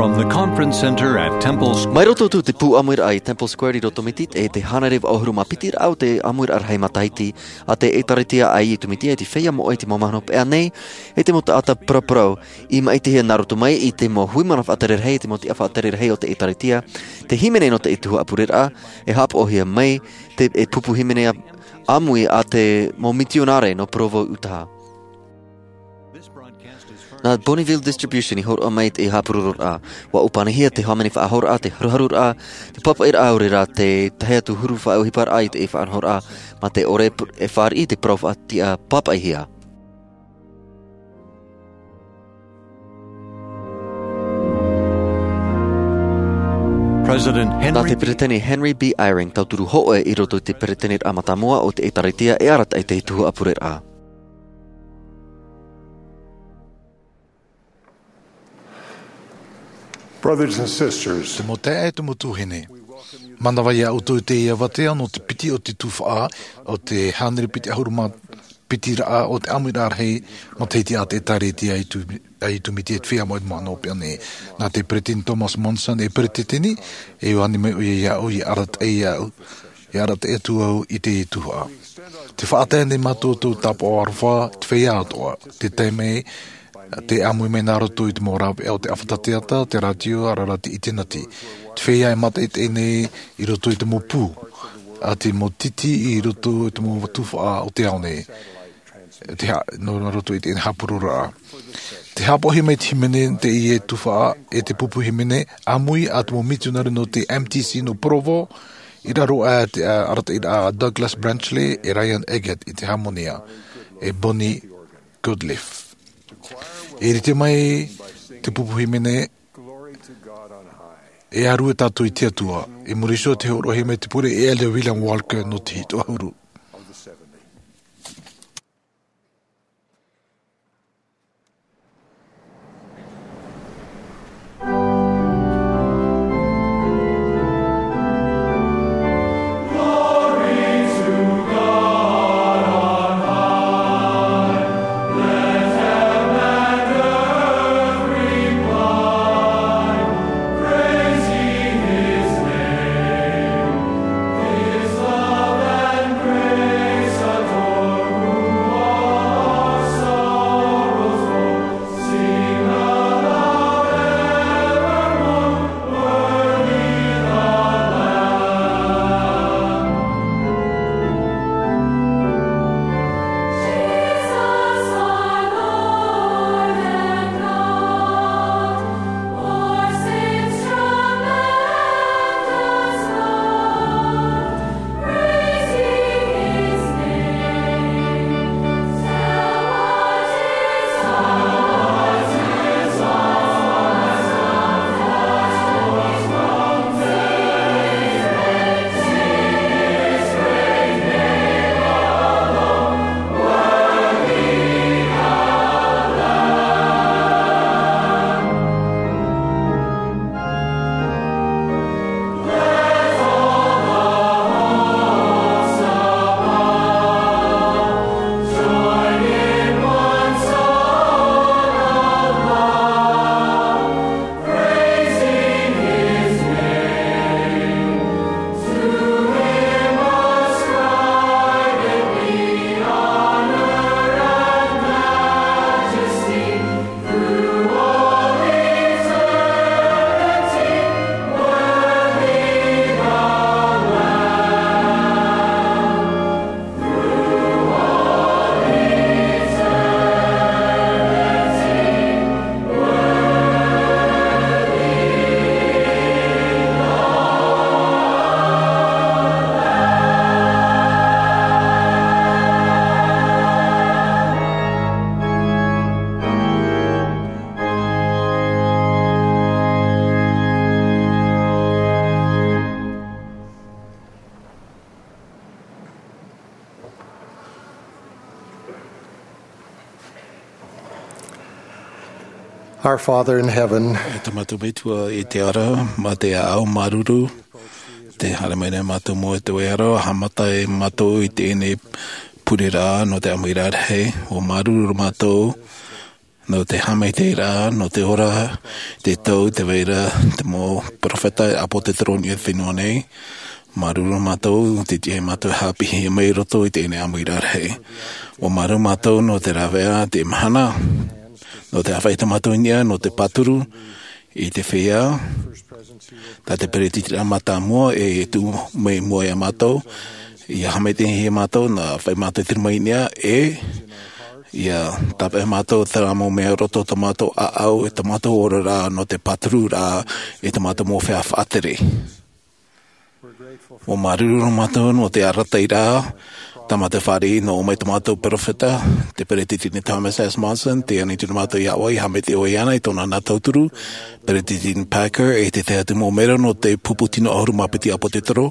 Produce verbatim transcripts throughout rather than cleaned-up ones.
From the conference center at Temple Square. Mai roto atu te pū ʻāmuiraʻa i Temple Square i Rotomiti, e te hānere vaʻu ʻahuru mā piti raʻa o te ʻāmuiraʻa rahi matahiti a te ʻĒtārētia ʻAi i Tumiti, e te feiā moʻe i te mau mahana hopeʻa nei, e te mau taʻata paraparau, i maʻitihia nā roto mai i te mau hui mana faʻatere rahi, e te mau tiʻa faʻatere rahi o te ʻĒtārētia, te hīmene nō te tuhaʻa pureraʻa, e haʻapaʻohia mai, te, e pupu hīmene ʻāmui a te mau mitionare nō Provo, Utah. Nā Bonneville Distribution i hōroʻa mai te haʻapurororaʻa. ʻUa ʻōpanihia te hāmani faʻahouraʻa, te haruharuraʻa, te pāpaʻiraʻa, ʻaore rā te tahi atu huru faʻaʻohiparaʻa i te faʻanahoraʻa, mā te ʻore pr-, e fāriʻi te parau faʻatiʻa pāpaʻihia. President Henry Nā te Peresideni Henry B. Eyring, tauturu hōʻē i roto i te Peresideniraʻa mātāmua o te ʻĒtārētia e arataʻi i te tuhaʻa pureraʻa. Brothers and sisters, te mau taeaʻe, te mau tuahine, manava ia ʻoutou i teie avatea nō te piti o te tuhaʻa o te hānere piti ʻahuru mā piti raʻa o te ʻāmuiraʻa rahi matahiti a te ʻĒtārētia ʻAi i Tu-, ʻAi i Tumiti, e te feiā moʻe i te mau mahana hopeʻa nei. Nā te Peresideni Thomas Monson e peresideni, e ʻua ani mai ʻoia iāʻu ia arataʻi iāʻu, ia arataʻi atu au i teie tuhaʻa. Tē faʻatae nei mātou tō tāpaʻo aroha, te feiā atoʻa. Tē tae mai, tē ʻāmui mai nā roto i te mau rāveʻa o te ʻāfata teata, te rātio, ʻaore rā te ʻiteneti. Te feiā e mātaʻitaʻi nei i roto i te mau pū, ʻa te mau titi i roto i te mau tuhaʻa o te ao nei. Te ha-, nō, nā roto i te haʻapurororaʻa. Tē haʻapaʻohia mai te hīmene teie tuhaʻa, e te pupu hīmene ʻāmui a te mau mitionare nō te M T C nō Provo, i raro aʻe i te, ā, arataʻiraʻa a Douglas Branchley e Ryan Eggett i te hāmōnia, e Bonnie Godliff. E rite mai te pupu hīmene, e ʻaru e tātou i te Atua, i muri iho tē hōroʻahia mai te pure e Elder William Walker nō te hitu ʻahuru. Our Father in heaven, E tā mātou Metua i te ara, mā te ʻāʻau māuruuru, tē haere mai nei mātou mau e tō ʻoe ara, haʻamata e mātou i teie nei pureraʻa nō te ʻāmuiraʻa rahi, ʻua māuruuru mātou, Nō te haʻamaitaʻiraʻa, nō te ora, te tau, te vai ra, te mau peropheta, ʻāpōsetolo i niʻa i te fenua nei. Māuruuru mātou, te tiʻa ia mātou e haʻapiʻihia mai i roto i teie nei ʻāmuiraʻa rahi. ʻUa māuruuru mātou nō te rāveʻa, te mahana, nō te ʻāfaʻi tā mātou i niʻa, nō te pāturu, i te feiā, tā te peretiteniraʻa mātāmua e tuʻu mai i mua ia mātou, ʻia haʻamaitaʻihia mātou, nā ʻāfaʻi mātou i te rima i niʻa, e, ʻia tāpeʻa mātou terā mau mea roto tō mātou ʻāʻau, e tō mātou oraraʻa, nō te pātururaʻa, e tō mātou mau feiā faʻatere. ʻUa māuruuru mātou nō te arataʻiraʻa, tā mātou fāriʻi, nō ʻō mai tō mātou peropheta, te peretiteni Thomas S. Monson, tē ani atu nei mātou iā ʻoe, ʻia haʻamaitaʻi ʻoe iāna i tōna nā tauturu, peretiteni Packer, e te tahi atu mau mero nō te pupu tino ʻahuru mā piti ʻāpōsetolo,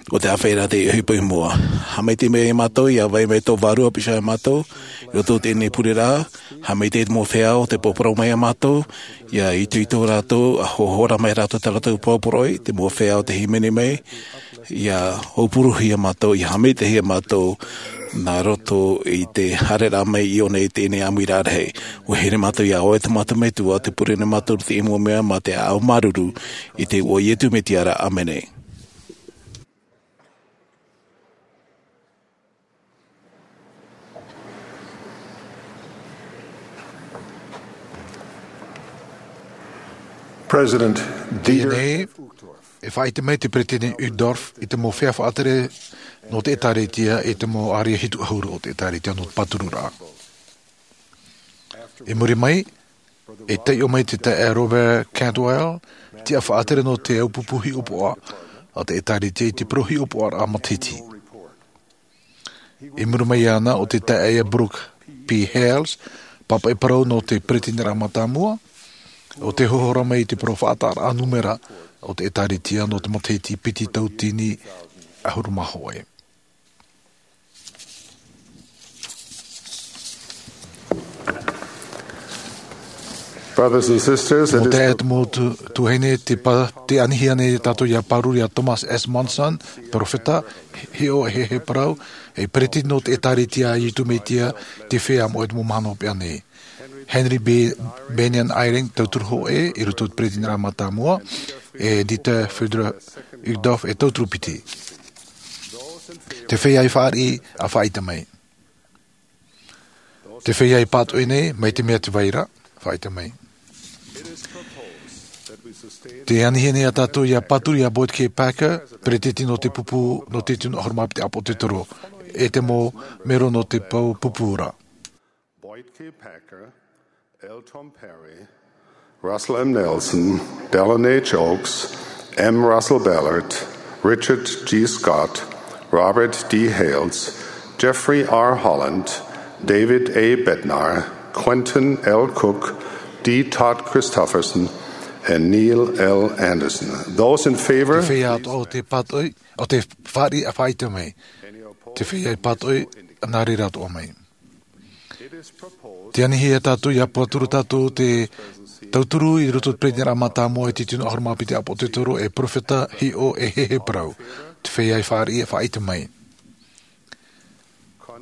ʻo te ʻāfaʻiraʻa tei ʻohipa i mua. Haʻamaitaʻi mai ia mātou, ʻia vai mai tō vārua piha ia mātou, i roto i teie nei pureraʻa, haʻamaitaʻi te mau feiā ʻo tē parau mai ia mātou, ʻia itoito rātou, ʻa hohora mai rātou tā rātou parau poroʻi, te mau feiā ʻo tē hīmene mai, ʻia haupuruhia mātou, ʻia haʻamaitaʻihia mātou, nā roto i te haereraʻa mai iāna i teie nei ʻāmuiraʻa rahi. ʻUa here mātou iā ʻoe tō mātou Metua, tē pure nei mātou i teie mau mea, mā te ʻāʻau māuruuru, i te iʻoa o Iesu Mesia ra, ʻāmene. President Dieter F. Uchtdorf. E faʻaʻite mai te peretiteni Uchtdorf i te mau feiā faʻatere nō te ʻĒtārētia, e te mau ʻārea hitu ʻahuru o te ʻĒtārētia nō te pātururaʻa. I muri mai, e taiʻo mai te taeaʻe Robert Cantwell, tiʻa faʻatere nō te ʻāupupu hiʻopoʻa a te ʻĒtārētia i te parau hiʻopoʻaraʻa matahiti. I muri mai iāna ʻo te taeaʻe Brooke P. Hales, pāpaʻi parau nō te peretiteniraʻa mātāmua, ʻo tē hohora mai i te parau faʻataʻaraʻa nūmera o te ʻĒtārētia nō te matahiti piti tauatini ʻahuru mā hōʻē. Brothers and sisters, it Mau is taeaʻe, mau tu-, tuahine, te pa-, tē anihia nei tātou ʻia pāruru iā Thomas S. Monson, peropheta, hiʻo e heheu parau, e peretiteni nō te ʻĒtārētia a Iesu Mesia i te feiā moʻe i te mau mahana hopeʻa nei. Henry B. Bennion Eyring, tauturu hōʻē, i roto i te peretiteniraʻa mātāmua, e Dieter Friedrich Uchtdorf, e tauturu piti. Te feiā i fāriʻi, ʻa faʻaʻite mai. Te feiā i pātoʻi nei, mai te mea tē vai ra, faʻaʻite mai. Tē anihia nei tātou ʻia pāturu iā Boyd K. Packer, peretiteni nō te pupu, nō te tino ʻahuru mā piti ʻāpōsetolo, e te mau mero nō te pau pupu ra. Boyd K. Packer, L. Tom Perry, Russell M. Nelson, Dallin H. Oaks, M. Russell Ballard, Richard G. Scott, Robert D. Hales, Jeffrey R. Holland, David A. Bednar, Quentin L. Cook, D. Todd Christofferson, and Neil L. Andersen. Those in favor, Te feiā atoʻa o te pātoʻi, o te fāriʻi, ʻa faʻaʻite mai. Te feiā i pātoʻi, nā reira atoʻa mai. Tē anihia tātou ʻia pāturu tātou te tauturu i roto i te peretiteniraʻa mātāmua i te tino ʻahuru mā piti ʻāpōsetolo, e peropheta, hiʻo e heheu parau. Te feiā i fāriʻi, ʻa faʻaʻite mai.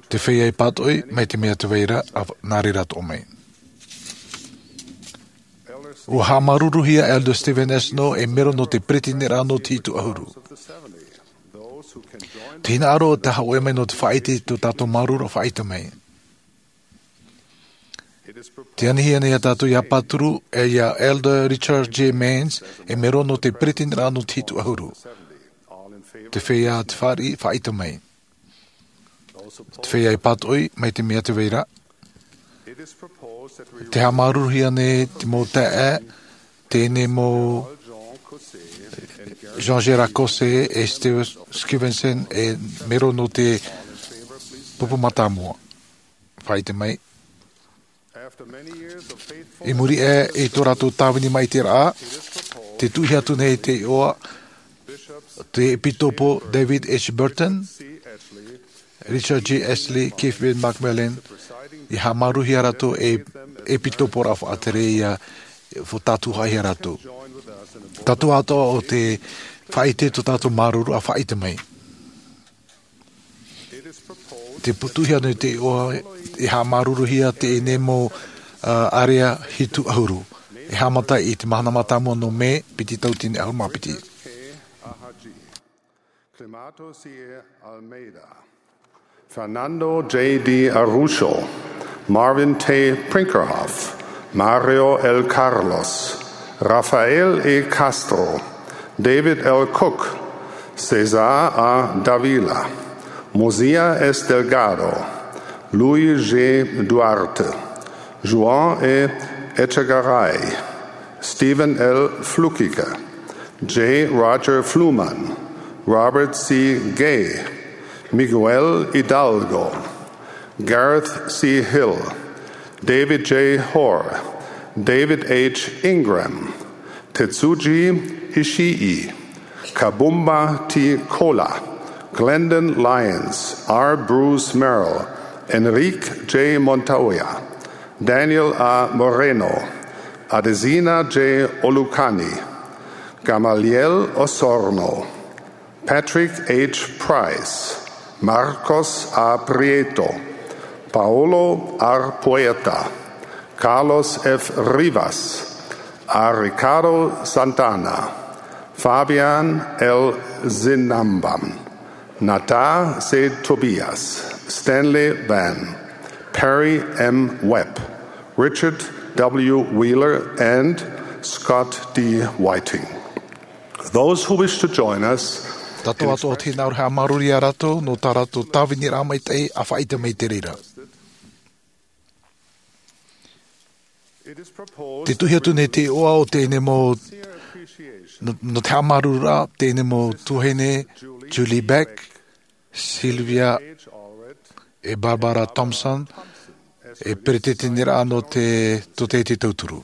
Te feiā i pātoʻi, mai te mea tē vai ra, ʻa, nā reira atoʻa mai. ʻUa haʻamāuruuruhia Elder Steven S. Snow, e mero nō te peretiteniraʻa nō te hitu ʻahuru. Te hinaʻaro tē haʻahoʻi mai nō te faʻaʻite i tō tātou māuruuru, ʻa faʻaʻite mai. Tē anihia nei tātou ʻia pāturu, e iā Elder Richard J. Maynes, e mero nō te peretiteniraʻa nō te hitu ʻahuru. Te feiā tē fāriʻi, ʻa faʻaʻite mai. Te feiā i pātoʻi, mai te mea tē vai ra. Tē haʻamāuruuruhia nei te mau taeaʻe, teie nei mau Jean Gérard Caussé e Steve Skivingson, e mero nō te pupu mātāmua. Faʻaʻite mai. I muri aʻe i tō rātou tāvini maitaʻiraʻa, tē tuʻuhia atu nei te iʻoa, te ʻEpitopo David H. Burton, Richard G. Astley, Keith Van McMillan, ʻia haʻamāuruuruhia rātou ei ʻepitoporaʻa faʻatere, ʻia fātata hia rātou. Tātou atoʻa ʻo tē faʻaʻite i tō tātou māuruuru, ʻa faʻaʻite mai. Tē tuʻuhia nei te iʻoa, e haʻamāuruuruhia teie nei mau Area hitu ahuru. E haʻamata i te mahana mātāmua nō Mē, piti tauatini ahuru mā piti. Climato C. Almeida, Fernando J. D'Araujo, Marvin T. Brinkerhoff, Mario L. Carlos, Rafael E. Castro, David L. Cook, Cesar A. Dávila, Mosiah S. Delgado, Luis G. Duarte, Juan E. Etchegaray, Steven L. Flukiger, J. Roger Fluhman, Robert C. Gay, Miguel Hidalgo, Gareth C. Hill, David J. Hoare, David H. Ingram, Tetsuji Ishii, Kabumba T. Kola, Glendon Lyons, R. Bruce Merrill, Enrique J. Montoya, Daniel A. Moreno, Adesina J. Olukanni, Gamaliel Osorno, Patrick H. Price, Marcos A. Prieto, Paolo R. Poeta, Carlos F. Rivas, A. Ricardo Santana, Fabian L. Zinambam, Nata C. Tobias, Stanley Van, Perry M. Webb, Richard W. Wheeler, and Scott D. Whiting. Those who wish to join us, Tātou atoʻa te hinaʻaro e haʻamāuruuru ia rātou nō tā rātou tāviniraʻa maitaʻi e faʻaʻite mai i te reira. Te tuhi atu nei te iʻoa o teie mau, nō, nō te haʻamāuruururaʻa, teie mau tuahine, Julie Beck, Sylvia, e Barbara Thompson, e peretiteniraʻa nō te, tō te, te tauturu.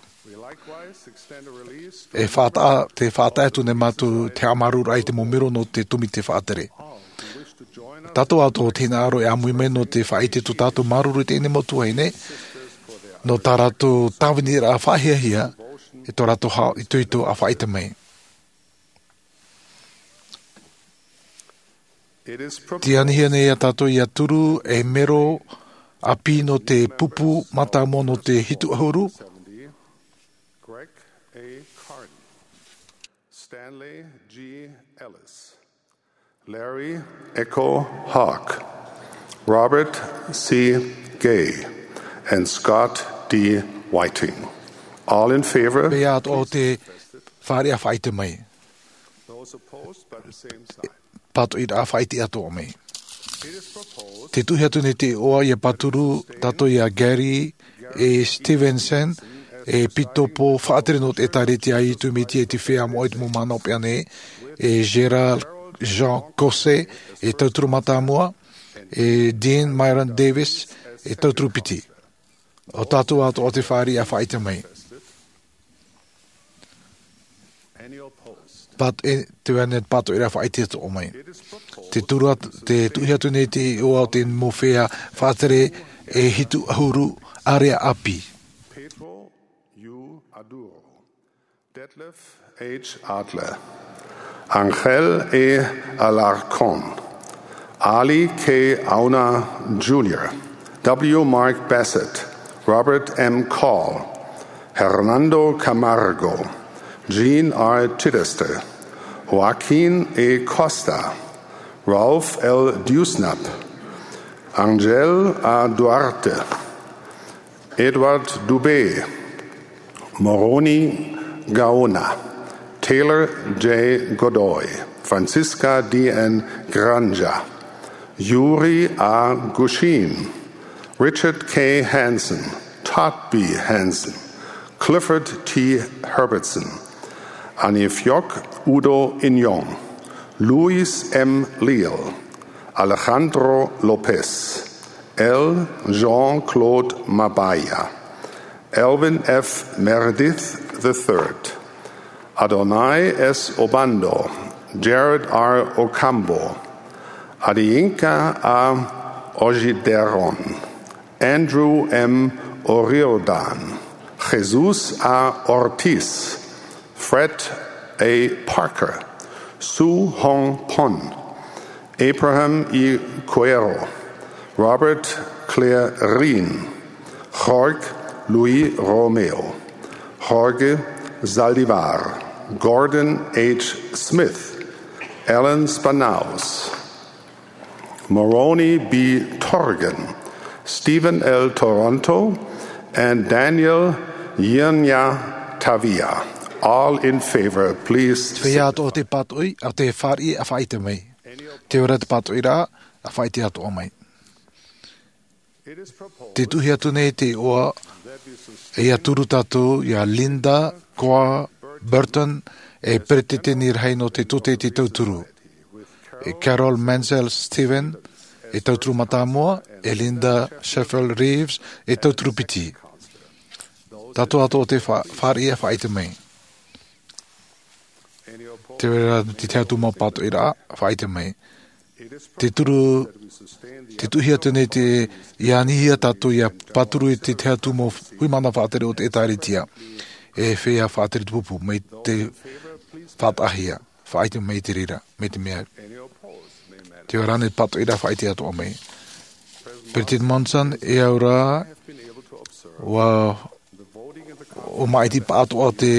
E faʻataʻa, tē faʻataʻa atu nei mātou te haʻamāuruururaʻa i te mau melo nō te tōmite faʻatere. Tātou atoʻa te hinaʻaro e ʻāmui mai nō te faʻaʻite tō tātou māuruuru i teie mau tuahine, nō tā rātou tāviniraʻa faʻahiahia, e tō rātou haʻaitoito e faʻaʻite mai. Tē anihia nei ia tātou ʻia turu ei melo ʻāpī nō te pupu mātāmua nō te hitu ʻahuru. Greg A. Carden, Stanley G. Ellis, Larry Echo Hawk, Robert C. Gay, and Scott D. Whiting. All in favor? Pea atoʻa te fāriʻi e faʻaʻite mai. Those opposed by the same sign. Pātoʻiraʻa e faʻaʻite atoʻa mai. Te tuhi atu nei te iʻoa ʻia pāturu tātou ia Gary A. Stevenson, e ʻepisekopo faʻatere nō te ʻĒtārētia a Iesu Mesia i te Feiā Moʻa i te mau mahana hopeʻa nei, e Gérald Jean Caussé, e tauturu mātāmua, e Dean Myron Davies, e tauturu piti. ʻO tātou atoʻa te fāriʻi e faʻaʻite mai. Pat-, e, te mea nei pātoʻiraʻa e faʻaʻite atoʻa mai. Te turu at-, te tuhi atu nei te iʻoa o te mau feiā faʻatere e hitu ʻahuru area ʻāpī. Pedro U. Aduro, Detlef H. Adler, Angel E. Alarcón, Ali K. Auna Junior, W. Mark Bassett, Robert M. Call, Hernando Camargo, Jean R. Chittister, Joaquin E. Costa, Ralph L. Dewsnup, Angel A. Duarte, Edward Dubé, Moroni Gaona, Taylor J. Godoy, Francisca D. N. Granja, Yuri A. Gushchin, Richard K. Hansen, Todd B. Hansen, Clifford T. Herbertson, Anifioc Udo Inyon, Luis M. Leal, Alejandro Lopez, L. Jean-Claude Mabaya, Elvin F. Meredith the third, Adonai S. Obando, Jared R. Ocampo, Adeyinka A. Oyederan, Andrew M. O'Riordan, Jesus A. Ortiz, Fred A. Parker, Su Hong Pon, Abraham E. Cuero, Robert Claire Reen, Jorge Luis Romeo, Jorge Zaldivar, Gordon H. Smith, Alan Spannaus, Moroni B. Torgan, Stephen L. Toronto, and Daniel Yirnya Tavia. All in favor, please. Te feiā atoʻa o te pātoʻi, ʻa te fāriʻi, ʻa faʻaʻite mai. Te ora te pātoʻi rā, ʻa faʻaʻite atoʻa mai. Te tuʻuhia atu nei te iʻoa, e ia turu tātou ia Linda Koa Burton, e peretiteni rahi nō te tōtaiete tauturu, e Carol Mansell Steven, e tauturu mātāmua, e Linda Sheffield Reeves, e tauturu piti. Tātou atoʻa o te fa-, fāriʻi ʻa faʻaʻite mai. Te reira te tahi atu mau pātoʻi rā, faʻaʻite mai. Te turu, te tuʻuhia atu nei te, ia anihia tātou ia pāturu i te tahi atu mau huimana faʻatere o te ʻĒtārētia. E feiā faʻatere te pupu, mai te faʻataʻahia, faʻaʻite mai te reira, mai te mea. Te ora nei pātoʻi rā faʻaʻite atoʻa mai. Peretiteni Monson, e au rā, ʻua ʻo maʻiti paʻatoʻa te,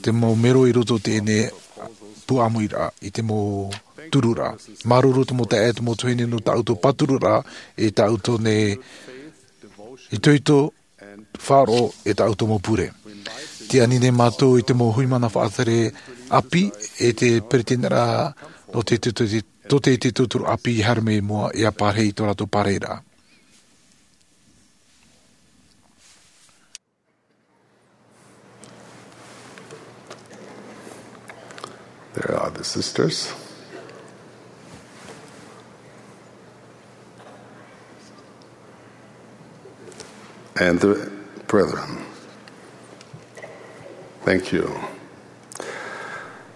te mau mero i roto i teie nei puʻamoʻiraʻa, i te mau tururaʻa. Māuruuru te mau taeaʻe, te mau tuahine nō tā ʻoutou pātururaʻa, i tā ʻoutou nei itoito, faʻaroʻo, e tā ʻoutou mau pure. Tē ani nei mātou i te mau huimana faʻatere ʻāpī, e te peretiteniraʻa nō te, te, te, tōtaiete tauturu ʻāpī i haere mai i mua, e ʻa pārahi i tō rātou pārahiraʻa. There are the sisters. And the brethren. Thank you.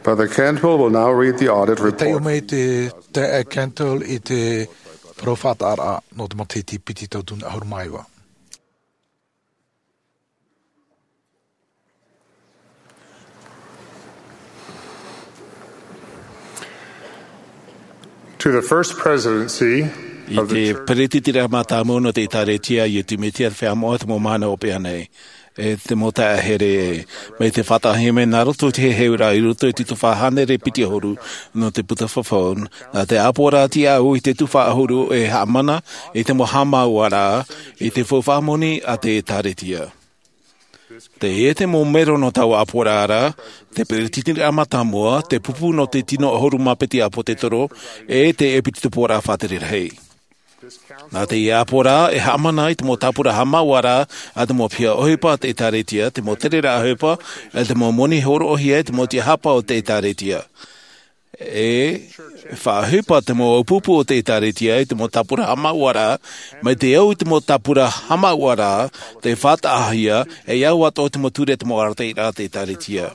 Brother Cantwell will now read the audit report. Taiʻo mai te, te Cantwell i te parau faʻataʻaraʻa nō te matahiti piti tauatini ʻahuru mā iva. To the first presidency I of the te church. Peretitiraʻa mātāmua nō te ʻĒtārētia, ʻo Iesu Mesia, te Feiā Moʻa, te mau mahana hopeʻa nei, e te mau taeaʻe here, mai te faʻataʻahia mai nā roto i te heheuraʻa i roto i te tuhaʻa hānere piti ʻahuru nō te puta fafau, nā te ʻāpoʻoraʻa atu au i te tuhaʻa ʻahuru e haʻamana i te mau haʻamāuʻaraʻa i te faufaʻa moni a te ʻĒtārētia. Teie te mau mero nō taua ʻāpoʻoraʻa ra, te peretitiraʻa mātāmua, te pupu nō te tino ʻahuru mā piti ʻāpōsetolo, e te ʻepikoporaʻa faʻatere rahi. Nā teie ʻāpoʻoraʻa e haʻamana i te mau tāpura haʻamāuʻaraʻa a te mau piha ʻohipa a te ʻĒtārētia, te mau tereraʻa ʻohipa, e te mau moni hōroʻahia e te mau tiahapa o te ʻĒtārētia. E faʻaʻohipa te mau ʻāpupu o te ʻĒtārētia i te mau tāpura haʻamāuʻaraʻa, mai te au i te mau tāpura haʻamāuʻaraʻa, tē faʻataʻahia, e au atoʻa te mau ture te mau arataʻiraʻa a te ʻĒtārētia.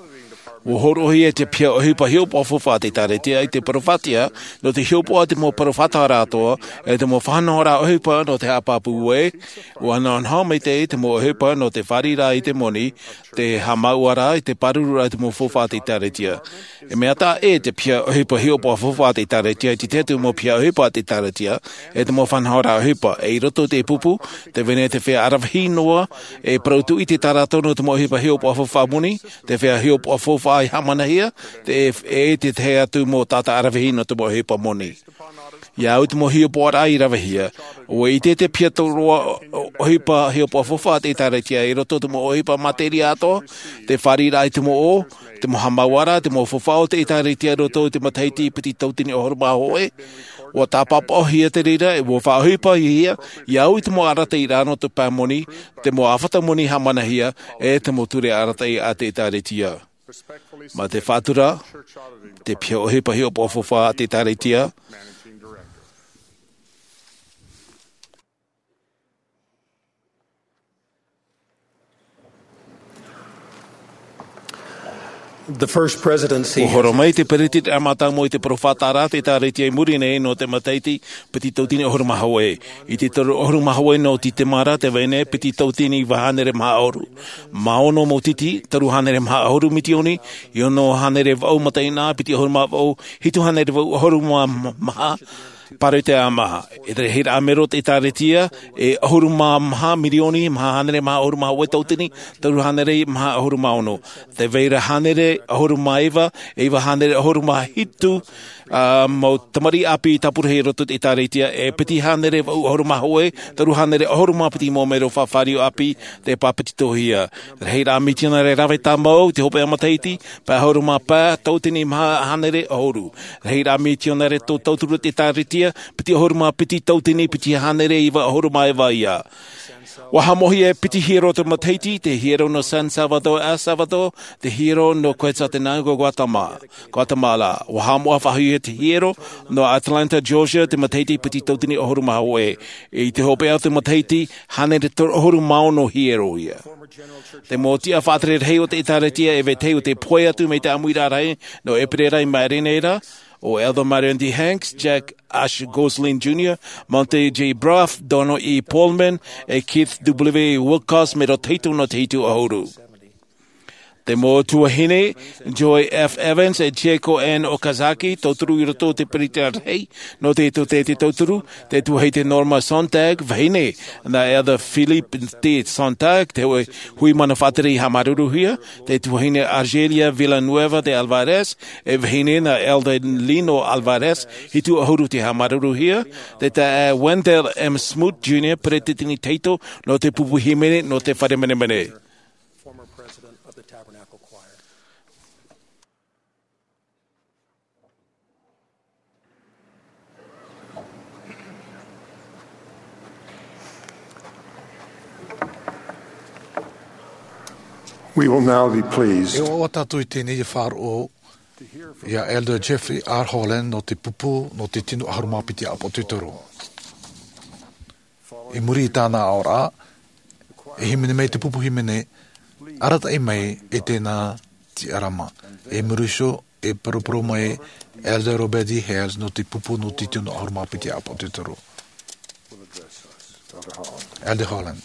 ʻUa hōroʻahia te piha ʻohipa hiʻopoʻa faufaʻa a te ʻĒtārētia i te peropheta, nō te hiʻopoʻa te mau peropheta atoʻa, e te mau faʻanahoraʻa ʻohipa nō te haʻapāpū ē, ʻua nahonaho maitaʻi te mau ʻohipa nō te fāriʻiraʻa i te moni, te haʻamāuʻaraʻa, i te pāruruʻraʻa i te mau faufaʻa a te ʻĒtārētia. E mea taʻa ʻē te piha ʻohipa hiʻopoʻa faufaʻa a te ʻĒtārētia i te tahi atu mau piha ʻohipa a te ʻĒtārētia, e te mau faʻanahoraʻa ʻohipa, e i roto i te pupu, tē vai nei te feiā ʻaravihi noa, e parau atu i te taʻata nō te mau ʻohipa hiʻopoʻa faufaʻa moni, te feiā hiʻopoʻa faufaʻa i haʻamanahia, te, e te tahi atu mau taʻata ʻaravihi nō te mau ʻohipa moni. ʻIa au i te mau hiʻopoʻaraʻa i ravehia, ʻua ʻite te piha tōroa ʻohipa hiʻopoʻa faufaʻa a te ʻĒtārētia i roto i te mau ʻohipa materia atoʻa, te fāriʻiraʻa i te mau ʻō, te mau haʻamāuʻaraʻa, te mau faufaʻa o te ʻĒtārētia i roto i te matahiti piti tauatini ʻahuru mā hōʻē, ʻua tāpapaʻohia te reira, e ʻua faʻaʻohipahia, ʻia au i te mau arataʻiraʻa nō te pae moni, te mau ʻāfata moni haʻamanahia, e te mau ture arataʻi a te ʻĒtārētia. Mā te faʻatura, te piha ʻohipa hiʻopoʻa faufaʻa a te ʻĒtārētia. The first presidency ʻUa horo mai te peretitiraʻa mātāmua i te peropheta a te ʻĒtārētia i muri nei nō te matahiti piti tauatini ʻahuru mā hōʻē. I te toru ʻahuru mā hōʻē nō Tītema ra tē vai nei piti tauatini iva hānere maha ʻahuru mā ono mau titi, toru hānere maha ʻahuru mitioni, e ono hānere vaʻu mataʻeinaʻa, piti ʻahuru mā vaʻu, hitu hānere vaʻu ʻahuru mā maha, Pāroita e maha. E te rahiraʻa mero o te ʻĒtārētia, e ʻahuru mā maha mirioni, maha hānere, maha ʻahuru mā hōʻē tauatini, toru hānere, maha ʻahuru mā ono. Te vai ra hānere, ʻahuru mā iva, e iva hānere, ʻahuru mā hitu, ā, mau tamariʻi ʻāpī tāpura i roto i te ʻĒtārētia, e piti hānere, vaʻu ʻahuru mā hōʻē, toru hānere, ʻahuru mā piti mau mero faʻafāriu ʻāpī, tei pāpetitohia. Rahiraʻa mitionare rave tāmau, te hopeʻa matahiti, pae ʻahuru mā pae, tauatini maha hānere, ʻahuru. Rahiraʻa mitionare tō tauturu i te ʻĒtārētia, piti ʻahuru mā piti tauatini, piti hānere, iva ʻahuru mā iva ia. ʻUa haʻamoʻahia e piti hiero te matahiti, te hiero nō San Salvador, El Salvador, te hiero nō Quetzaltenango, Guatema-, Guatemala. ʻUa haʻamoʻa faʻahou ia te hiero nō Atlanta, Georgia, te matahiti piti tauatini ʻahuru mā hōʻē. I te hopeʻa o te matahiti, hānere toru ʻahuru mā ono hiero ia. Te mau tiʻa faʻatere rahi o te ʻĒtārētia e vetahi o te pohe atu mai te ʻāmuiraʻa rahi nō ʻEperēra i maʻiri nei ra, ʻo Elder Marion D. Hanks, Jack Ash Gosling Junior, Monte J. Braff, Donald E. Pullman, e Keith W. Wilcox, mero tahito nō te hitu ʻahuru. Te mau tuahine, Joy F. Evans, e Chieko N. Okazaki, tauturu i roto o te peretiteni rahi nō te tōtaiete tauturu, te tuahine Norma Sontag, vahine nā Elder Philip T. Sontag, te hui, hui mana faʻatere i haʻamāuruuruhia, te tuahine Argelia Villanueva de Alvarez, e vahine nā Elder Lino Alvarez, hitu ʻahuru te haʻamāuruuruhia, te taeaʻe Wendell M. Smoot Junior, peretiteni tahito nō te pupu hīmene nō te fare menemene. Former president of the Tabernacle Choir. We will now be pleased. E ʻoaʻoa tātou i teie nei e faʻaroʻo ia Elder Jeffrey R. Holland nō te pupu nō te tino ʻahuru mā piti ʻāpōsetolo. I muri i tāna aʻoraʻa, e hīmene mai te pupu hīmene, Arataʻi mai e tēnā tiʻarama. I muri iho, e poroporo mai Elder Robert D. Hales nō te pupu nō te tino ʻahuru mā piti ʻāpōsetolo. Elder Holland.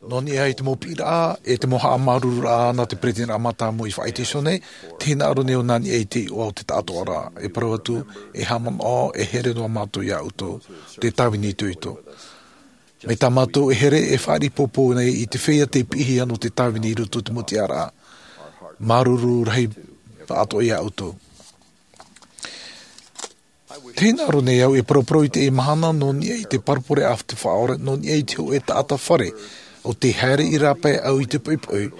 Nō niʻa i te mau piʻiraʻa, e te mau haʻamāuruururaʻa nā te peretiteniraʻa mātāmua i faʻaʻite iho nei, tē hinaʻaro nei ʻo nā niʻa i te iʻoa o te taʻatoʻaraʻa. E parau atu, e haʻamanaʻo, e here noa mātou iā ʻoutou, te tāvini itoito. Mai tā mātou e here, e fāriʻi pōpō nei i te feiā tei piʻihia nō te tāvini i roto i te mau tiʻaraʻa. Māuruuru rahi faʻatoʻa iā ʻoutou. Tē hinaʻaro nei au e poroporo i teie mahana nō niʻa i te parabole a te Faʻaora, nō niʻa i te hōʻē taʻata fare, ʻo tē haere i rāpae au i te poʻipoʻi,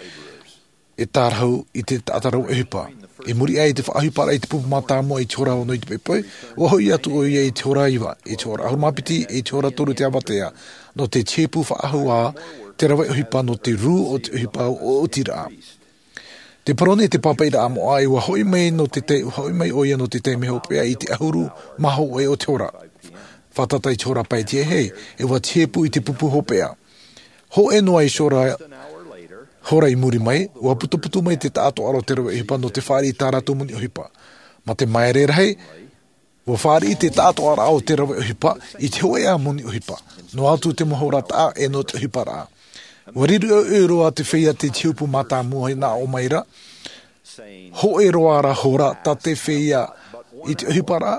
e tārahu i te taʻata rave ʻohipa. I muri aʻe i te faʻaʻohiparaʻa i te pupu mātāmua i te hora ono i te poʻipoʻi, ʻua hoʻi atu ʻoia i te hora iva, i te hora ʻahuru mā piti, i te hora toru te avatea, nō te tiʻapuʻu faʻahou ā te rave ʻohipa nō te rū o te ʻohipa ʻoʻotiraʻa. Te parau nei te pāpaʻiraʻa moʻa, e ʻua hoʻi mai nō te tai-, hoʻi mai ʻoia nō te taime hopeʻa i te ʻahuru mā hōʻē o te hora. Fātata i te hora pae tiahei, e ʻua tiʻapuʻu i te pupu hopeʻa. Hōʻē noa i te hora, hora i muri mai, ʻua putuputu mai te taʻatoʻaraʻa o te rave ʻohipa nō te fāriʻi i tā rātou moni ʻohipa. Mā te māere rahi, ʻua fāriʻi te taʻatoʻaraʻa o te rave ʻohipa i te hōʻē ā moni ʻohipa. Noa atu te mau hora taʻa e nō te ʻohiparaʻa. ʻUa riro ʻoiʻoi roa te feiā tei tiʻapuʻu mātāmua i nā ʻō mai ra. Hōʻē roa rā hora tā te feiā i te ʻohiparaʻa.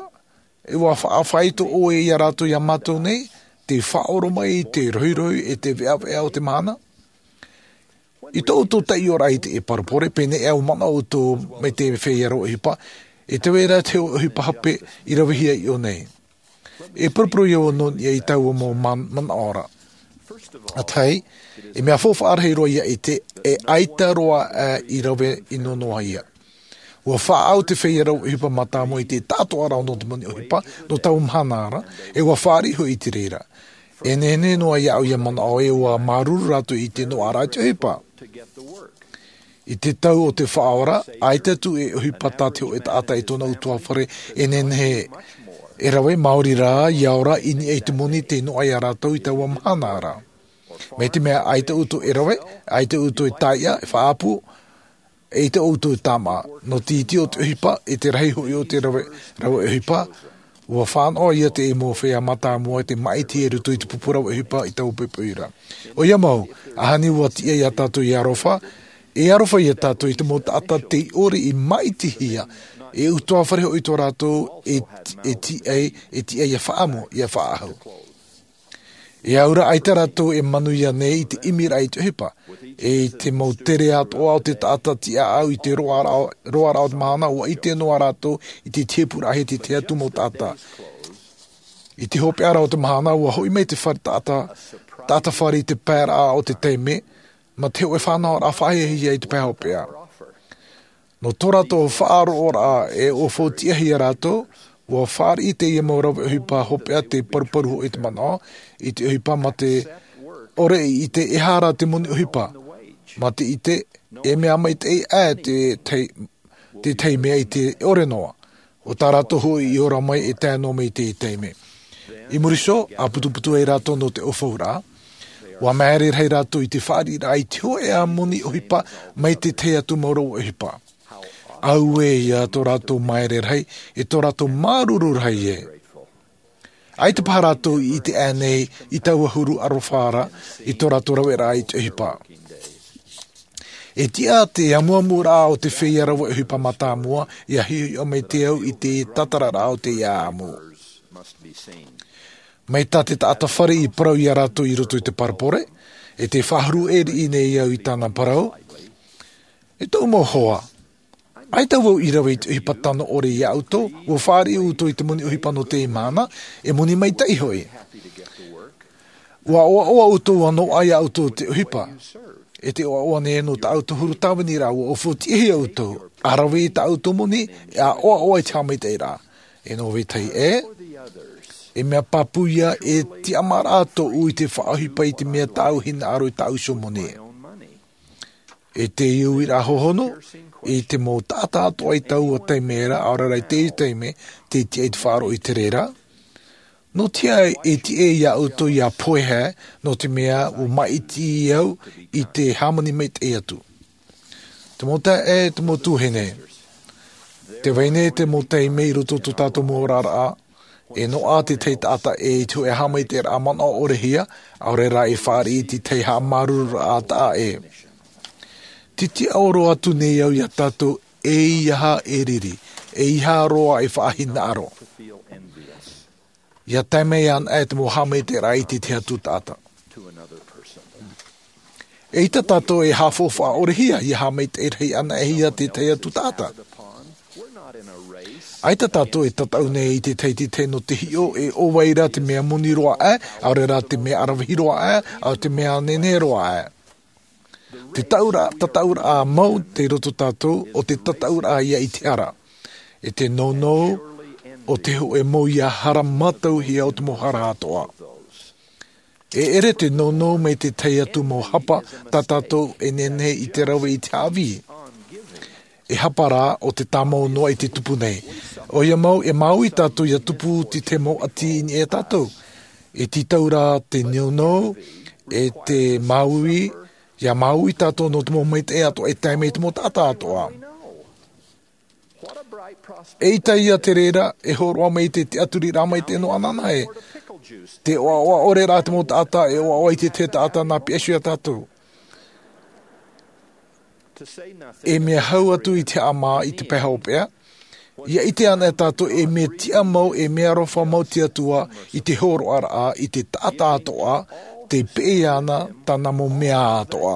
E ʻua faʻafaito ʻoe iā rātou iā mātou nei, te faʻaʻoro mai, te rohirohi, e te veʻaveʻa o te mahana. I tō ʻoutou taiʻoraʻa i teie parabole, pēneiaʻe ʻua manaʻo ʻoutou mai te feiā rave ʻohipa, e te vai ra te ʻohipa hape i ravehia i ʻō nei. E poroporohia vau nō niʻa i taua mau man-, manaʻo ra. ʻA tahi, e mea faufaʻa rahi roa ia ʻite, e ʻaita roa ā i rave ʻino noa ia. ʻUa faʻaau te feiā rave ʻohipa mātāmua i te taʻatoʻaraʻa nō te moni ʻohipa, nō taua mahana ra, e ʻua fāriʻi hoʻi i te reira. E nehenehe noa iāʻu ia manaʻo ē ʻua māuruuru rātou i te noaʻaraʻa i te ʻohipa. I te tau o te Faʻaora, ʻaita atu e ʻohipa tā te hōʻē taʻata i tōna ʻutuāfare, e nehenehe e rave, maori rā, ia ora i niʻa i te moni tei noaʻa iā rātou i taua mahana ra. Mai te mea ʻaita ʻoutou e rave, ʻaita ʻoutou e taiʻa, e faʻaʻapu, ʻaita ʻoutou e tāmā. Nō te iti o te ʻohipa, e te rahi hoʻi o te rave, rave ʻohipa, Ua fānaʻo ia te mau feiā mātāmua i te māʻiti i roto i te pupu rave ʻohipa i taua poʻipoʻi ra. ʻOia mau, ʻaita ua tiʻa ia tātou e aroha, e aroha ia tātou i te mau taʻata tei ʻore i māʻitihia, e ʻutuāfare hoʻi tō rātou e, e tiʻa, e tiʻa ia faʻaʻamu, ia faʻaʻahu. E aura ʻaita rātou e manuia nei i te ʻimiraʻa i te ʻohipa, e i te mau tere atoʻa o te taʻata tiʻaʻau i te roaraʻa, roaraʻa o te mahana, ua ʻite noa rātou i te tiepuraʻa i te tahi atu mau taʻata. I te hopeʻa ra o te mahana, ua hoʻi mai te fare taʻata, taʻata fare i te paeraʻa o te taime, mā te hōʻē fānaʻoraʻa faʻahiahia i te pae hopeʻa. Nō tō rātou faʻaroʻoraʻa e ʻua faʻatiʻahia rātou, ua fāriʻi teie mau rave ʻohipa hopeʻa te paruparu hoʻi te manaʻo, i te ʻohipa mā te ʻore i ʻite e aha rā te moni ʻohipa, mā te ʻite e mea maitaʻi aʻe te tahi, te tahi mea i te ʻore noa. ʻO tā rātou hoʻi i ora mai e tae noa mai i te taime. I muri iho, ʻa putuputu ai rātou nō te ʻaufauraʻa, ua māere rahi rātou i te fāriʻiraʻa i te hōʻē moni ʻohipa mai te tahi atu mau rave ʻohipa. Auē ia tō rātou māere rahi, e tō rātou māuruuru rahi ē. ʻAita paha rātou i ʻite aʻe nei i taua huru aroha ra i tō rātou raveraʻa i te ʻohipa. E tiʻa te amuamuraʻa o te feiā rave ʻohipa mātāmua, ia hiʻohiʻo mai te au i te tatararaʻa o te ʻāʻamu. Mai tā te taʻata fare i parau ia rātou i roto i te parabole, e tē faʻahuru ʻē riʻi nei au i tāna parau, e tōʻu mau hoa, ʻaita vau i rave i te ʻohipa tano ʻore ia ʻoutou, ua fāriʻi ʻoutou i te moni ʻohipa nō teie mahana, e moni maitaʻi hoʻi. Ua ʻoaʻoa ʻoutou ʻua noaʻa ia ʻoutou te ʻohipa. E tē ʻoaʻoa nei nō tā ʻoutou huru tāviniraʻa, ua faʻatiʻahia ʻoutou, ʻa rave i tā ʻoutou moni, ʻa ʻoaʻoa i te haʻamaitaʻiraʻa. E nō vetahi ē, e mea pāpū ia e tiʻamāraʻa tōʻu i te faʻaʻohipa i te mea tāʻu hinaʻaro i tāʻu iho moni. E te uiraʻa hōhonu, i te mau taʻata atoʻa i taua taime ra, ʻaore rā i teie taime, tē tiʻa i te faʻaroʻo i te reira. Nō te aha e tiʻa ia ʻoutou ia pohe, nō te mea ua māʻiti au i te hāmani maitaʻi atu. Te mau taeaʻe, te mau tuahine. Tē vai nei te mau taime i roto i tō tātou mau oraraʻa, e noaʻa te tahi taʻata ʻē i te hōʻē haʻamaitaʻiraʻa manaʻo ʻorehia, ʻaore rā e fāriʻi i te tahi haʻamāuruururaʻa taʻa ʻē. Tē tiʻaoro atu nei au ia tātou, eiaha e riri, eiaha roa e faʻahinaʻaro. Ia tae mai ana e te mau haʻamaitaʻiraʻa i te tahi atu taʻata. ʻEita tātou e haʻafaufaʻa ʻorehia, ia haʻamaitaʻi rahi anaʻe ia te tahi atu taʻata. ʻAita tātou e tataʻu nei i te tahi i te tahi nō te hiʻo e ʻo vai rā te mea moni roa aʻe, ʻaore rā te mea ʻaravihi roa aʻe, ʻa te mea nehenehe roa aʻe. Te taura, tataʻuraʻa mau tei roto tātou, ʻo te tataʻuraʻa ia i te hara. E te nounou, ʻo te hōʻē mau ia hara mātauhia o te mau hara atoʻa. E ʻere te nounou mai te tahi atu mau hapa, tā tātou e nehenehe i te rave i te haʻavī. E hapa rā, ʻo te tāmau noa i te tupu nei. ʻOia mau, e māuiui tātou ia tupu te tahi mau ʻati i niʻa ia tātou. E tītau rā te nounou, e te māuiui, ia māuiui tātou nō te mau maitaʻi atoʻa e tae mai te mau taʻata atoʻa. ʻEita ia te reira, e hōroʻa mai te tiʻaturiraʻa maitaʻi nō Ananahi. Te ʻoaʻoa ʻore rā te mau taʻata, e ʻoaʻoa i te tahi taʻata nā piʻi iho ia tātou. E mea hau atu i te haʻamā i te pae hopeʻa, ia ʻite ana e tātou e mea tiʻa mau, e mea aroha mau te Atua i te hōroʻaraʻa i te taʻata atoʻa, tei peʻe ana tāna mau mea atoʻa.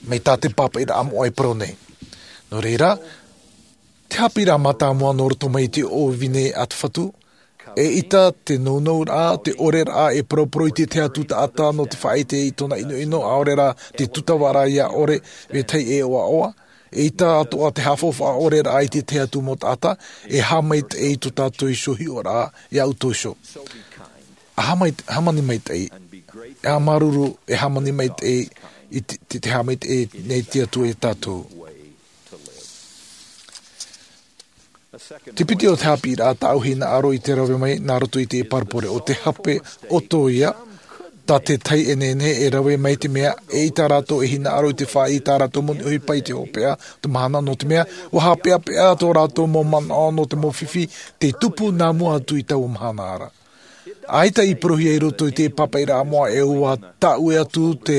Mai tā te pāpaʻiraʻa moʻa e parau nei. Nō reira, te haʻapiʻiraʻa mātāmua nō roto mai i te ʻōvine a te Fatu, ʻeita te nounouraʻa, te ʻoreraʻa e paraparau i te tahi atu taʻata nō te faʻaʻite i tōna ʻinoʻino, ʻaore rā te tūtavaraʻa ia ʻore vetahi e ʻoaʻoa, ʻeita atoʻa te haʻafaufaʻa ʻoreraʻa i te tahi atu mau taʻata, e haʻamaitaʻi i tō tātou iho hiʻoraʻa, ia ʻoutou iho. ʻA hāmai-, hāmani maitaʻi, e ʻa māuruuru, e hāmani maitaʻi, i te, te, te haʻamaitaʻi nei te Atua ia tātou. Te piti o te haʻapiʻiraʻa tāʻu hinaʻaro i te rave mai nā roto i te parabole ʻo te hape ʻoto ia, Pā te tahi e nehenehe e rave mai te mea e ʻita rātou e hinaʻaro i te fāʻi i tā rātou moni ʻohipa i te hopeʻa o te mahana, nō te mea ua haʻapeʻapeʻa tō rātou mau manaʻo nō te mau fifi tei tupu nā mua atu i taua mahana ra. ʻAita i parauhia i roto i te pāpaʻiraʻa moʻa e ua taʻue atu te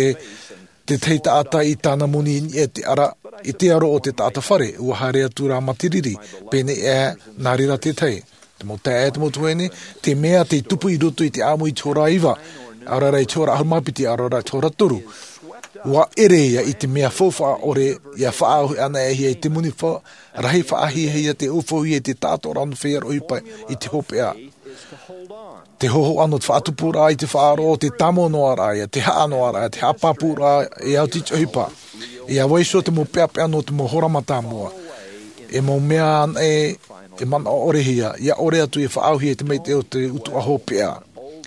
tētahi taʻata i tāna moni i niʻa i te ara i te aro o te taʻata fare, ua haere atu rā mā te riri. Pēnei ʻā, nā reira tētahi, te mau taeaʻe, te mau tuahine, te mea tei tupu i roto i te ʻāmui i te hora iva, ʻaore rā i te hora ʻahuru mā piti, ʻaore rā i te hora toru, ua ʻere ia i te mea faufaʻa ʻore ia faʻaauhia ana e hia i te moni rahi faʻahiahia te ʻaufauhia i te taʻatoʻaraʻa nō feiā ʻohipa i te hopeʻa. Te hōhoʻa nō te faʻatupuraʻa i te faʻaroʻo, te tāmau noa raʻa ia, te haʻa noa raʻa, te haʻapāpūraʻa e au i te ʻohipa. Ia vaiiho te mau peʻapeʻa nō te mau hora mātāmua, e mau mea anaʻe e manaʻo ʻorehia ia ʻore atu e faʻaauhia i te maitaʻi o te utuʻa hopeʻa.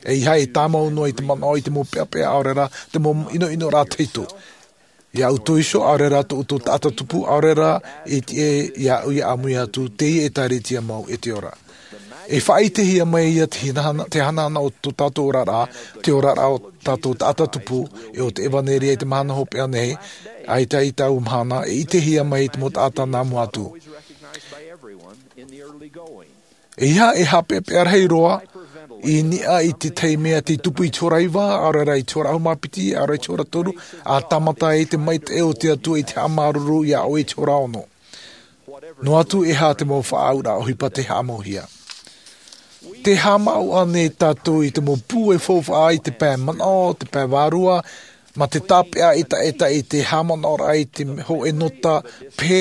E ia e tāmau noa i te manaʻo i te mau peʻapeʻa ʻaore rā te mau ʻinoʻinoraʻa tahito. Ia ʻoutou iho, ʻaore rā tō ʻoutou taʻata tupu, ʻaore rā e tiʻa iāʻu ia ʻāmui atu, teie e tāretia mau e te ora. E faʻaʻitehia mai ia te hanahana o tō tātou oraraʻa, te oraraʻa o tātou taʻata tupu, e o te ʻevanelia i te mahana hopeʻa nei, ʻaita i taua mahana e ʻitehia mai i te mau taʻata nā mua atu. E ia e haʻapeʻapeʻa rahi roa i niʻa i te tahi mea tei tupu i te hora iva, ʻaore rā i te hora ʻahuru mā piti, ʻaore rā i te hora toru, a tāmata ai te maitaʻi o te atua i te haʻamāuruuru iā ʻoe i te hora ono. Noa atu e aha te mau faʻaauraʻa ʻohipa tei haʻamauhia. Te haʻamāuʻa nei tātou i te mau pūai faufaʻa i te pae manaʻo, te pae vārua, mā te tāpeʻa ʻetaʻeta i te haʻamanaʻoraʻa i te hōʻē nota pē,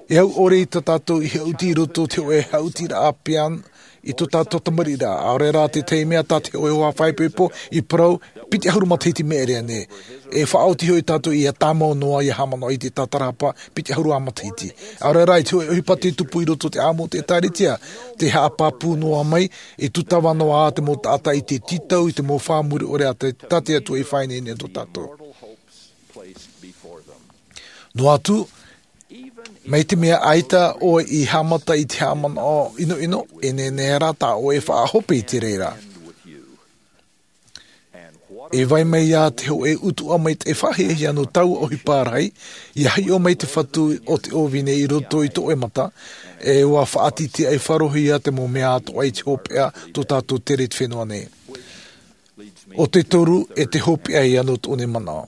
e au ʻore i tā tātou i haʻuti i roto i te hōʻē haʻutiraʻa piano i tō tātou tamariʻiraʻa, ʻaore rā te tahi mea tā te hōʻē hoa faʻaipoipo i parau, piti ʻahuru matahiti mea ʻere ānei? E faʻaoti hoʻi tātou ia tāmau noa ia haʻamanaʻo i te tātarahapa piti ʻahuru matahiti. ʻAore rā i te hōʻē ʻohipa tei tupu i roto i te ʻāmui o te ʻēkālesia, te haʻapāpū noa mai, e tūtava noa ā te mau taʻata i te tītau i te mau fā muri ʻore a te, tā te atua i faʻaineine nō tātou. Noa atu, mai te mea ʻaita ʻoe i haʻamata i te haʻamanaʻo ʻinoʻino, e nehenehe rā tā ʻoe e faʻahope i te reira. E vai mai ā te hōʻē utuʻa maitaʻi faʻahiahia nō taua ʻohipa rahi, ia hiʻo mai te fatu o te ʻōvine i roto i tō ʻoe mata, e ua faʻatitiʻai faʻarohia te mau mea atoʻa i te hopeʻa tō tātou tere i te fenua nei. ʻO te toru e te hopeʻa ia nō tōʻu nei manaʻo.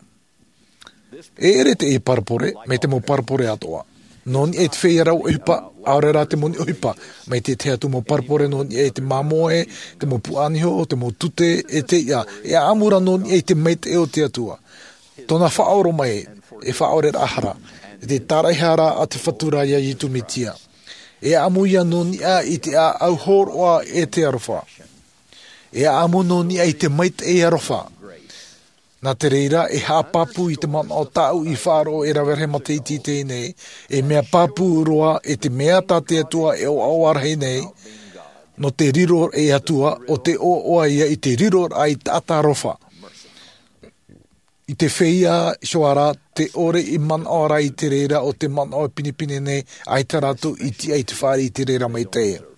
E ʻere teie parabole, mai te mau parabole atoʻa. Nō niʻa i te feiā rave ʻohipa, ʻaore rā te moni ʻohipa, mai te tahi atu mau parabole nō niʻa i te māmoe, te mau puaʻaniho, te mau tute, e te iʻa, e ʻaʻamu rā nō niʻa i te maitaʻi o te atua. Tōna faʻaoromaʻi, e faʻaoreraʻa hara, e te tāraʻehara a te fatu ra iā Iesu Mesia. E ʻaʻamu ia nō niʻa i te ʻāʻau hōroʻa e te aroha. E ʻaʻamu nō niʻa i te maitaʻi aroha. Nā te reira, e haʻapāpū i te manaʻo tāʻu i faʻaroʻo e rave rahi matahiti i teie nei, e mea pāpū roa e te mea tā te atua e ʻoaʻoa rahi nei, nō te riro e atua, ʻo te ʻoaʻoa ia i te riroraʻa i taʻata aroha. I te feiā iho ā rā, te ʻore i manaʻo ra i te reira o te manaʻo pinepine nei, ʻaita rātou i tiʻa i te fāriʻi i te reira maitaʻi.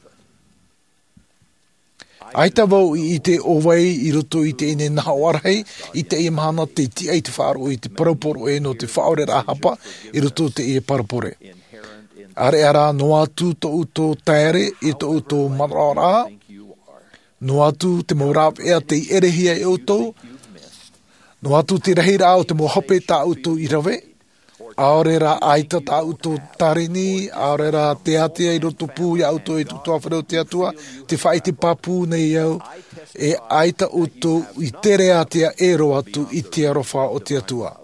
ʻAita vau i ʻite ʻo vai i roto i teie nei nahoʻa rahi i teie mahana tei tiʻa i te faʻaroʻo i te parau poroʻi nō te faʻaoreraʻa hapa i roto i teie parabole. ʻAreʻa rā, noa atu tō ʻoutou taere i tō ʻoutou manaʻoraʻa, noa atu te mau rāveʻa tei ʻerehia e ʻoutou, noa atu te rahiraʻa o te mau hope tā ʻoutou i rave, ʻaore rā ʻaita tā ʻoutou tarini, ʻaore rā te ātea i roto pū iā ʻoutou e te ʻutuāfare o te atua, te faʻaʻite pāpū nei au, e ʻaita ʻoutou i tere ātea e roaʻa atu i te aroha o te atua.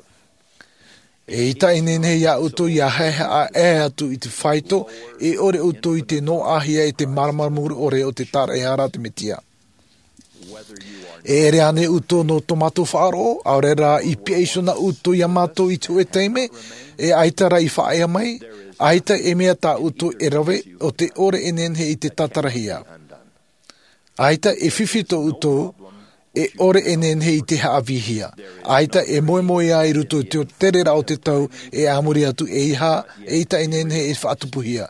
E ʻita ineine iā ʻoutou ia haehaʻa ʻē atu i te faito, e ʻore ʻoutou i te noaʻahia e te māramarama muri ʻore o te tāraʻehara a te mesia. E ʻere ānei ʻoutou nō tō mātou faʻaroʻo, ʻaore rā i piʻa iho nā ʻoutou iā mātou i te hōʻē taime, e ʻaita rā i faʻaea mai, ʻaita e mea tā ʻoutou e rave, ʻo te ʻore e nehenehe i te tātarahia. ʻAita e fifi tō ʻoutou, e ʻore e nehenehe i te haʻavīhia. ʻAita e moemoeā i roto i te tereraʻa o te tau, e a muri atu e ʻita, e ʻita e nehenehe e faʻatupuhia.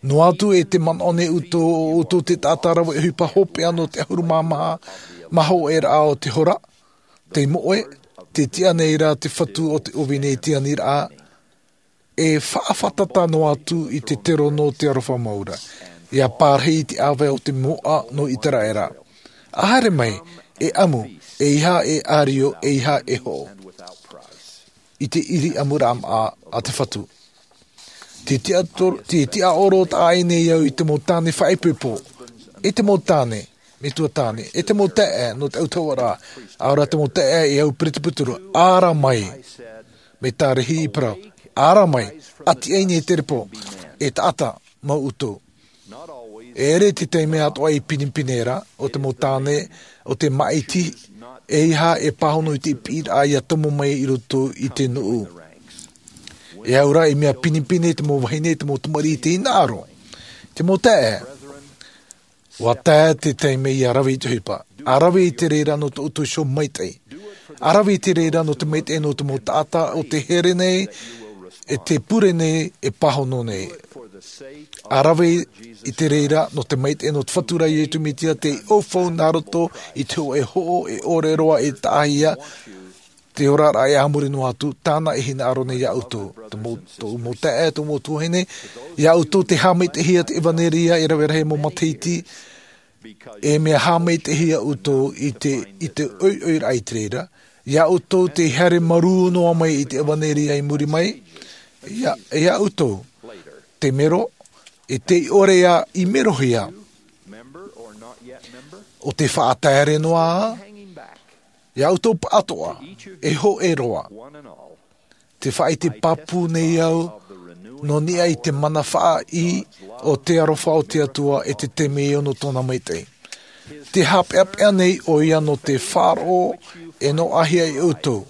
Noa atu e te manaʻo nei ʻoutou, ʻo ʻoutou te taʻata rave ʻohipa hopeʻa nō te ʻahuru mā maha, maha o te hora, Te moʻe, te tiʻa nei rā te Fatu o te ʻōvine i te aniraʻa, e faʻafātata noa atu i te terono o te aroha mau ra. ʻIa pārahi i te ʻāvae o te moʻa nō Iteraera. ʻA haere mai, e ʻamu, ʻeiaha e ʻārio, ʻeiaha e hoʻo. I te ʻiri ʻamuraʻa maʻa a te Fatu. Te tiʻa tor-, te tiʻaoro taʻa ʻē nei au i te mau tāne faʻaipoipo, e te mau tāne, metua tāne, e te mau taeaʻe nō te autahuʻaraʻa, ʻa ora te mau taeaʻe e au peretiteni, ara mai, mai Tarahi i parau, ara mai, ʻati aʻe nei te repo, e taʻata mau ʻoutou. E ʻere te taime atoʻa i pinepine ra, ʻo te mau tāne, ʻo te māʻiti, ʻeiaha e pāhono i te piʻiraʻa ʻia tomo mai i roto i te nuʻu. E au ra i mea pinepine te mau vahine, te mau tamariʻi i te hinaʻaro. Te mau taeaʻe, ʻua tae te taime ʻia rave i te ʻohipa. ʻA rave i te reira nō tō ʻoutou iho maitaʻi. ʻA rave i te reira nō te maitaʻi nō te mau taʻata ʻo tē here nei, e tē pure nei, e pāhono nei. ʻA rave i te reira nō te maitaʻi nō te Fatu ra Iesu Mesia, tei ʻaufau nā roto i te hōʻē hoʻo e ʻore roa e taʻahia, te oraraʻa e a muri noa atu, tāna e hinaʻaro nei iā ʻoutou. Te mau, tō mau taeaʻe, tō mau tuahine, iā ʻoutou tē haʻamaitaʻihia te ʻevanelia e rave rahi mau matahiti, e mea haʻamaitaʻihia ʻoutou i te, i te ʻoiʻoiraʻa i te reira. Iā ʻoutou tē haere marū noa mai i te ʻevanelia i muri mai. Iā, iā ʻoutou, tē mero, e tei ʻore ā i merohia. ʻO tē faʻataere noa ā, iā ʻoutou pāʻatoʻa, e hōʻē roa. Tē faʻaʻite pāpū nei au, nō niʻa i te mana faʻaʻī o te aroha o te Atua e te taime ʻē nō tōna maitaʻi. Tē haʻapeʻapeʻa nei ʻoia nō te faʻaroʻo e noaʻahia e ʻoutou.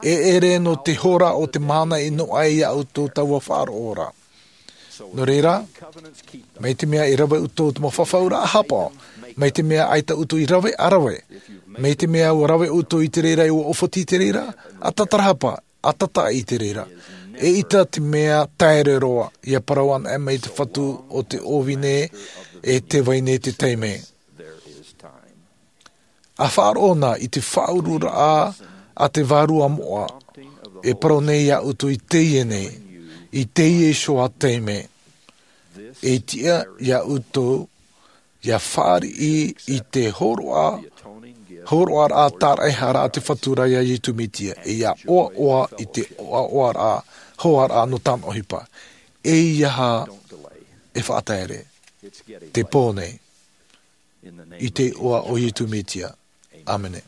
E ʻere nō te hora o te mahana e noaʻa ai iā ʻoutou taua faʻaroʻo ra. Nō reira, mai te mea e rave ʻoutou te mau fafauraʻa haʻapaʻo, mai te mea ʻaita ʻoutou i rave, ʻa rave. Mai te mea ʻua rave ʻoutou i te reira, ʻua ʻōfati i te reira, ʻa tatarahapa, ʻa tataʻi i te reira. ʻEita te mea taere roa, ʻia parau anaʻe mai te Fatu o te ʻōvine e te vahine te taime. ʻA faʻaroʻo na i te faʻaururaʻa a te Vārua Moʻa, e parau nei iā ʻoutou i teie nei, i teie iho ā taime. E tiʻa iā ʻoutou, ʻia fāriʻi i te hōroʻa, hōroʻaraʻa tāraʻehara a te Fatu ra iā Iesu Mesia, e ʻia ʻoaʻoa i te ʻoaʻoaraʻa, hoaraʻa nō tāna ʻohipa. ʻEiaha e faʻataere. Te pō nei. I te iʻoa o Iesu Mesia. ʻĀmene.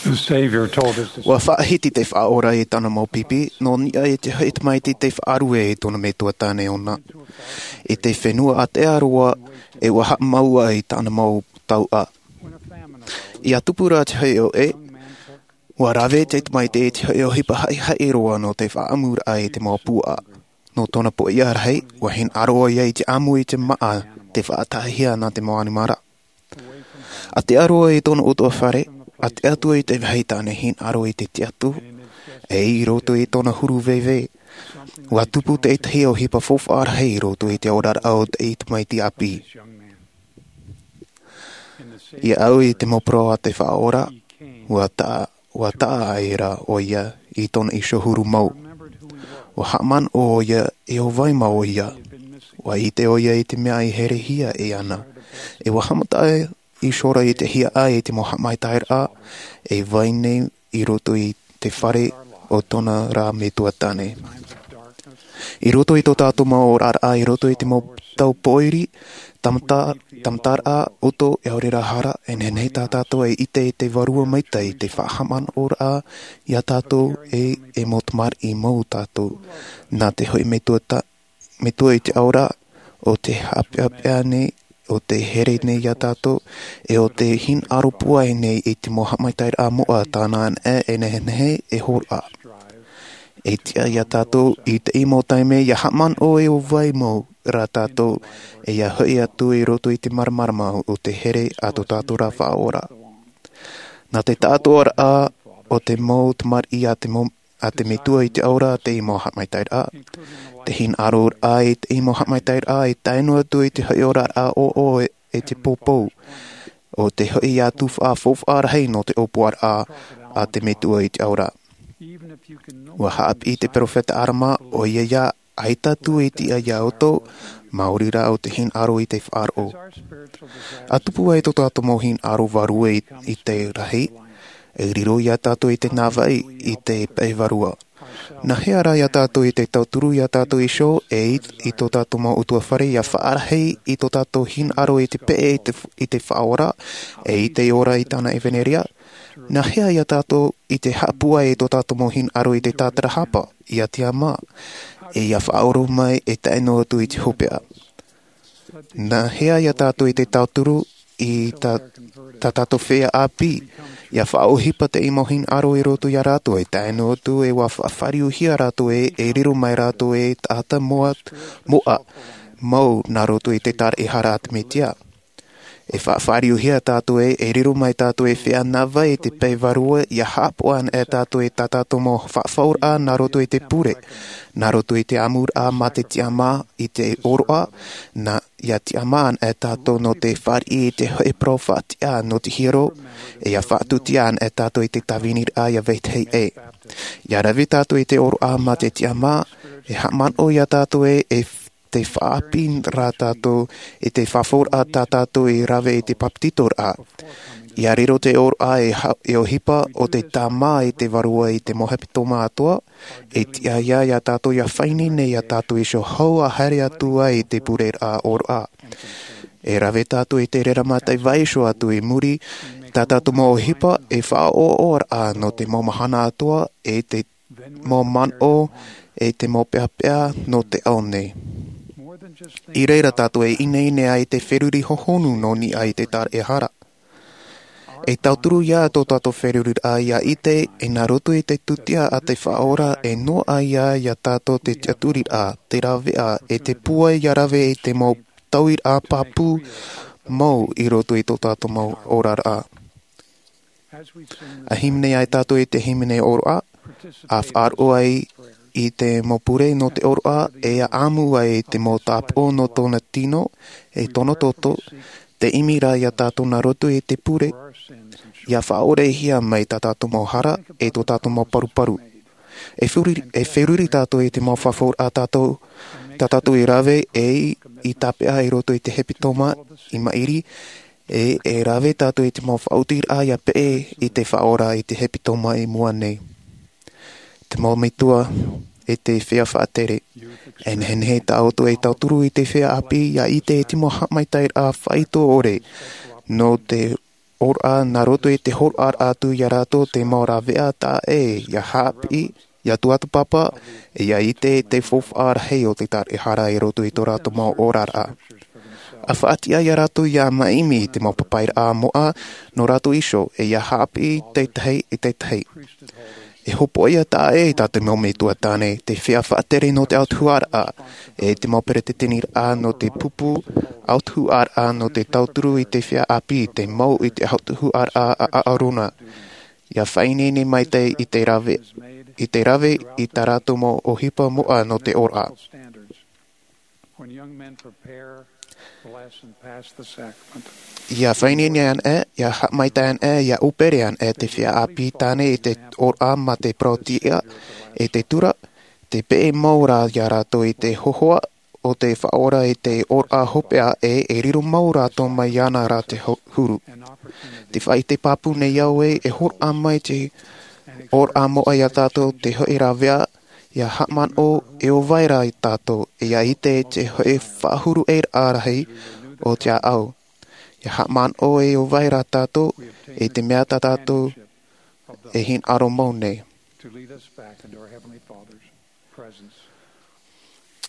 The Savior told us to ua faʻahiti te faʻaora i tāna mau pipi nō niʻa i te hoʻi tamaiti te faʻarue i tōna metua tāne ʻona i te fenua ʻātea roa, e ua haʻamau ai tāna mau tauʻa. Ia tupu rā te hoʻi ʻoʻe, ua rave te tamaiti i te hoʻi ʻohipa haʻihaʻi roa nō te faʻaʻamuraʻa i te mau puaʻa. Nō tōna poʻia rahi, ua hinaʻaro ʻoia i te ʻamu i te māʻa, te faʻataʻahia nā te mau ʻanimara. ʻĀtea roa i tōna ʻutuāfare, ʻātea atu i te vāhi tāne hinaʻaro i te tiʻaturi, e i roto i tōna huru veve, ua tupu tētahi ʻohipa faufaʻa rahi i roto i te oraraʻa o te tamaiti ʻāpī. Ia au i te mau parau a te Faʻaora, ua taʻa, ua taʻa aʻera ʻoia i tōna iho huru mau. Ua haʻamanaʻo ʻoia e ʻo vai mau ʻoia. Ua ʻite ʻoia i te mea i herehia e ana. E ua haʻamata iho rā i te hiaʻai i te mau haʻamaitaʻiraʻa, e vai nei i roto i te fare o tōna rā metua tāne. I roto i tō tātou mau oraraʻa, i roto i te mau tau pōiri, tamata-, tamataraʻa, ʻoto, e ʻaore rā hara, e nehenehe tā tātou e ʻite i te vārua maitaʻi, te faʻahaʻamanaʻoraʻa iā tātou e, e mau tamariʻi mau tātou. Nā te hoʻi metua ta-, metua i te ʻaora, ʻo te haʻapeʻapeʻa nei, ʻo te here nei iā tātou, e ʻo te hinaʻaro pūai nei i te mau haʻamaitaʻiraʻa moʻa tāna anaʻe e nehenehe e hōroʻa. E tiʻa iā tātou i te mau taime ia haʻamanaʻo e ʻo vai mau rā tātou, e ia hoʻi atu i roto i te māramarama o te here a tō tātou rā Faʻaora. Nā te taʻatoʻaraʻa o te mau tamariʻi a te mau a te metua i te ʻaora te mau haʻamaitaʻiraʻa. Te hinaʻaroraʻa i te mau haʻamaitaʻiraʻa e tae noa atu i te hoʻi oraraʻa ʻōʻō e, e te pōpou. ʻO te hoʻi atu faʻafaufaʻa rahi nō te ʻōpuaraʻa a te metua i te ʻaora. Ua haʻapiʻi te peropheta Arama, ʻoia ia, ʻaita atu e tiʻa iā ʻoutou, maori rā ʻo te hinaʻaro i te faʻaroʻo. ʻA tupu ai tō tātou mau hinaʻaro vārua i, i te rahi, e riro iā tātou i te navaʻi i te pae vārua. Nā hea rā iā tātou i te tauturu iā tātou iho, e i, i tō tātou mau ʻutuāfare ia faʻarahi i tō tātou hinaʻaro i te peʻe i te, i te Faʻaora, e i te ora i tāna ʻevaneria? Nā hea iā tātou i te haʻapūai i tō tātou mau hinaʻaro i te tātarahapa, iā tiʻamā, e ia faʻaʻoro mai e tae noa atu i te hopeʻa? Nā hea iā tātou i te tauturu i tā, tā tātou feiā ʻāpī, ia faʻaʻohipa te mau hinaʻaro i roto iā rātou e tae noa atu e ua faʻafāriuhia rātou e, e riro mai rātou e taʻata moʻa, moʻa, mau nā roto i te tāraʻehara a te Mesia. E faʻafāriuhia tātou e, e riro mai tātou e feiā navaʻi i te pae vārua, ia haʻapaʻo anaʻe tātou e tā tātou mau faʻafauraʻa nā roto i te pure, nā roto i te ʻamuraʻa mā te tiʻamā i te ʻōroʻa, nā, ia tiʻamā anaʻe tātou nō te fāriʻi i te hoʻi parau faʻatiʻa nō te hiero, e ia faʻatūtia anaʻe tātou i te tāviniraʻa ia vetahi ʻē. Ia rave tātou i te ʻōroʻa mā te tiʻamā, e haʻamanaʻo iā tātou e, e te faʻaʻāpī rā tātou i te faʻafauraʻa tā tātou i rave i te papetitoraʻa. Ia riro te ʻōroʻa e ha-, e ʻohipa ʻo te tāmā i te vārua i te mau hepetoma atoʻa, e tiʻa ia, iā tātou ia faʻaineine iā tātou iho hou ʻa haere atu ai i te pureraʻa ʻōroʻa. E rave tātou i te reira mā te vaiiho atu i muri, tā tātou mau ʻohipa e faʻaʻoʻoraʻa nō te mau mahana atoʻa, e te mau manaʻo, e te mau peʻapeʻa nō te ao nei. I reira tātou e ineine ai te feruri hohonu nō niʻa i te tāraʻehara. E tauturu ia tō tātou feruriraʻa ia ʻite, e nā roto i te tūtia a te Faʻaora, e noaʻa ia iā tātou te tiʻaturiraʻa, te raveʻa, e te pūai ia rave i te mau tauiraʻa pāpū mau i roto i tō tātou mau oraraʻa. ʻA hīmene ai tātou i te hīmene ʻōroʻa, ʻa faʻaroʻo ai i te mau pure nō te ʻōroʻa, e ʻa ʻamu ai i te mau tāpaʻo nō tōna tino, e tōna toto, te ʻimi rā iā tātou nā roto i te pure, ia faʻaorehia mai tā tātou mau hara, e tō tātou mau paruparu. E feruri, e feruri tātou i te mau faʻafauraʻa tātou, tā tātou i rave, e i, i tāpeʻa i roto i te hepetoma, i maʻiri, e, e rave tātou i te mau faʻaotiraʻa ia peʻe i te Faʻaora i te hepetoma i mua nei. Te mau metua, e te feiā faʻatere, e nehenehe tā ʻoutou e tauturu i te feiā ʻāpī ia ʻite i te mau haʻamaitaʻiraʻa faʻaitoito ʻore, nō te ʻōraʻa nā roto i te hōroʻaraʻa atu iā rātou te mau rāveʻa taʻa ʻē ia haʻapiʻi, ia tuatapapa, e ia ʻite i te faufaʻa rahi o te taraehara i roto i tō rātou mau oraraʻa. ʻA faʻatiʻa iā rātou ia maʻimi i te mau papairaʻa moʻa nō rātou iho e ia haʻapiʻi tētahi e tētahi. E hopoiʻa taʻa ʻē tā te mau metua tāne, te feiā faʻatere nō te autahuʻaraʻa, e te mau peretiteniraʻa nō te pupu autahuʻaraʻa nō te tauturu i te feiā ʻāpī, te mau i te autahuʻaraʻa a ʻAarona. Ia faʻaineine maitaʻi i te rave, i te rave i tā rātou mau ʻohipa moʻa nō te ʻōraʻa. When young men prepare the lesson, pass the sacrament. Ia faʻaineine ana ʻē, ia haʻamaitaʻi ana ʻē, ia ʻupere ana ʻē te feiā ʻāpī tāne i te ʻōraʻa mā te parauʻtiʻa, e te tura, te peʻe mau rā iā rātou i te hōhoʻa o te Faʻaora i te ʻōraʻa hopeʻa, e e riro mau rātou mai iāna rā te ho-, huru. Te faʻaʻite pāpū nei au ē, e hōroʻa mai te ʻōraʻa moʻa iā tātou te hoʻi rāveʻa, ia haʻamanaʻo e ʻo vai rā iā tātou, e ia ʻite te hoʻi faʻahuru ʻē rahi o te ʻāʻau. Ia haʻamanaʻo e ʻo vai rā tātou, e te mea tā tātou e hinaʻaro mau nei. To lead us back into our Heavenly Father's presence.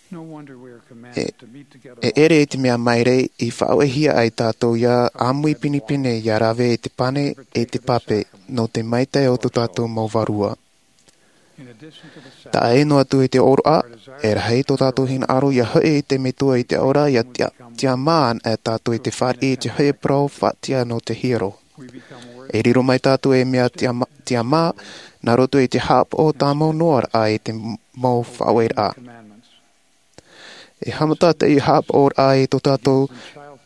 No wonder we are E, commanded to meet together. E ʻere i te mea maere i faʻaʻohipahia ai tātou ia ʻāmui pinepine ia rave i te pane e te pape, nō te maitaʻi o tō tātou mau vārua. Taʻa ʻē noa atu i te ʻōroʻa, e rahi tō tātou hinaʻaro ia hoʻi i te Metua i te ora, ia tia, tiʻamā ana tātou i te fāriʻi i te hoʻi parau faʻatiʻa nō te hiero. E riro mai tātou e mea tiʻamā, tiʻamā, nā roto i te haʻapaʻo tāmau noa raʻa i te mau faʻaueraʻa. E haʻamata te haʻapaʻoraʻa i tō tātou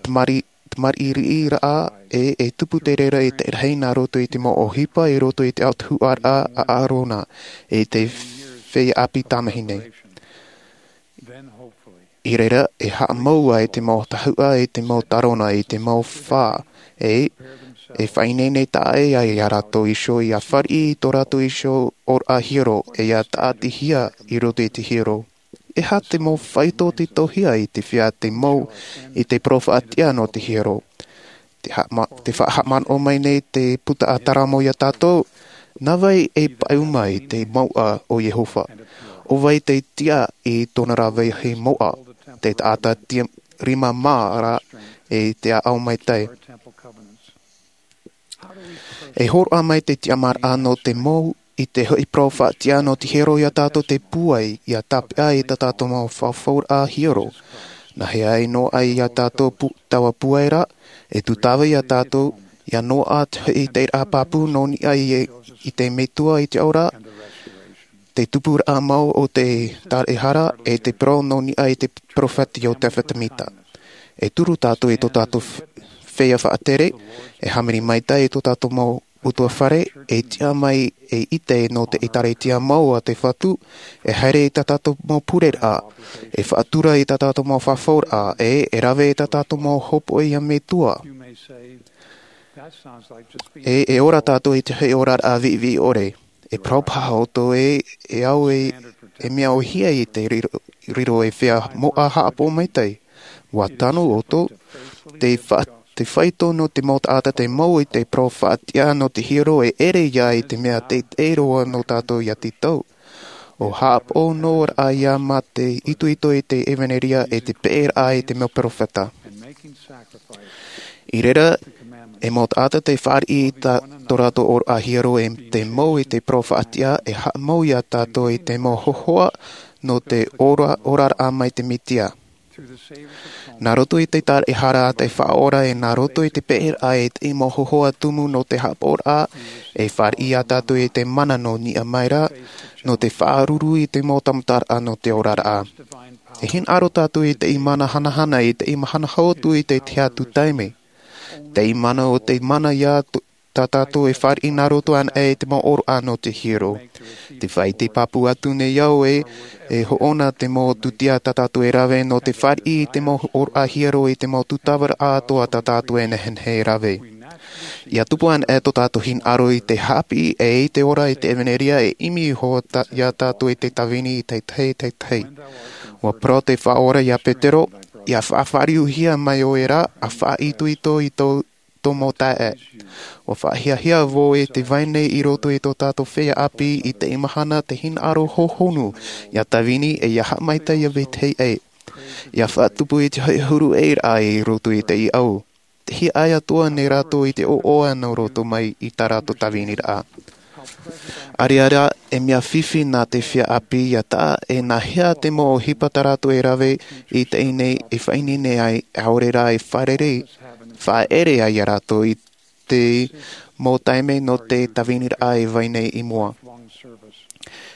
tamari-, tamariʻi riʻi raʻa, e, e tupu te reira i te rahi nā roto i te mau ʻohipa i roto i te autahuʻaraʻa a ʻAarona, e te feiā ʻāpī tamāhine. I reira, e haʻamau ai te mau tahuʻa, i te mau tarona, i te mau fā, e, e faʻaineine taʻa ʻē ai iā rātou iho, ia fāriʻi i tō rātou iho ʻōraʻa hiero, e ia tāʻatihia i roto i te hiero. E aha te mau faito titauhia i te feiā te mau i te parau faʻatiʻa nō te hiero? Te haʻama-, te faʻahaʻamanaʻo mai nei te puta a Taramo iā tātou, nā vai e paʻuma i te mouʻa o Iehova? ʻO vai te tiʻa i tōna rāveʻa mouʻa? Te taʻata tia-, rima mā rā e te ʻāʻau maitaʻi. E hōroʻa mai te tiʻamāraʻa nō te mau i te hoʻi parau faʻatiʻa nō te hiero iā tātou te pūai, ia tāpeʻa i tā tātou mau fafauraʻa hiero. Nā hea e noaʻa iā tātou pū-, taua pūai ra, e tūtava iā tātou, ia noaʻa te hoʻi te raʻa pāpū nō niʻa i, i te Metua i te ora, te tupuraʻa mau o te taraehara, e te parau nō niʻa i te peropheta Iotefa Temita. E turu tātou i tō tātou f-, feiā faʻatere, e hāmani maitaʻi i tō tātou mau ʻutuāfare, e tiʻa mai e ʻite nō te ʻĒkālesia mau a te Fatu, e haere i tā tātou mau pureraʻa, e faʻatura i tā tātou mau fafauraʻa, e, e rave i tā tātou mau hopoiʻa Metua. E, e ora tātou i te hoʻi oraraʻa viʻiviʻi ʻore. E parau paha ʻoutou ē, e au e, e mea ʻōhie i te riro, riro e feiā mouʻa haʻapaʻo maitaʻi. ʻUa tano ʻoutou, te fa-, te faito nō te mau taʻata te mau i te parau faʻatiʻa nō te hiero e ʻere ia i te mea teitei roa nō tātou ia tītau. ʻO haʻapaʻo noa ra ia mā te itoito i te ʻevanelia e te peʻeraʻa i te mau peropheta. I reira, e mau taʻata te fāriʻi i tā, tō rātou ʻōraʻa hiero e te mau i te parau faʻatiʻa e haʻamau iā tātou i te mau hōhoʻa nō te ora, oraraʻa mai te Mesia. Nā roto i te taraehara a te Faʻaora e nā roto i te peʻeraʻa i te mau hōhoʻa tumu nō te haʻapaʻoraʻa, e fāriʻi iā tātou i te mana nō niʻa mai ra, nō te faʻaruru i te mau tāmataraʻa nō te oraraʻa. E hinaʻaro tātou i te mana hanahana, i te mahana hau atu i te tahi atu taime. Te mana o te mana ia t-, tā tātou e fāriʻi nā roto ana e te mau ʻōroʻa nō te hiero. Te faʻaʻite pāpū atu nei au e, e hoʻona te mau tūtia tā tātou e rave nō te fāriʻi i te mau ʻōroʻa hiero i te mau tūtavaraʻa atoʻa tā tātou e nehenehe e rave. ʻIa tupu ana e tō tātou hinaʻaro i te haʻapiʻi e i te ora i te ʻevanelia e ʻimi iho tā, iā tātou i te tāvini i te tahi, te tahi. ʻUa parau te Faʻaora iā Petero, ʻia faʻafāriuhia mai ʻoe ra, ʻa faʻaitoito i tō tomo taʻe. ʻUa faʻahiahia vau e te vai nei i roto i tō tātou feiā ʻāpī i teie mahana te hinaʻaro hōhonu, ʻia tāvini e ʻia haʻamaitaʻi ia vetahi ʻē. ʻIa faʻatupu i te hoʻi huru ʻē raʻa i roto i te ʻīʻau. Te hiaʻai atoʻa nei rātou i te ʻoaʻoa nō roto mai i tā rātou tāviniraʻa. ʻAreʻa rā, e mea fifi nā te feiā ʻāpī ʻia taʻa e nā hea te mau ʻohipa tā rātou e rave i teie nei e faʻaineine ai, ʻaore rā e fārerei, faʻaʻere ai ia rātou i te mau taime nō te tāviniraʻa e vai nei i mua.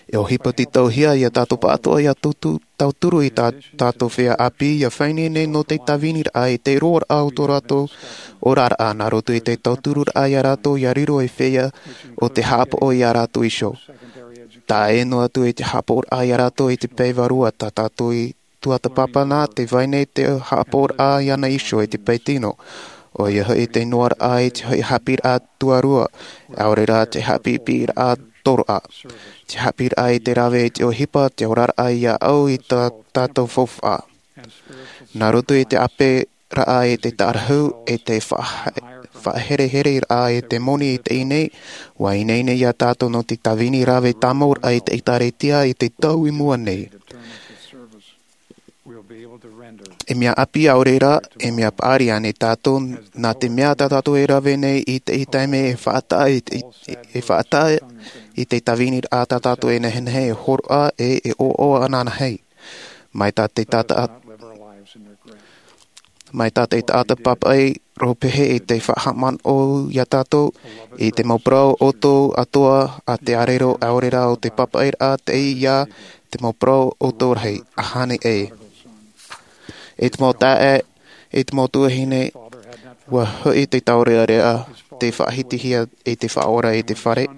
E ʻohipa tītauhia ia tātou pāʻatoʻa ʻia tautu-, tauturu i tā tātou feiā ʻāpī ʻia faʻaineine nō te tāviniraʻa i te roaraʻa o tō rātou oraraʻa nā roto i te tautururaʻa ia rātou ʻia riro ei feiā ʻo tē haʻapaʻo ia rātou iho. Taʻa ʻē noa atu i te haʻapaʻoraʻa ia rātou i te pae vārua tā tātou i tuatāpapa nā te vai nei te haʻapaʻoraʻa iāna iho i te pae tino. ʻOia hoʻi te noaraʻa i te hoʻi haʻapiʻiraʻa tuarua, ʻaore rā te haʻapiʻipiʻiraʻa toroʻa. Te haʻapiʻiraʻa i te rave i te ʻohipa, te oraraʻa ʻia au i tā tātou faufaʻa. Nā roto i te ʻāperaʻa i te tārahu, e te faʻa-, faʻaherehereraʻa i te moni i teie nei, ʻua ineine ia tātou nō te tāvini rave tāmau raʻa i te ʻĒtārētia i te tau i mua nei. E mea ʻāpī ʻaore rā, e mea paʻari ānei tātou, nā te mea tā tātou e rave nei i teie taime e faʻataʻa i te, e faʻataʻa i te tāviniraʻa tā tātou e nehenehe e hōroʻa ʻe e ʻoaʻoa ananahi. Mai tā te taʻata, mai tā te taʻata papaʻi rōpehe i te faʻahaʻamanaʻo ia tātou, i te mau parau ʻoutou atoʻa a te ʻarero ʻaore rā ʻo te papaʻiraʻa tei ia te mau parau ʻoutou rahi, ʻahani ʻē. I te mau taeaʻe, i te mau tuahine, ʻua hoʻi te taurearea, te faʻahitihia i te Faʻaora i te fare,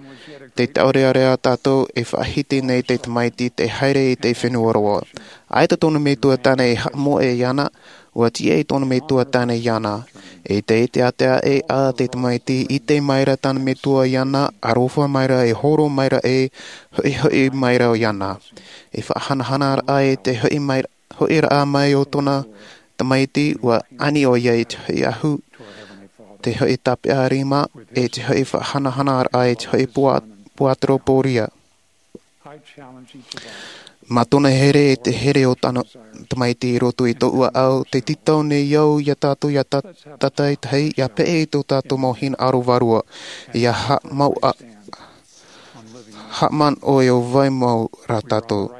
te taurearea tātou e faʻahiti nei te tamaiti tei haere i te fenua roa. ʻAita tōna metua tāne e haʻamoʻe iāna, ʻua tīaʻi tōna metua tāne iāna. I te, i te ʻātea ʻē a te tamaiti, ʻite mai ra tāna metua iāna, aroha mai ra e horo mai ra e hoʻihoʻi mai ra iāna. E faʻahanahana raʻa i te hoʻi mai, hoʻiraʻa mai o tōna tamaiti, ʻua ani ʻoia i te hoʻi ahu, te hoʻi tāpeʻa rima, e te hoʻi faʻahanahana raʻa i te hoʻi pua-, puateropōria. Mā tōna here e te here o tāna tamaiti i roto i tōʻu ʻāʻau, tē tītau nei au ia tātou ʻia tā-, tātaʻitahi, ʻia peʻe i tō tātou mau hinaʻaro vārua, ʻia haʻamau-, haʻamanaʻo e ʻo vai mau rā tātou.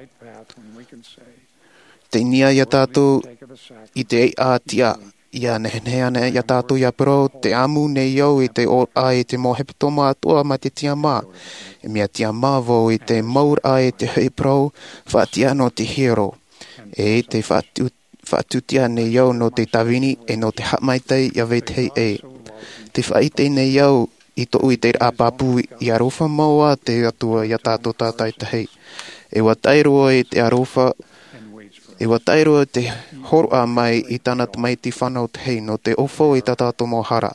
Tei niʻa ia tātou i te ʻātiʻa, ʻia nehenehe ānei ia tātou ʻia parau, tē ʻamu nei au i te ora i te mau hepetoma atoʻa mai te tiʻamā. E mea tiʻamā vau i te mau raʻa i te hoʻi parau, faʻatiʻa nō te hiero. E tē faʻatu-, faʻatūtia nei au nō te tāvini e nō te haʻamaitaʻi ia vetahi ʻē. Tē faʻaʻite nei au i tōʻu ʻiteraʻa pāpū, ʻia aroha mau ā te Atua ia tātou tātaʻitahi. E ʻua tae roa i te aroha, e ʻua tae roa te hōroʻa mai i tāna tamaiti fānau tahi nō te ʻōfau i tā tātou mau hara.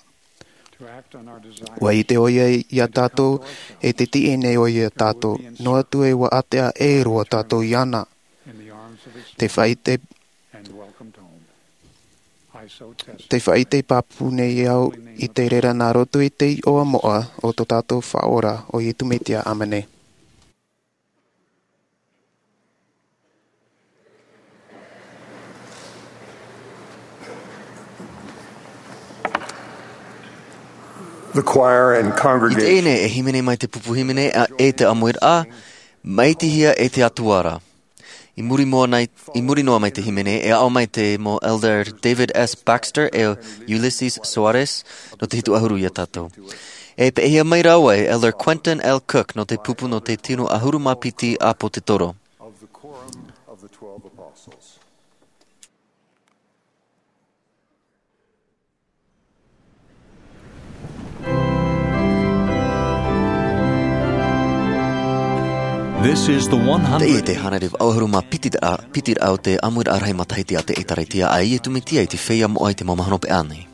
ʻUa ʻite ʻoia ia tātou, e tē tiʻi nei ʻoia ia tātou, noa atu e ʻua ʻātea ʻē roa tātou iāna. Tē faʻaʻite, tē faʻaʻite pāpū nei au i te reira nā roto i te iʻoa moʻa o tō tātou Faʻaora, ʻo Iesu Mesia. ʻĀmene. The choir and congregation. I teie nei e hīmene mai te pupu hīmene, ʻa, e te ʻāmuiraʻa, Maitihia e te Atua ra. I muri noa nei, i muri noa mai te hīmene, e aʻo mai te mau Elder David S. Baxter e Ulisses Soares, nō te hitu ʻahuru ia tātou. E peʻehia mai rāua e Elder Quentin L. Cook nō te pupu nō te tino ʻahuru mā piti ʻĀpotetoro. Of the Quorum of the Twelve Apostles. This is the one hundred. Teie te hānere vaʻu ʻahuru mā piti ra-, piti raʻa o te ʻāmuiraʻa rahi matahiti a te ʻĒtārētia a Iesu Mesia i te feiā moʻa i te mau mahana hopeʻa nei.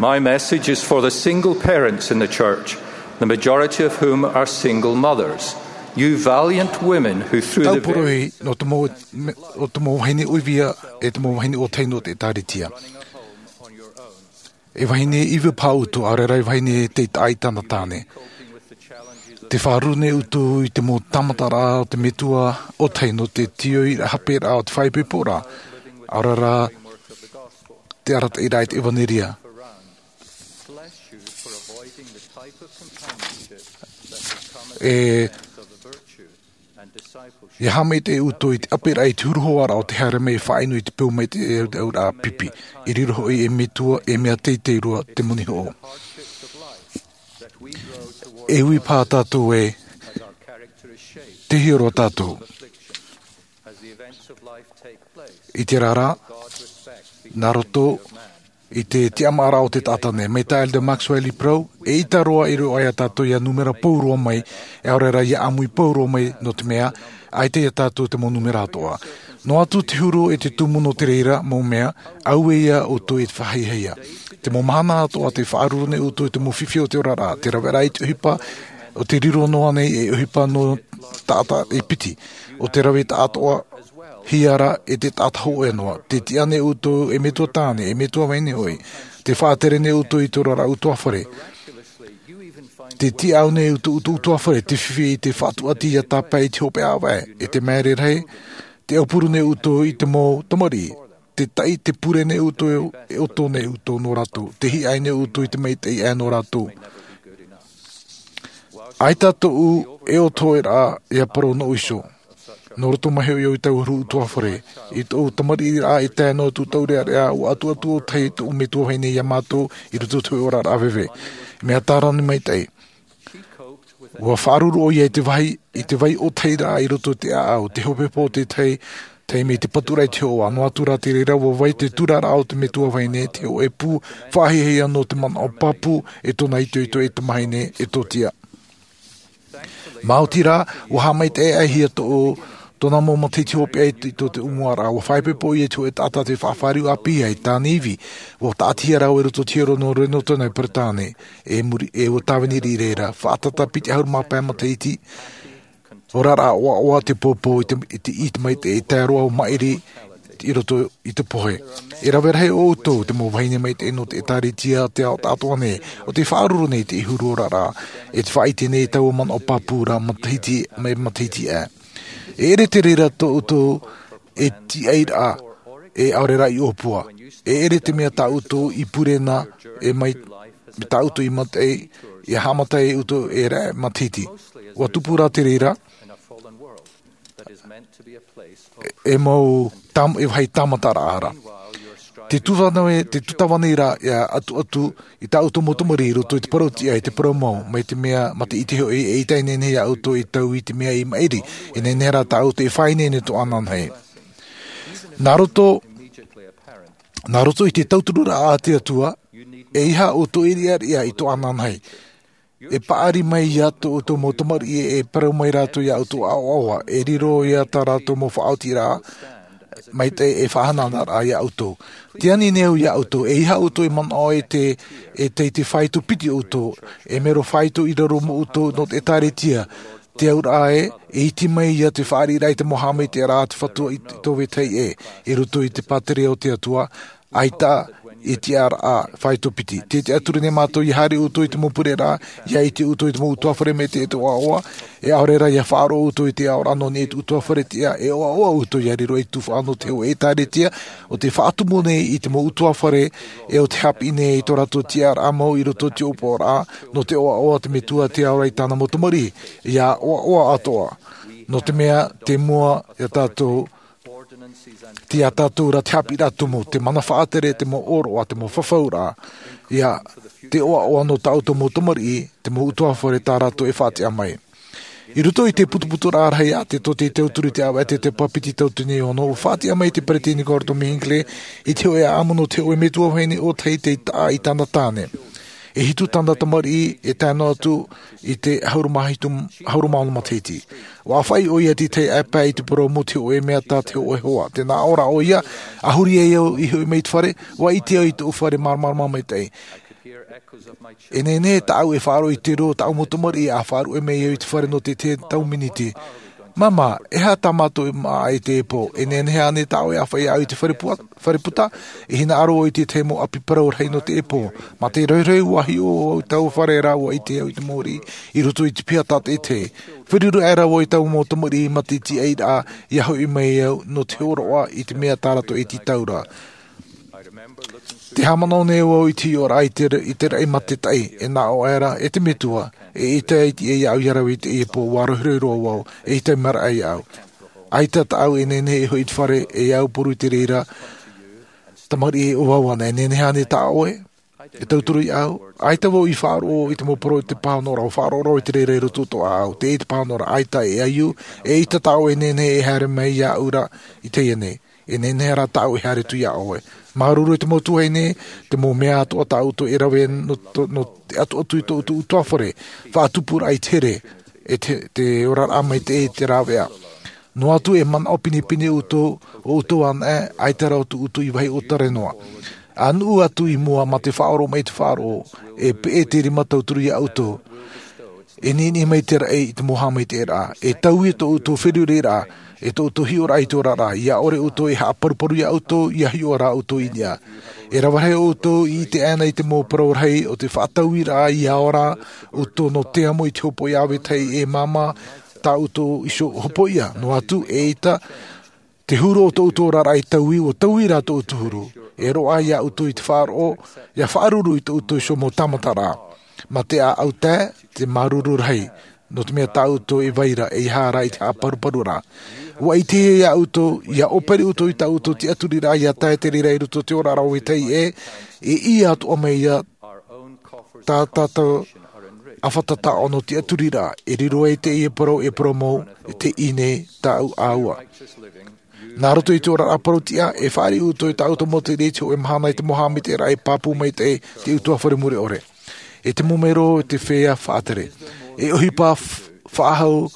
My message is for the single parents in the church, the majority of whom are single mothers. You valiant women who through Tau the poroʻi nō te mau, nō te mau vahine ʻoivia, e te mau vahine ʻōtahi nō te ʻĒtārētia. E vahine iva paha ʻoutou, ʻaore rā e vahine tei taʻa i tāna tāne. Tē faʻaruru nei ʻoutou i te mau tāmataraʻa o te metua ʻōtahi nō te tiʻaraʻa hape raʻa o te faʻaipoiporaʻa, ʻaore rā te arataʻiraʻa i te ʻevanelia. E, ia haʻamaitaʻi ʻoutou i te ʻape raʻa i te huru hoa raʻa o te haere mai e faʻainu i te peu maitaʻi e te auraʻa pipi. I riro hoʻi e metua, e mea teitei roa te moni hoʻo. E ui paha tātou ē, tei hiʻo roa tātou. I te reira, nā roto i te tiʻamāraʻa o te taʻata nei, mai tā Elder Maxwell i parau, eʻita roa e riro ia tātou ia nūmera pauroa mai, e ʻaore rā ia ʻāmui pauroa mai, nō te mea, ʻaita ia tātou te mau nūmera atoʻa. Noa atu te huru e te tumu nō te reira mau mea, auē ia ʻoutou e faʻahiahia. Te mau mahana atoʻa tē faʻaruru nei ʻoutou i te mau fifi o te oraraʻa, te raveraʻa i te ʻohipa, ʻo tē riro noa nei e ʻohipa nō taʻata e piti, ʻo te rave taʻatoʻa hia ra e te taʻata hōʻē noa. Tē tiʻa nei ʻoutou e metua tāne, e metua vahine hoʻi. Tē faʻatere nei ʻoutou i te oraraʻa ʻutuāfare. Tē tiʻa au nei ʻoutou, ʻoutou ʻutuāfare, tē fifi i te faʻatuati ia tāpae i te hopeʻa ʻāvaʻe, e te māere rahi, tē aupuru nei ʻoutou i te mau tamariʻi, tē taʻi, tē pure nei ʻoutou, e ʻoto nei ʻoutou nō rātou, tē hiʻo nei ʻoutou i te maitaʻi aʻe nō rātou. ʻAita tōʻu e ʻoto hoʻi rā ia parau noʻu iho. Nō roto mai hoʻi au i taua huru ʻutuāfare, i tōʻu tamariʻiraʻa e tae noa atu taurearea, ʻua ʻatuʻatu ʻōtahi tōʻu metua vahine ia mātou i roto i te hōʻē oraraʻa veve. Mea tāne maitaʻi. ʻUa faʻaruru ʻoia i te vai, i te vai ʻōtahi rā i roto i te ʻāʻau, te hopeʻa o te tahi, tae mai te paturaʻa i te hoʻoʻa, noa atu rā te reira ʻua vai te tūraraʻa o te metua vahine, te hōʻē pū faʻahiahia nō te manaʻo pāpū, e tōna itoito e tamahine, e tō tiʻa. Maoti rā, ʻua haʻamaitaʻihia tō, tōna mau matahiti hopeʻa i tō te ʻutuāfare, ʻua faʻaipoipo ʻoia i te hōʻē taʻata tei faʻafāriu ʻāpī ai, tāna ivi, ʻua taʻatihia rāua i roto i te hiero nō Reno, Peretāne, e muri, e ʻua tāvini i reira, faʻatata piti ʻahuru mā pae matahiti, oraraʻa ʻoaʻoa te pōpō i te, i te, i te maitaʻi, e tae roa ʻo maʻiri i roto i te pohe. E rave rahi ʻoutou, te mau vahine maitaʻi nō te ʻĒtārētia, te ao taʻatoʻa nei, ʻo tē faʻaruru nei i te huru oraraʻa, e tē faʻaʻite nei i taua manaʻo pāpū ra matahiti, mai matahiti aʻe. E ʻere te reira tō ʻoutou e tiʻairaʻa, e ʻaore rā i ʻōpua. E ʻere te mea tā ʻoutou i pure na, e mai, tā ʻoutou i maitaʻi, ia haʻamata ʻoutou e raʻe matahiti. ʻUa tupu rā te reira, e mau tam-, e vāhi tāmataraʻa ra. Te tūtava nei, te tūtava nei rā, ia ʻatuʻatu i tā ʻoutou mau tamariʻi i roto i te parau tiʻa, i te parau mau, mai te mea, mā te ʻite hoʻi, eʻita e nehenehe ia ʻoutou e taui i te mea i maʻiri, e nehenehe rā tā ʻoutou e faʻaineine atoʻa ananahi. Nā roto, nā roto i te tautururaʻa a te Atua, ʻeiaha ʻoutou e riʻariʻa atoʻa ananahi. E paʻari mai ia tō ʻoutou mau tamariʻi, e parau mai rātou ia ʻoutou ʻoaʻoa, e riro ia tā rātou mau faʻaotiraʻa, maitaʻi e faʻahanahana ra ia ʻoutou. Tē ani nei au ia ʻoutou, ʻeiaha ʻoutou e manaʻo e te, e te, te faito piti ʻoutou, e mero faito i raro mo ʻoutou nō te ʻĒtārētia, te auraʻa ē, e iti mai ia te fāriʻiraʻa i te mau haʻamaitaʻiraʻa a te Fatu i te, tō vetahi ē, i roto i te pātireia o te Atua, ʻaita e tiʻaraʻa faito piti. Tē tiʻaturi nei mātou ia haere ʻoutou i te mau pureraʻa, ia ʻite ʻoutou i te mau ʻutuāfare maitaʻi e te ʻoaʻoa, e ʻaore rā ia faʻaroʻo ʻoutou i te aoraʻa nō niʻa i te ʻutuāfare tiʻa, e ʻoaʻoa ʻoutou ia riro i te tuhaʻa nō te hōʻē ʻĒtārētia, ʻo tē faʻatumu nei i te mau ʻutuāfare, e ʻo tē haʻapiʻi nei i tō rātou tiʻaraʻa mau i roto i te ʻōpuaraʻa, nō te ʻoaʻoa o te Metua te aoraʻi i tāna mau tamariʻi, ia ʻoaʻoa atoʻa. Nō te mea, te mua ia tātou, te ia tātou ra te haʻapiʻiraʻa tumu, te mana faʻatere, te mau ʻōroʻa, te mau fafauraʻa, ia te ʻoaʻoa nō tā ʻoutou mau tamariʻi, te mau ʻutuāfare tā rātou e faʻatiʻa mai. I roto i te putuputuraʻa rahi a te, tō te tauturu i te ʻāvaʻe, te, te pāpiti tauatini e ono, ʻua faʻatiʻa mai te Peresideni Gordon B. Hinckley i te hōʻē ʻāʻamu nō te hōʻē metua vahine ʻōtahi tei taʻa i tāna tāne. E hitu tāna tamariʻi, e tae noa atu i te ʻahuru mā hitu, ʻahuru mā ono matahiti. ʻUa ʻāfaʻi ʻoia i te tahi ʻāpae i te parau mau te hōʻē mea tā te hōʻē hoa. Tē nā ʻō ra ʻoia, a huri ai au i hoʻi mai i te fare, ʻua ʻite au i tōʻu fare māramarama maitaʻi. E nehenehe tāʻu e faʻaroʻo i te reo o tāʻu mau tamariʻi a faʻaruʻe mai au i te fare nō te tahi tau miniti. Māmā, e aha tā mātou e māʻa i teie pō? E nehenehe ānei tāʻu e ʻāfaʻi au i te fare pua-, fare puta? E hinaʻaro au i te tahi mau ʻapi parau rahi nō teie pō. Mā te rohirohi ua hiʻo au i taua fare rā, ua ʻite au i te mōrī i roto i te piha tātaʻitahi. Feruri aʻera vau i taua mau tamariʻi mā te tiʻairaʻa, ʻia hoʻi mai au nō te hōroʻa i te mea tā rātou e tītau ra. Tē haʻamanaʻo nei au i te hiʻoraʻa i te, i te raʻi matataʻi, e nā ʻō aʻera, e te metua, eʻita e tiʻa iāʻu ʻia rave i teie pō, ua rohirohi roa vau, eʻita e maraʻa iāʻu. ʻAita tāʻu e nehenehe e hoʻi i te fare, e aupuru i te reira, tamariʻi e ʻōvau ana, e nehenehe ānei tā ʻoe e tauturu iāʻu? ʻAita vau i faʻaroʻo i te mau parau o te pāhonoraʻa, ʻua faʻaroʻo roa i te reira i roto i tō ʻāʻau, teie te pāhonoraʻa, ʻaita e ʻaiū, eʻita tāʻu e nehenehe e haere mai iāʻu ra i teie nei. E nehenehe rā tāʻu e haere atu iā ʻoe. Māuruuru i te mau tuahine, te mau mea atoʻa tā ʻoutou e rave nō, nō te ʻatuʻatu i tō ʻoutou ʻutuāfare, faʻatupuraʻa i te here, e te, te oraraʻa maitaʻi i te rāveʻa. Noa atu e manaʻo pinepine ʻoutou, ʻo ʻoutou anaʻe, ʻaita rā atu ʻoutou i vāhi ʻōtare noa. ʻA nuʻu atu i mua mā te faʻaoromaʻi i te faʻaroʻo, e peʻe te rima tauturu iā ʻoutou. E niʻiniʻi mai te raʻi i te mau haʻamaitaʻiraʻa. E taui tō ʻoutou feruriraʻa, e tō ʻoutou hiʻoraʻa i te oraraʻa. ʻIa ʻore ʻoutou e haʻaparuparu iā ʻoutou, ʻia hiʻo rā ʻoutou i niʻa. E rave rahi ʻoutou i ʻite aʻena i te mau parau rahi o te faʻatauiraʻa, ʻia ora ʻoutou nō te amo i te hopoiʻa ʻāvetahi e māmā tā ʻoutou iho hopoiʻa. Noa atu, eʻita te huru o tō ʻoutou oraraʻa i taui, ʻua taui rā tō ʻoutou huru. E roaʻa iā ʻoutou i te faʻaroʻo, ʻia faʻaruru i tō ʻoutou iho mau tāmataraʻa. Mā te ʻāʻau tae, te māuruuru rahi, nō te mea tā ʻoutou e vai ra, ʻeiaha rā i te haʻaparuparu ra. ʻUa ʻitehia iā ʻoutou, ʻia ʻōpere ʻoutou i tā ʻoutou tiʻaturiraʻa, ʻia tae te reira i roto i te oraraʻa ʻāvetahi ē, e ʻī atoʻa mai ia tā tātou ʻāfata taʻo nō tiʻaturiraʻa, e riro ai teie parau, e parau mau, e te ʻī nei tāʻu ʻāua. Nā roto i te oraraʻa parau-tiʻa, e fāriʻi ʻoutou i tā ʻoutou mau tere i te hōʻē mahana i te mau haʻamaitaʻiraʻa e pāpū maitaʻi te ʻutuāfare mure ʻore. E te mau mero, e te feiā faʻatere. E ʻohipa f-, faʻahou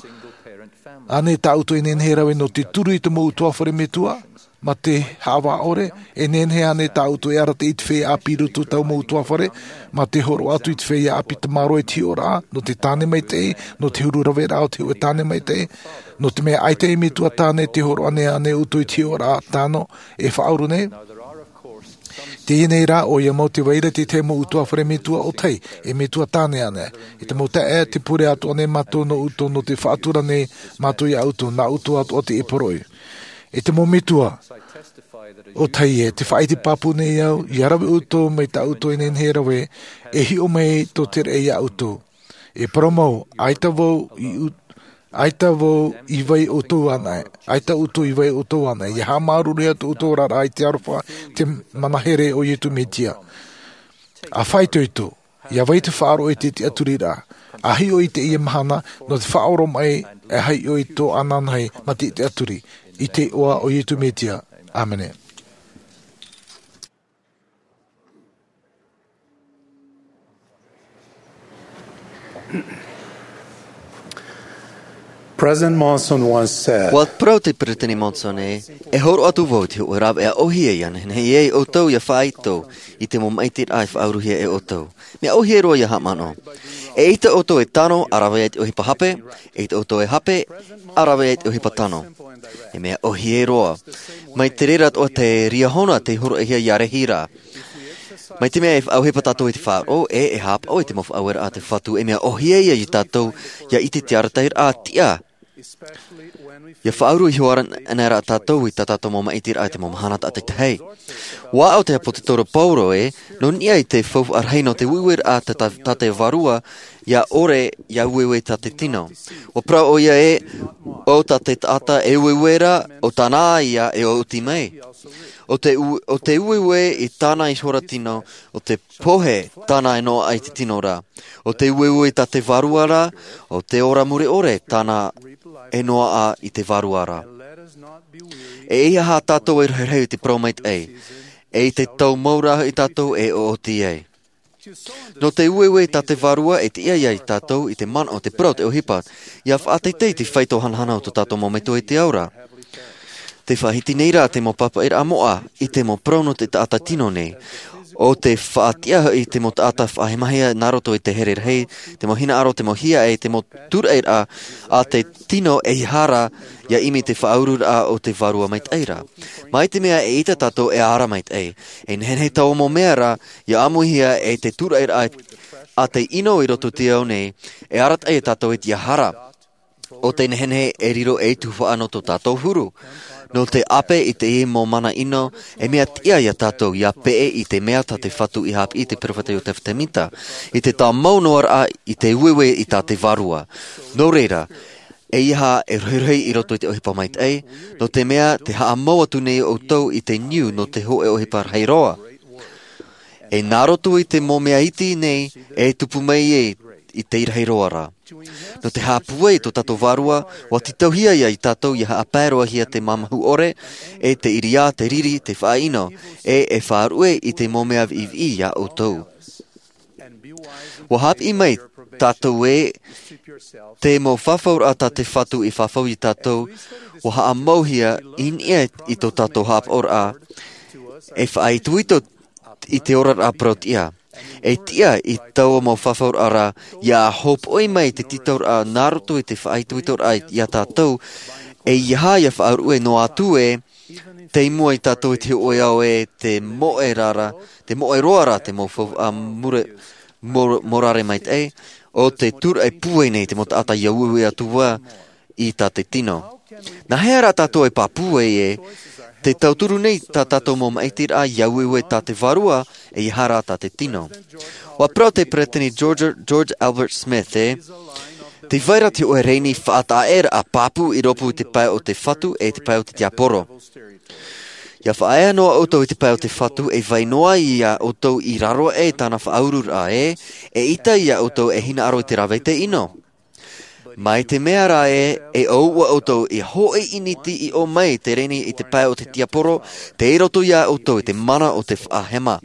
ānei tā ʻoutou e nehenehe e rave nō te turu i te mau ʻutuāfare metua, mā te haʻavā ʻore? E nehenehe ānei tā ʻoutou e arataʻi i te feiā ʻāpī i roto i taua mau ʻutuāfare, mā te hōroʻa atu i te feiā ʻāpī tamaroa i te hiʻoraʻa, nō te tāne maitaʻi, nō te huru raveraʻa o te hōʻē tāne maitaʻi, nō te mea ʻaita e metua tāne, tē hōroʻa nei ānei ʻoutou i te hiʻoraʻa tano, e faʻauru nei? Teie nei rā, ʻoia mau te vai ra te tahi mau ʻutuāfare metua ʻōtahi, e metua tāne ānei. E te mau taeaʻe, tē pure atoʻa nei mātou nō ʻoutou, nō te faʻatura nei mātou iā ʻoutou, nā ʻoutou atoʻa teie poroʻi. E te mau metua ʻōtahi ē, tē faʻaʻite pāpū nei au, ʻia rave ʻoutou mai tā ʻoutou e nehenehe e rave, e hiʻo mai tō te raʻi iā ʻoutou. E parau mau, ʻaita vau i u-, ʻaita vau i vai ʻoutou anaʻe, ʻaita ʻoutou i vai ʻoutou anaʻe, ʻia haʻamāuruuruhia tō ʻoutou oraraʻa i te aroha, te mana here o Iesu Mesia. ʻA faʻaitoito, ʻia vai te faʻaroʻo i te tiʻaturiraʻa, ʻa hiʻo i teie mahana, nō te faʻaoromaʻi, e hiʻo i tō ananahi, mā te tiʻaturi, i te iʻoa o Iesu Mesia. ʻĀmene. President Monson once said, ʻUa parau te Peresideni Monson ē, e hōroʻa atu vau i te hōʻē rāveʻa ʻōhie ʻia nehenehe ai ʻoutou ʻia faʻaitoito i te mau maʻitiraʻa i faʻauruhia e ʻoutou. Mea ʻōhie roa ʻia haʻamanaʻo. ʻEita ʻoutou e tano, ʻa rave ai te ʻohipa hape, ʻeita ʻoutou e hape, ʻa rave ai te ʻohipa tano. E mea ʻōhie roa. Mai te reira atoʻa te riahona tei hōroʻahia ʻia rahi ra. Mai te mea e faʻaʻohipa tātou i te faʻaroʻo, e, e haʻapaʻo i te mau faʻaueraʻa a te Fatu, e mea ʻōhie ia iā tātou, ʻia ʻite i te arataʻiraʻa tiʻa. ʻIa faʻauru iho ā ra, ʻana rā tātou i tā tātou mau maʻitiraʻa i te mau mahana tātaʻitahi. ʻUa aʻo te ʻāpōsetolo Paulo ē, nō niʻa i te faufaʻa rahi nō te ueueraʻa tā, tā, tā te Vārua, ʻia ʻore, ʻia ueue tā te tino. ʻUa parau ʻoia ē, ʻo tā te taʻata e ueue ra, ʻo tāna ïa e ʻōti mai. ʻO te u-, ʻo te ueue i tāna ihora tino, ʻo te pohe tāna e noaʻa i te tino ra. ʻO te ueue i tā te Vārua ra, ʻo te ora mure ʻore tāna e noaʻa i te Vārua ra. E ʻeiaha tātou e rahirahi i te parau maitaʻi, e i te tau mau rā hoʻi tātou e ʻōti ai. Nō te ueue i tā te Vārua e tiʻa ia iā tātou i te manaʻo, te parau, te ʻohipa, ʻia faʻateitei i te faito hanahana o tō tātou mau metua i te ao ra. Tē faʻahiti nei rā te mau pāpaʻiraʻa moʻa i te mau parau nō te taʻata tino nei. ʻO te faʻatiʻa hoʻi te mau taʻata faʻahemahia nā roto i te here rahi, te mau hinaʻaro, te mau hiaʻai, te mau tūraʻiraʻa a te tino, ʻeiaha rā ia ʻimi i te faʻaururaʻa o te Vārua Maitaʻi ra. Mai te mea e ʻite tātou e ara maitaʻi, e nehenehe taua mau mea ra ia ʻāmuihia e te tūraʻiraʻa a te ʻino i roto i te ao nei, e arataʻi ia tātou i te ʻeiaha rā. ʻO te nehenehe e riro ei tuhaʻa nō tō tātou huru. Nō te ʻape i teie mau mana ʻino, e mea tiʻa ia tātou ia peʻe i te mea tā te Fatu i haʻapiʻi i te peropheta Iosefa Sāmita, i te tāmau noa raʻa i te ueue i tā te Vārua. Nō reira, ʻeiaha e rohirohi i roto i te ʻohipa maitaʻi, nō te mea tē haʻamau atu nei ʻoutou i te niu nō te hōʻē ʻohipa rahi roa. E nā roto i te mau mea iti nei e tupu mai ai i te rahi roa ra. Nō te haʻapūai i tō tātou Vārua, ʻua tītauhia ia tātou ia haʻapae roa hia te māmahu ʻore, e te ʻiriā, te riri, te faʻaʻino, e e faʻaruʻe i te mau mea viʻiviʻi ia ʻoutou. ʻUa haʻapiʻi mai tātou ē, te mau fafauraʻa tā te Fatu i fafau ia tātou, ʻua haʻamauhia i niʻa i tō tātou haʻapaʻoraʻa, e faʻaitoito i te oraraʻa parau-tiʻa. E tiʻa i taua mau fafauraʻa ra, ia hōpoʻi mai te tītauraʻa nā roto i te faʻaitoitoraʻa ia tātou, ʻeiaha ia faʻaruʻe noa atu ē, tei mua ia tātou i te hōʻē ao e te moʻe ra, te moʻe roa ra te mau faufaʻa mure-, mor-, morare maitaʻi, ʻo te tūraʻi pūai nei te mau taʻata ia ueue atu ā i tā te tino. Nā hea rā tātou e pāpū ai ē, tē tauturu nei tā tātou mau maʻitiraʻa ia ueue tā te Vārua, ʻeiaha rā tā te tino. ʻUa parau te Peresideni George, George Albert Smith ē, tē vai ra te hōʻē rēni faʻataʻa-ʻē-raʻa pāpū i rōpū i te pae o te Fatu e te pae o te tiaporo. Ia faʻaea noa ʻoutou i te pae o te Fatu, e vai noa ia ʻoutou i raro aʻe i tāna faʻaururaʻa ē, eʻita ia ʻoutou e hinaʻaro i te rave i te ʻino. Mai te mea rā ē, e ʻōua ʻoutou i hōʻē ʻiniti i ʻō mai i te rēni i te pae o te tiaporo, tei roto ia ʻoutou i te mana o te faʻahema.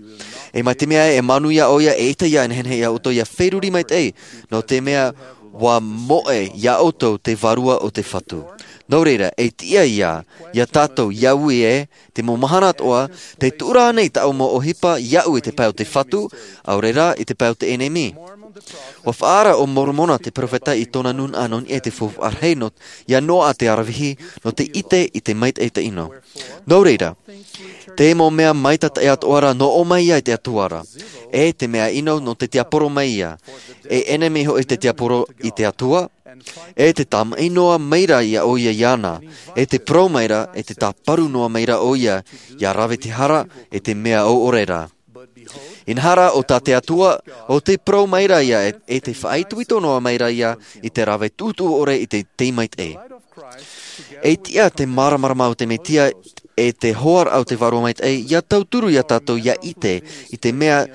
E mai te mea ē, e manuia ʻoia, eʻita ia nehenehe ia ʻoutou ia feruri maitaʻi, nō te mea ʻua moʻe ia ʻoutou te Vārua o te Fatu. Nō reira, e tiʻa ia, ia tātou ia ui ē, te mau mahana atoʻa, tē tuʻu ra ānei taua mau ʻohipa iaʻu i te pae o te Fatu, ʻaore rā i te pae o te ʻenemi? ʻUa faʻaara ʻo Moromona te peropheta i tōna nūnaʻa nō niʻa i te faufaʻa rahi nō, ia Noa te aravihi, nō te ʻite i te maitaʻi i te ʻino. Nō reira, te mau mea maitaʻi atoʻa ra nō ʻō mai ia i te Atua ra. E te mea ʻino nō te tiaporo mai ia. E ʻenemi hoʻi te tiaporo i te Atua, e tē tāmaʻi noa mai ra ia ʻoia iāna, e tē parau mai ra, e tē tāparu noa mai ra ʻoia, ia rave te hara, e te mea ʻōʻore ra. Inaha rā, ʻo tā te Atua, ʻo tē parau mai ra ia, e, e tē faʻaitoito noa mai ra ia, i te rave tuʻutuʻu ʻore i te, te maitaʻi. E tiʻa te māramarama o te Mesia, e te hoaraʻa o te Vārua Maitaʻi, ia tauturu ia tātou ia ʻite, i te mea,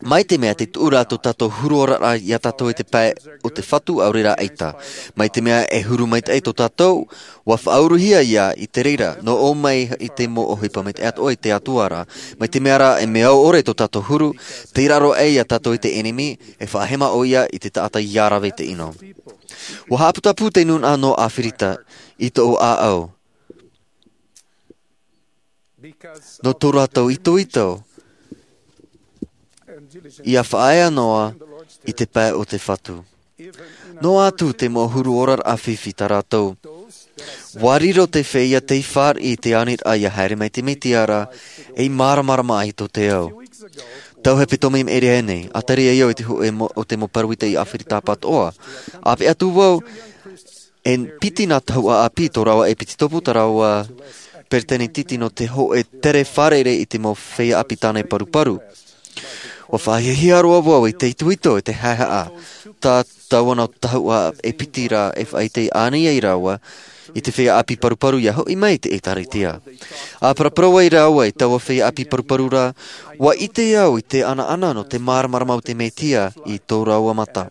mai te mea tē tuʻu ra tō tātou huru oraraʻa ia tātou i te pae o te Fatu ʻaore rā ʻaita. Mai te mea e huru maitaʻi tō tātou, ʻua faʻauruhia ia i te reira, nō ʻō mai i te mau ʻohipa maitaʻi atoʻa i te Atua ra. Mai te mea rā e mea ʻōʻore tō tātou huru, tei raro aʻe ia tātou i te ʻenemi, e faʻahema ʻoia i te taʻata ia rave i te ʻino. ʻUa haʻaputapū te nūnaʻa nō ʻAfirita, i tōʻu ʻāʻau. Nō tō rātou itoito, ia faʻaea noa i te pae o te Fatu. Noa atu te mau huru oraraʻa fifi tā rātou. ʻUa riro te feiā tei fāriʻi i te aniraʻa ia haere mai te Mesia ra, ei māramarama ai tō te ao. Tau hepetoma i maʻiri aʻe nei, ʻa tae ra vau i te hōʻē mo-, o te mau pāroita i ʻAfirita pātoʻa. ʻĀpeʻe atu vau, e piti nā tahuʻa ʻāpī tō rāua e piti topu tā rāua peretiteni nō te hōʻē tere fārerei i te mau feiā ʻāpī tāne paruparu. ʻUa faʻahiahia roa vau i te itoito, i te haʻehaʻa, tā taua nā tahuʻa e piti ra e faʻaʻite ānei ai rāua, i te feiā ʻāpī paruparu ia hoʻi mai i te ʻĒtārētia. ʻA paraparau ai rāua i taua feiā ʻāpī paruparu ra, ʻua ʻite au i te ʻanaʻana nō te māramarama o te Mesia i tō rāua mata.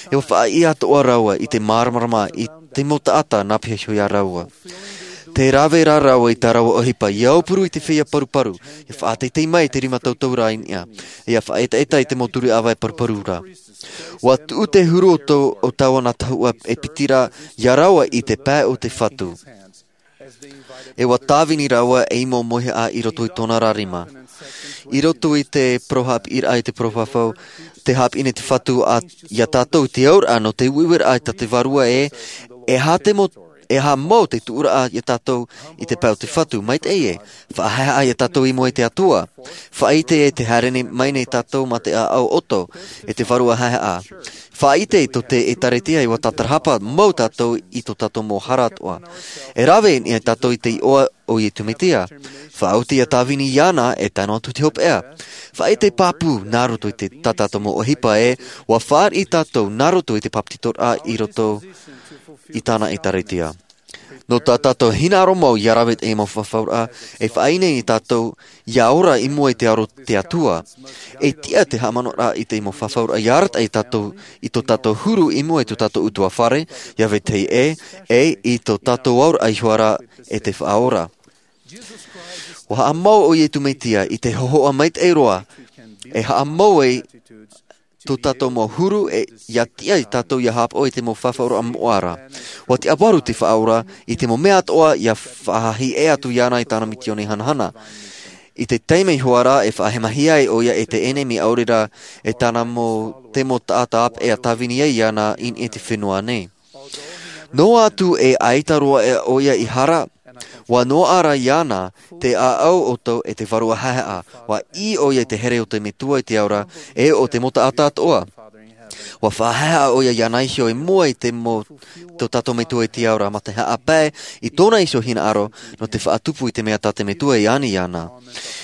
E ʻua faʻaʻī atoʻa rāua i te māramarama i te mau taʻata nā pihaʻi iho ia rāua. Tē rave ra rāua i tā rāua ʻohipa, ia aupuru i te feiā paruparu, ia faʻateitei mai i te rima tautau ra i niʻa, ia faʻaetaeta i te mau turi ʻāvae paruparu ra. ʻUa tuʻu te huru o tō, o taua nā tahuʻa e piti ra, ia rāua i te pae o te Fatu. E ʻua tāvini rāua ei mau mauhaʻa i roto i tōna ra rima. I roto i te parau haʻapiʻiraʻa i te parau fafau, te haʻapiʻi nei te Fatu iā tātou i te auraʻa nō te uiuiraʻa tā te Vārua ē, e aha te mau, e aha mau te tuʻuraʻa iā tātou i te pae o te Fatu, maitaʻi ē, faʻahaehaʻa iā tātou i mua i te Atua. Faʻaʻite ē, tē haere mai nei tātou mā te ʻāʻau ʻoto, e te Vārua haehaʻa. Faʻaʻite tō te ʻĒtārētia ʻua tātarahapa mau tātou i tō tātou mau hara atoʻa. E rave nei tātou i te iʻoa o Iesu Mesia. Faʻaoti iā Tāvini iāna e tano atu te hopeʻa. Faʻaʻite pāpū nā roto i te, tā tātou mau ʻohipa ē, ʻua fāriʻi tātou nā roto i te bāpetizoraʻa i roto i tāna ʻĒtārētia. Nō tā tātou hinaʻaro mau ʻia rave i te mau fafauraʻa, e faʻaineine tātou ʻia ora i mua i te aro o te Atua. E tiʻa te haʻamanaʻoraʻa i te mau fafauraʻa ʻia arataʻi tātou i tō tātou huru i mua i tō tātou ʻutuāfare, iā vetahi ʻē, e i tō tātou auraʻa iho ā rā e te Faʻaora. ʻUa haʻamau ʻo Iesu Mesia i te hōhoʻa maitaʻi roa, e haʻamau ai tō tātou mau huru, e ʻia tiʻa iā tātou ʻia haʻapaʻo i te mau fafauraʻa moʻa ra. ʻUa tiʻafaʻaroʻo te Faʻaora i te mau mea atoʻa ʻia faʻahiʻo atu iāna i tāna misiōni hanahana. I te taime iho ā rā e faʻahemahia ai ʻoia e te ʻenemi ʻaore rā e tāna mau, te mau taʻata ʻāpeʻe ʻia tāvini ai iāna i niʻa i te fenua nei. Noa atu e ʻaita roa ʻoia i hara, ʻua noaʻa ra iāna te ʻāʻau ʻoto e te Vārua haehaʻa, ʻua ʻī ʻoia i te here o te Metua i te ao ra, e ʻo te mau taʻata atoʻa. ʻUa faʻahaehaʻa ʻoia iāna iho i mua i te mau, tō tātou Metua i te ao ra, mā te haʻapae i tōna iho hinaʻaro nō te faʻatupu i te mea tā te Metua i ani iāna.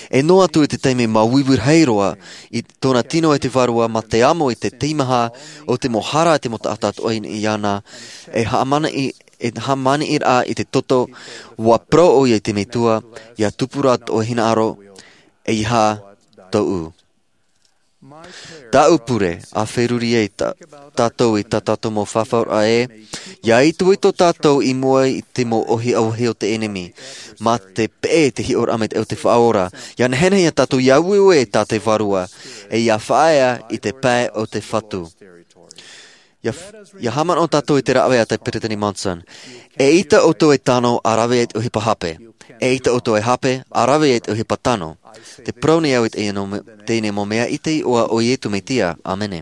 E noa atu i te taime māuiui rahi roa i tōna tino e te Vārua mā te amo i te teimaha o te mau hara e te mau taʻata atoʻa i niʻa iāna, e haʻamanaʻo i, e haʻamanaʻoraʻa i te toto, ʻua parau ʻoia i te Metua, ʻia tupu rā tō hinaʻaro, ʻeiaha tōʻu. Tāʻu pure, ʻa feruri ai tā, tātou i tā tātou mau fafauraʻa ē, ʻia itoito tātou i mua i te mau ʻohipa o te ʻenemi, mā te peʻe te hiʻoraʻa maitaʻi o te Faʻaora, ʻia nehenehe iā tātou ʻia ueue i tā te Vārua, e ʻia faʻaea i te pae o te Fatu. ʻIa, ʻia haʻamanaʻo tātou i te rāveʻa a te Peresideni Monson. ʻEita ʻoutou e tano ʻa rave i te ʻohipa hape. ʻEita ʻoutou e hape ʻa rave i te ʻohipa tano. Tē parau nei au i teie mau me-, teie mau mea i te iʻoa o Iesu Mesia. ʻĀmene.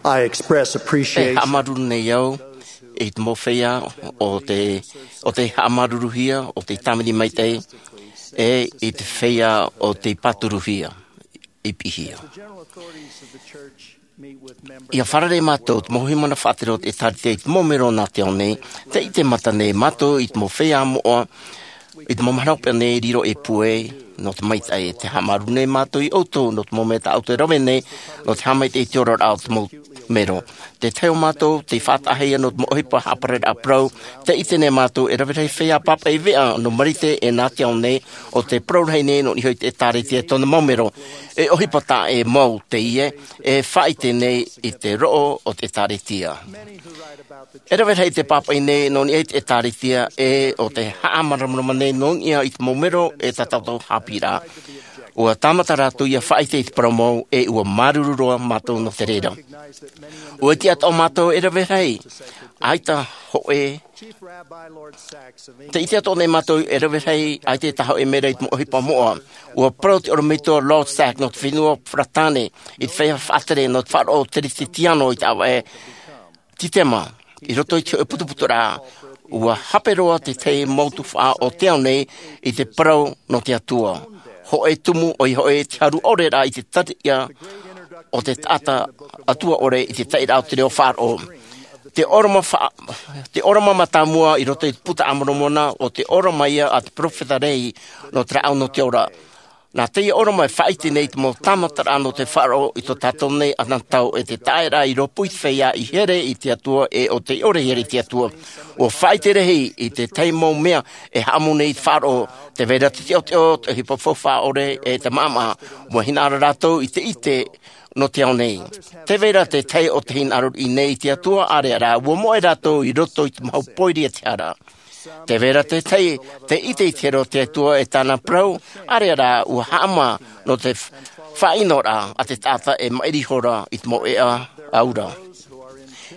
I express E appreciation. Haʻamāuruuru nei au i te mau feiā o te, o tei haʻamāuruuruhia, o tei tāvini maitaʻi, e i te feiā o tei pāturuhia, i piʻihia. ʻIa fārerei mātou, te mau hīmene faʻatere o te ʻĒtārētia i te mau mero nā te ao nei, tē ʻite mata nei mātou i te mau feiā moʻa, i te mau mahana hopeʻa nei riro e puai, nō te maitaʻi, tē haʻamāuruuru nei mātou iā ʻoutou, nō te mau mea tā ʻoutou e rave nei, nō te haʻamaitaʻi i te oraraʻa o te mau mero. Te tahi o mātou, tei faʻataʻahia nō te mau ʻohipa haʻapararaʻa parau, tē ʻite nei mātou, e rave rahi feiā pāpaʻi veʻa nō Marite e nā te ao nei, ʻo tē parau rahi nei nō niʻa i te ʻĒtārētia e tōna mau mero, e ʻohipa taʻa ʻē mau teie, e faʻaʻite nei i te roʻo o te ʻĒtārētia. E rave rahi tē pāpaʻi nei nō niʻa i te ʻĒtārētia, e ʻo tē haʻamāramarama nei nō niʻa i te mau mero e tā tātou haʻapiʻiraʻa. ʻUa tāmata rātou ʻia faʻaʻite i te parau mau, e ʻua māuruuru roa mātou nō te reira. ʻUa ʻite atoʻa mātou e rave rahi, ʻaita hōʻē, tē ʻite atoʻa nei mātou e rave rahi, ʻaita e taʻa hōʻē mea i te mau ʻohipa moʻa. ʻUa parau te ʻorometua Lord Sax nō te fenua Peretāne, i te feiā faʻatere nō te faʻaroʻo teretetiano i te ʻāvaʻe Titema, i roto i te hōʻē putuputuraʻa, ʻua hape roa te tahi mau tuhaʻa o te ao nei i te parau nō te Atua. Hōʻē tumu, ʻoia hoʻi te haru ʻore ra i te tariʻa o te taʻata Atua ʻore i te taʻiraʻa o te reo faʻaroʻo. Te ʻōrama fa-, te ʻōrama mātāmua i roto i te Buka a Moromona, ʻo te ʻōrama ia a te peropheta Lehi nō te rāʻau nō te ora. Nā teie ʻōrama e faʻaʻite nei te mau tāmataraʻa nō te faʻaroʻo i tō tātou nei anotau e te taʻeraʻa i rōpū i te feiā i here i te Atua e ʻo tei ʻore i here i te Atua. ʻUa faʻaʻite rahi i te tahi mau mea e haʻamou nei i te faʻaroʻo, tē vai ra te teʻoteʻo, te ʻohipa faufaʻa ʻore, e te maʻamaʻa. ʻUa hinaʻaro rātou i te ʻite nō te ao nei. Tē vai ra te tahi o te hinaʻaro riʻi nei i te Atua, ʻāreʻa rā, ʻua moʻe rātou i roto i te mahu pōiri a te hara. Tē vai ra te tahi, tē ʻite i te here o te Atua e tāna parau, ʻāreʻa rā, ʻua haʻamā nō te f-, faʻaʻinoraʻa a te taʻata e maʻiri ihora i te mau ʻēʻa aura.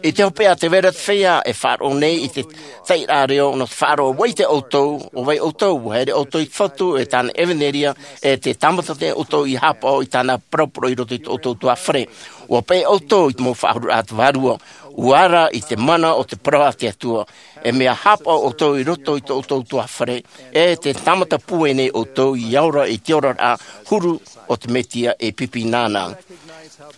I te hopeʻa te vera te feiā e faʻaroʻo nei i te taʻiraʻa reo nō te faʻaroʻo ʻua ʻite ʻoutou ʻo vai ʻoutou, ʻua here ʻoutou i te fatu e tāna ʻevanelia, e te tāmata nei ʻoutou ia hapaʻo i tāna parau parau i roto i tō ʻoutou tuafare. ʻUa peʻe ʻoutou i te mau faʻahururaʻa te vārua, ʻua ara i te mana o te parau a te Atua. E mea hapaʻo ʻoutou i roto i tō ʻoutou tuafare, e te tāmata pūai nei ʻoutou ia ora i te oraraʻa huru o te Mesia e pipi nāna.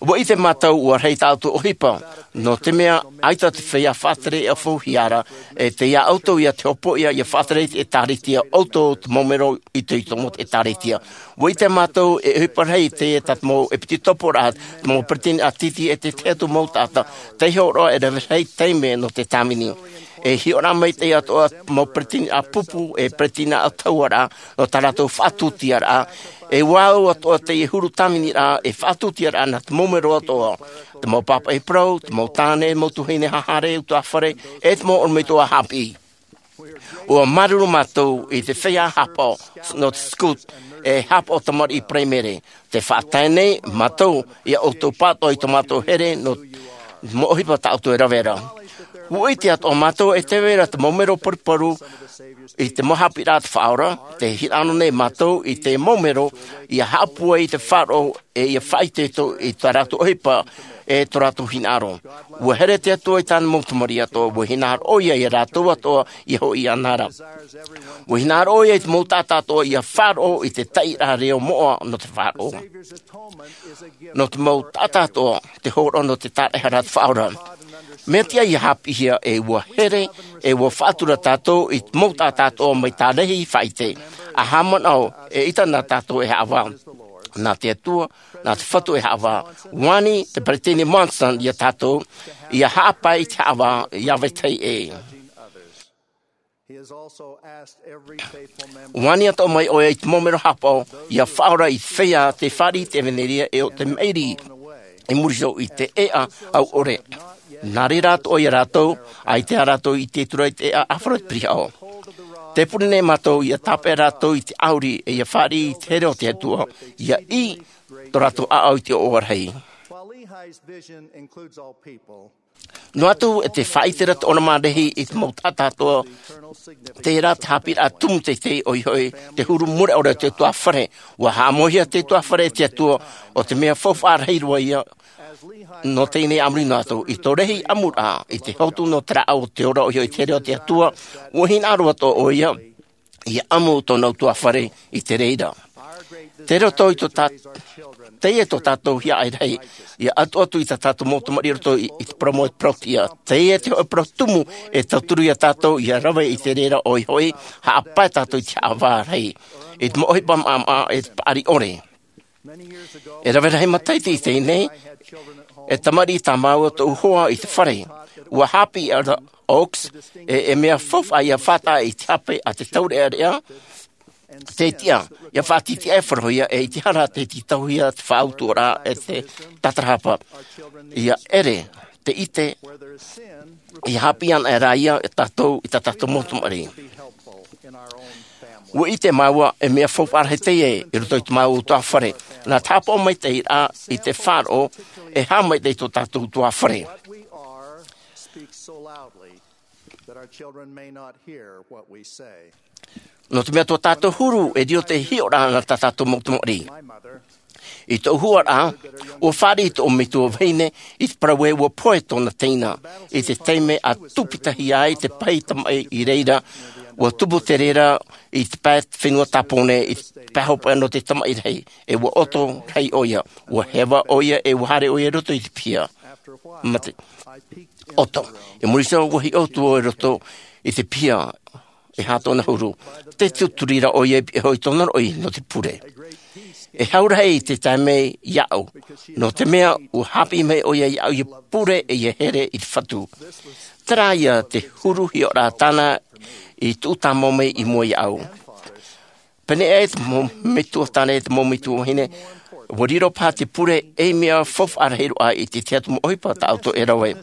ʻUa ʻite mātou ʻua rahi tā ʻoutou ʻohipa, nō te mea ʻaita te feiā faʻatere e ʻaufau hia ra, e tei iā ʻoutou ia te hopoiʻa ia faʻatere i te ʻēkālesia ʻoutou te mau mero itoito nō te ʻēkālesia. ʻUa ʻite mātou e ʻohipa rahi teie tā te mau ʻepitekopo ra, te mau peretiteni ʻātiti e te tahi atu mau taʻata, tei hōroʻa e rave rahi taime nō te tāvini. E hiʻoraʻa maitaʻi atoʻa te mau peretiteni ʻāpūpū, e peretiteni ʻātahuaraʻa, nō tā rātou faʻatūtiaraʻa, e ʻua au atoʻa teie huru tāviniraʻa e faʻatūtiaraʻa nā te mau mero atoʻa, te mau pāpaʻi parau, te mau tāne, mau tuahine haʻahaere, tuafare, e te mau ʻorometua haʻapiʻi. ʻUa māuruuru mātou i te feiā hapaʻo nō te scout, e hapaʻo tamariʻi paraimere, tē faʻatae nei mātou ia ʻoutou pātoʻi tō mātou here nō te mau ʻohipa tā ʻoutou e rave ra. ʻUa ʻite atoʻa mātou e tē vai ra te mau mero paruparu i te mau haʻapiʻiraʻa a te Faʻaora, tē hinaʻaro nei mātou i te mau mero ia haʻapūai i te faʻaroʻo e ia faʻaitoito i tā rātou ʻohipa e tō rātou hinaʻaro. ʻUa here te Atua i tāna mau tamariʻi atoʻa, ʻua hinaʻaro ʻoia ia rātou atoʻa ia hoʻi iāna ra. ʻUa hinaʻaro ʻoia i te mau taʻata atoʻa ia faʻaroʻo i te taʻiraʻa reo moʻa nō te faʻaroʻo. Nō te mau taʻata atoʻa, te hōroʻa nō te tāraʻehara a te Faʻaora. Mea tiʻa ia haʻapiʻihia e ʻua here, e ʻua faʻatura tātou i te mau taʻata atoʻa mai tā Lehi faʻaʻite. ʻA haʻamanaʻo, eʻita nā tātou e haʻavā. Nā te Atua, nā te Fatu e haʻavā. ʻUa ani te Peretiteni Monson ia tātou, ia haʻapae i te haʻavā, ia vetahi ʻē. ʻUa ani atoʻa mai ʻoia i te mau mero hapaʻo, ia faʻaora i te feiā tē fāriʻi i te ʻevanelia e ʻo tē maʻiri i muri iho i te ʻēʻa au ʻore. Nā reira atoʻa ia rātou, ʻaita rātou i ʻite atu ra i te ʻēʻa ʻāfaro te pirihaʻo. Tē pure nei mātou ia tāpeʻa rātou i te ʻauri e ia fāriʻi i te here o te Atua, ia ʻī tō rātou ʻāʻau i te ʻoaʻoa rahi. Noa atu e tē faʻaʻite ra te ʻōrama a Lehi i te mau taʻata atoʻa, terā te haʻapiʻiraʻa tumu teitei ʻoia hoʻi te huru mure ʻore o te tuafare. ʻUa haʻamauhia te tuafare e te Atua, ʻo te mea faufaʻa rahi roa ia nō teie nei a muri noa atu. I tō Lehi ʻamuraʻa, i te hotu nō te rāʻau o te ora ʻoia hoʻi te here o te Atua, ʻua hinaʻaro atoʻa ʻoia ia ʻamu tōna tuafare i te reira. Tei roto i tō tā-, teie tō tātou hiaʻai rahi, ia ʻatuʻatu i tā tātou mau tamariʻi i roto i, i te parau mau e te parau tiʻa. Teie te hōʻē parau tumu e tauturu ia tātou ia rave i te reira ʻoia hoʻi, haʻapae tātou i te haʻavā rahi. I te mau ʻohipa maʻamaʻa e te paʻari ʻore. E rave rahi matahiti i teie nei, e tamariʻi tā māua tōʻu hoa i te fare. ʻUa haʻapiʻi ʻo Oaks, e, e mea faufaʻa ia faʻataʻa i te hape a te taureʻareʻa, te tiʻa, ia faʻatitiʻa e faʻarohia, e i te hara tē tītauhia te faʻautuʻaraʻa e te tātarahapa. Ia ʻere, tē ʻite, ia haʻapiʻi ana rā ia e tātou, i tā tātou mau tamariʻi. ʻUa ʻite māua, e mea faufaʻa rahi teie i roto i tō māua tuafare. Nā te haʻapaʻo maitaʻi ra i te faʻaroʻo, e haʻamaitaʻi tō tātou tuafare. Nō te mea tō tātou huru, e riro te hiʻoraʻa nā tā tātou mau tamariʻi. I tōʻu huaraʻa, ʻua fāriʻi tōʻu metua vahine i te parau ē ʻua pohe tōna teina, i te taime a tūpitahia ai te pahi tamaʻi i reira, ʻua tupu te reira i te pae fenua Tāpōnē, i te pae hopeʻa nō te tamaʻi rahi, e ʻua ʻoto rahi ʻoia, ʻua heva ʻoia, e ʻua haere ʻoia i roto i te piha. Mā te ʻoto. I muri iho, ʻua hiʻo atu vau i roto i te piha, e aha tōna huru. Tē tuturi ra ʻoia i pihaʻi iho i tōna roʻi nō te pure. E hau rahi te tae mai iāʻu, nō te mea ʻua haʻapiʻi mai ʻoia iāʻu ia pure e ia here i te Fatu. Terā ia te huru hiʻoraʻa tāna i tuʻu tāmau mai i mua iāʻu. Pēnei aʻe te mau metua tāne, te mau metua vahine, ʻua riro paha te pure ei mea faufaʻa rahi roa i te tahi atu mau ʻohipa tā ʻoutou e rave.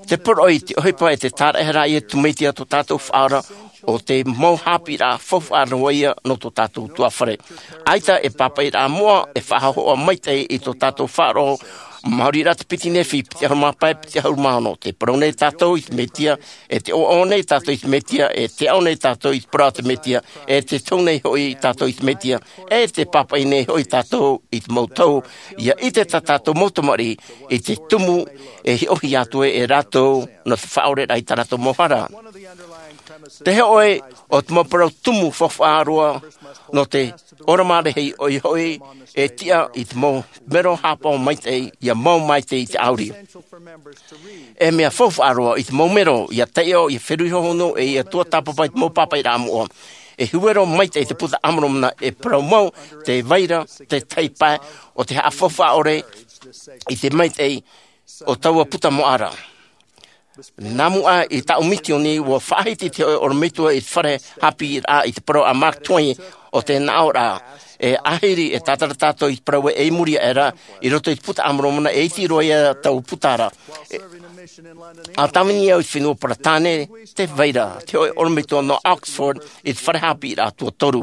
Te poroʻi, te ʻohipa e te tāraʻehara ia te Tamaiti a tō tātou Faʻaora, ʻo te mau haʻapiʻiraʻa faufaʻa roa ia nō tō tātou tuafare. ʻAita e pāpaʻiraʻa moʻa e faʻahōhoʻa maitaʻi i tō tātou faʻaroʻo Maori rā te piti Nephi, piti ʻahuru mā pae, piti ʻahuru mā ono. Tē parau nei tātou i te Mesia, e tē ʻoaʻoa nei tātou i te Mesia, e tē aʻo nei tātou i te parau a te Mesia, e tē tau nei hoʻi tātou i te Mesia, e tē pāpaʻi nei hoʻi tātou i te mau tau, ʻia ʻite tā tātou mau tamariʻi i te tumu e hiʻohia atu e rātou nō te faʻaoreraʻa i tā rātou mau hara. Te hōʻē o te mau parau tumu faufaʻa roa nō te ʻōrama rahi ʻoia hoʻi, e tiʻa i te mau mero haʻapaʻo maitaʻi, ʻia mau maitaʻi i te ʻauri. E mea faufaʻa roa i te mau mero ʻia taiʻo, ʻia feruri hohonu, e ʻia tuatāpapa i te mau pāpaʻiraʻa moʻa. E huero maitaʻi te Puta a Moromona, e parau mau te vai ra te tahi pae o te haʻafaufaʻa ʻore i te maitaʻi o taua puta moʻa ra. Nā mua i tāʻu misioni, ʻua faʻahiti te hōʻē ʻorometua i te fare haʻapiʻiraʻa i te parau a Mark Twain o te nāʻōraʻa. E ahiri e tātara tātou i te parau ē i muri aʻe ra, i roto i te Puta a Moromona, e iti roa ia taua puta ra. E, a tāvini au i te fenua Peretāne, tē vai ra te hōʻē ʻorometua nō Oxford i te fare haʻapiʻiraʻa tuatoru.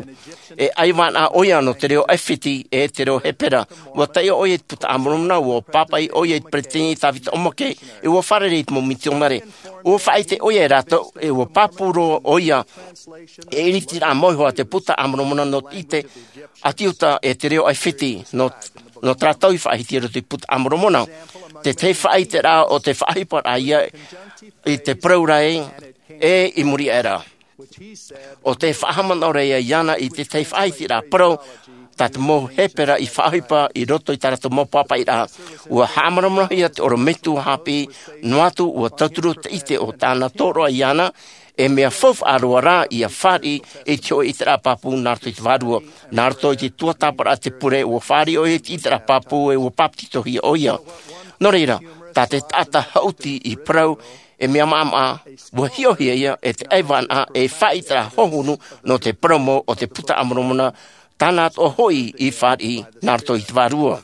E ʻaivānaʻa ʻoia nō te reo ʻAifiti e te reo Hepera. ʻUa taiʻo ʻoia i te Puta a Moromona, ʻua pāpaʻi ʻoia i te Peresideni Tavita ʻOmake, e ʻua fārerei i te mau mitionare. ʻUa faʻaʻite ʻoia e rātou, e ʻua pāpū roa ʻoia e ʻiritiraʻa mau iho a te Puta a Moromona nō te ʻite a te Iuta e te reo ʻAifiti, nō, nō tā rātou i faʻahiti i roto i te Puta a Moromona. Te tahi faʻaʻiteraʻa o te faʻaʻohiparaʻa ia i te parau ra ē, e i muri aʻe ra. ʻO te faʻahaʻamanaʻo ra ia iāna i te tahi faʻaʻiteraʻa parau, tā te mau Hepera i faʻaʻohipa i roto i tā rātou mau pāpaʻiraʻa. ʻUa haʻamāramarama ia te ʻorometua haʻapiʻi, noa atu ʻua tauturu te ʻite o tāna tōroʻa iāna, e mea faufaʻa roa rā ʻia fāriʻi i te hōʻē ʻiteraʻa pāpū nā roto i te Vārua. Nā roto i te tuatāpaparaʻa a te pure, ʻua fāriʻi ʻoia i te ʻiteraʻa pāpū, e ʻua papetitohia ʻoia. Nō reira, tā te taʻata haʻuti i parau, e mea maʻamaʻa, ʻua hiʻohia ia e te ʻaivānaʻa e faʻaʻiteraʻa hohonu nō te parau mau o te Puta a Moromona, tāna atoʻa hoʻi i fāriʻi nā roto i te Vārua.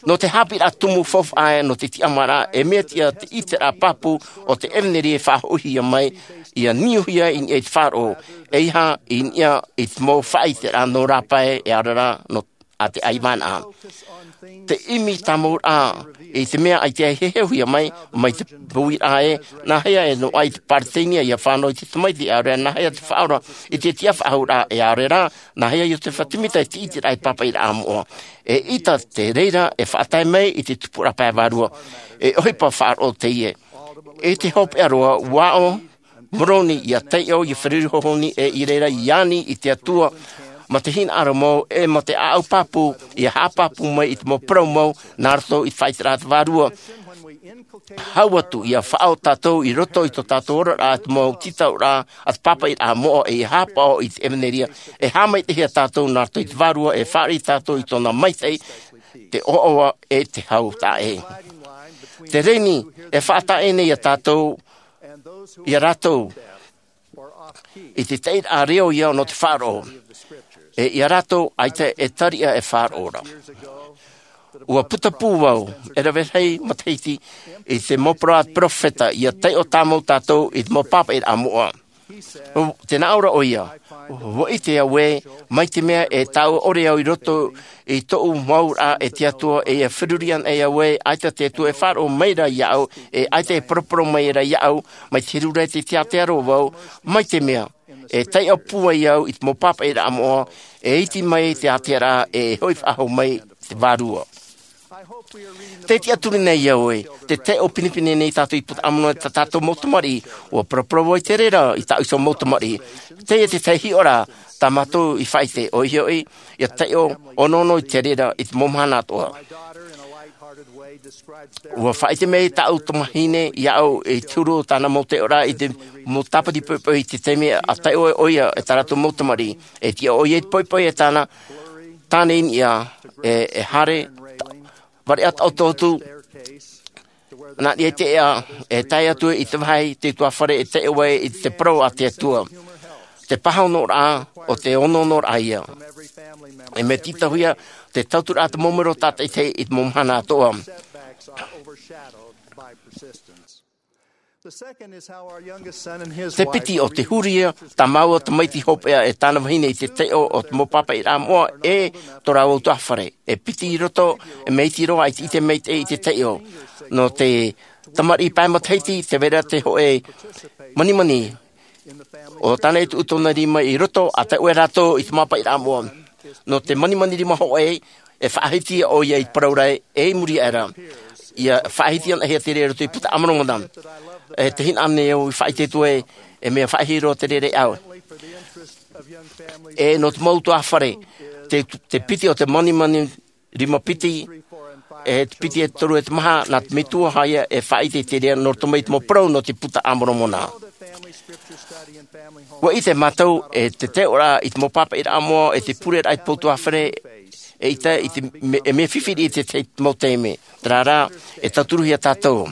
Nō te haʻapiʻiraʻa tumu faufaʻa ē nō te tiʻamāraʻa, e mea tiʻa te ʻiteraʻa pāpū o te ʻevanelia e faʻahoʻihia mai, ʻia niuhia i niʻa i te faʻaroʻo, ʻeiaha i niʻa i te mau faʻaʻiteraʻa nō rāpae, e ʻaore rā nō a te ʻaivānaʻa. Te ʻimi tāmau ra i te mea ʻaita e heheuhia mai, mai te uiraʻa ē, nāhea e noaʻa i te Peresideni ʻia fānau i te tamaiti, e ʻaore rā nāhea te Faʻaora i te tiʻafaʻahouraʻa, e ʻaore rā nāhea Iosefa Semita i te ʻiteraʻa i te pāpaʻiraʻa moʻa. E ʻita te reira e faʻatae mai i te tupuraʻa pae vārua. E ʻohipa faʻaroʻo teie. I te hopeʻa roa, ʻua ʻō Moroni ʻia taiʻo, ʻia feruri hohonu, e i reira ʻia ani i te Atua, mā te hinaʻaro mau, e mā te ʻāʻau pāpū, ʻia haʻapāpū mai i te mau parau mau nā roto i te faʻaʻiteraʻa a te Vārua. Hau atu ʻia faʻaō tātou i roto i tō tātou oraraʻa, te mau tītauraʻa a te pāpaʻiraʻa moʻa, e ʻia haʻapaʻo i te ʻevanelia, e haʻamaitaʻihia tātou nā roto i te Vārua, e fāriʻi tātou i tōna maitaʻi, te ʻoaʻoa e te hau taʻa ʻē. Te reni e faʻataʻa nei ia tātou, ia rātou, i te taʻiraʻa reo ia nō te faʻaroʻo, e ia rātou ʻaita e tariʻa e faʻaroʻo ra. ʻUa putapū vau, e rave rahi matahiti, i te mau parau a te peropheta, ʻia taiʻo tāmau tātou i te mau pāpaʻiraʻa moʻa. Te nāʻō ra ʻoia, ʻua ʻite au ē, mai te mea e taʻa ʻore au i roto i tōʻu mau auraʻa e te Atua, e ʻia feruri ana au ē, ʻaita te Atua e faʻaroʻo mai ra iāʻu, e ʻaita e poroporo mai ra iāʻu, mai te heru ra i te tiatea roa vau, mai te mea e taiʻo pūai au i te mau pāpaʻiraʻa moʻa, e iti mai te ātea ra, e hoʻi faʻahou mai te Vārua. Tē tiʻaturi nei au ē, tē taiʻo pinepine nei tātou i te Puta a Moromona, tā tātou mau tamariʻi, ʻua paraparau ai te reira i tāʻu iho mau tamariʻi. Teie te tahi hiʻoraʻa tā mātou i faʻaʻite, ʻoia hoʻi, ʻia taiʻo ʻonoʻono i te reira i te mau mahana atoʻa. ʻUa faʻaʻite mai tāʻu tamahine iāʻu i te huru o tāna mau taiʻoraʻa i te mau tāpati poʻipoʻi i te taime a taiʻo ai ʻoia e tā rātou mau tamariʻi. E tiʻa ʻoia i te poʻipoʻi e tāna, tāna i niʻa, e, e haere, variʻa taʻotoʻotu, nā niʻa i te ʻēʻa, e tae atu i te vāhi, te utuāfare e taiʻo ai i te parau a te Atua. Te pāhonoraʻa o te onoonoraʻa ia. E mea tītauhia te tauturu a te mau mero tātaʻitahi i te mau mahana atoʻa. Te piti o te huri ia tā māua tamaiti hopeʻa e tāna vahine i te taiʻo o te mau pāpaʻiraʻa moʻa e tō rāua utuafare. E piti i roto, e mea iti roa ʻaita i te maitaʻi i te taiʻo. Nō te tamariʻi pae matahiti, tē vai ra te hoʻe manimani. ʻO tāna e tuʻu tōna rima i roto, ʻa taiʻo rātou i te mau pāpaʻiraʻa moʻa. Nō te manimani rima hoʻe, e faʻahiti ʻoia i te parau ra e i muri aʻe ra. ʻIa faʻahiti anaʻe hia te reira i roto i te Puta a Moromona. E te hinaʻaro nei au i faʻaʻite atu ai, e mea faʻahiahia roa te reira iāʻu. E nō te mau utuafare, te, te piti o te manimani rima piti, e te piti e toru e te maha, nā te metua hoʻi ia e faʻaʻite i te reira nō roto mai i te mau parau nō te Puta a Moromona. ʻUa ʻite mātou e te taiʻoraʻa i te mau pāpaʻiraʻa moʻa, e te pureraʻa i te mau utuafare, eʻita i te me-, e mea fifi riʻi i te, te mau taime. Terā rā, e tauturuhia tātou.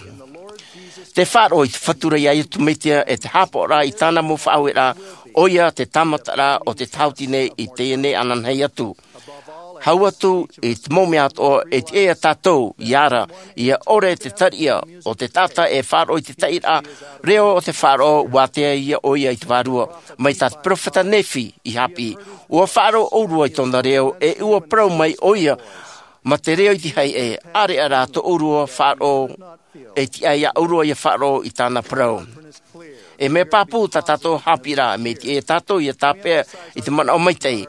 Te faʻaroʻo i te Fatu ra iā Iesu Mesia, e te haʻapaʻoraʻa i tāna mau faʻaueraʻa, ʻoia te tāmataraʻa o te tāhuti nei i teie nei ananahi atu. Hau atu i te mau mea atoʻa, e tiʻa ia tātou, ʻia ara, ʻia ʻore te tariʻa o te taʻata e faʻaroʻo i te taʻiraʻa reo o te faʻaroʻo, ʻua ātea ia ʻoia i te Vārua. Mai tā te peropheta Nephi i haʻapiʻi, ʻua faʻaroʻo ʻōrua i tōna reo, e ʻua parau mai ʻoia, mā te reo i te haiʻe, ʻāreʻa rā tō ʻōrua faʻaroʻo, e tiʻa iā ʻōrua ʻia faʻaroʻo i tāna parau. E mea pāpū tā tātou haʻapiʻiraʻa, mea tiʻa ia tātou ʻia tāpeʻa i te manaʻo maitaʻi.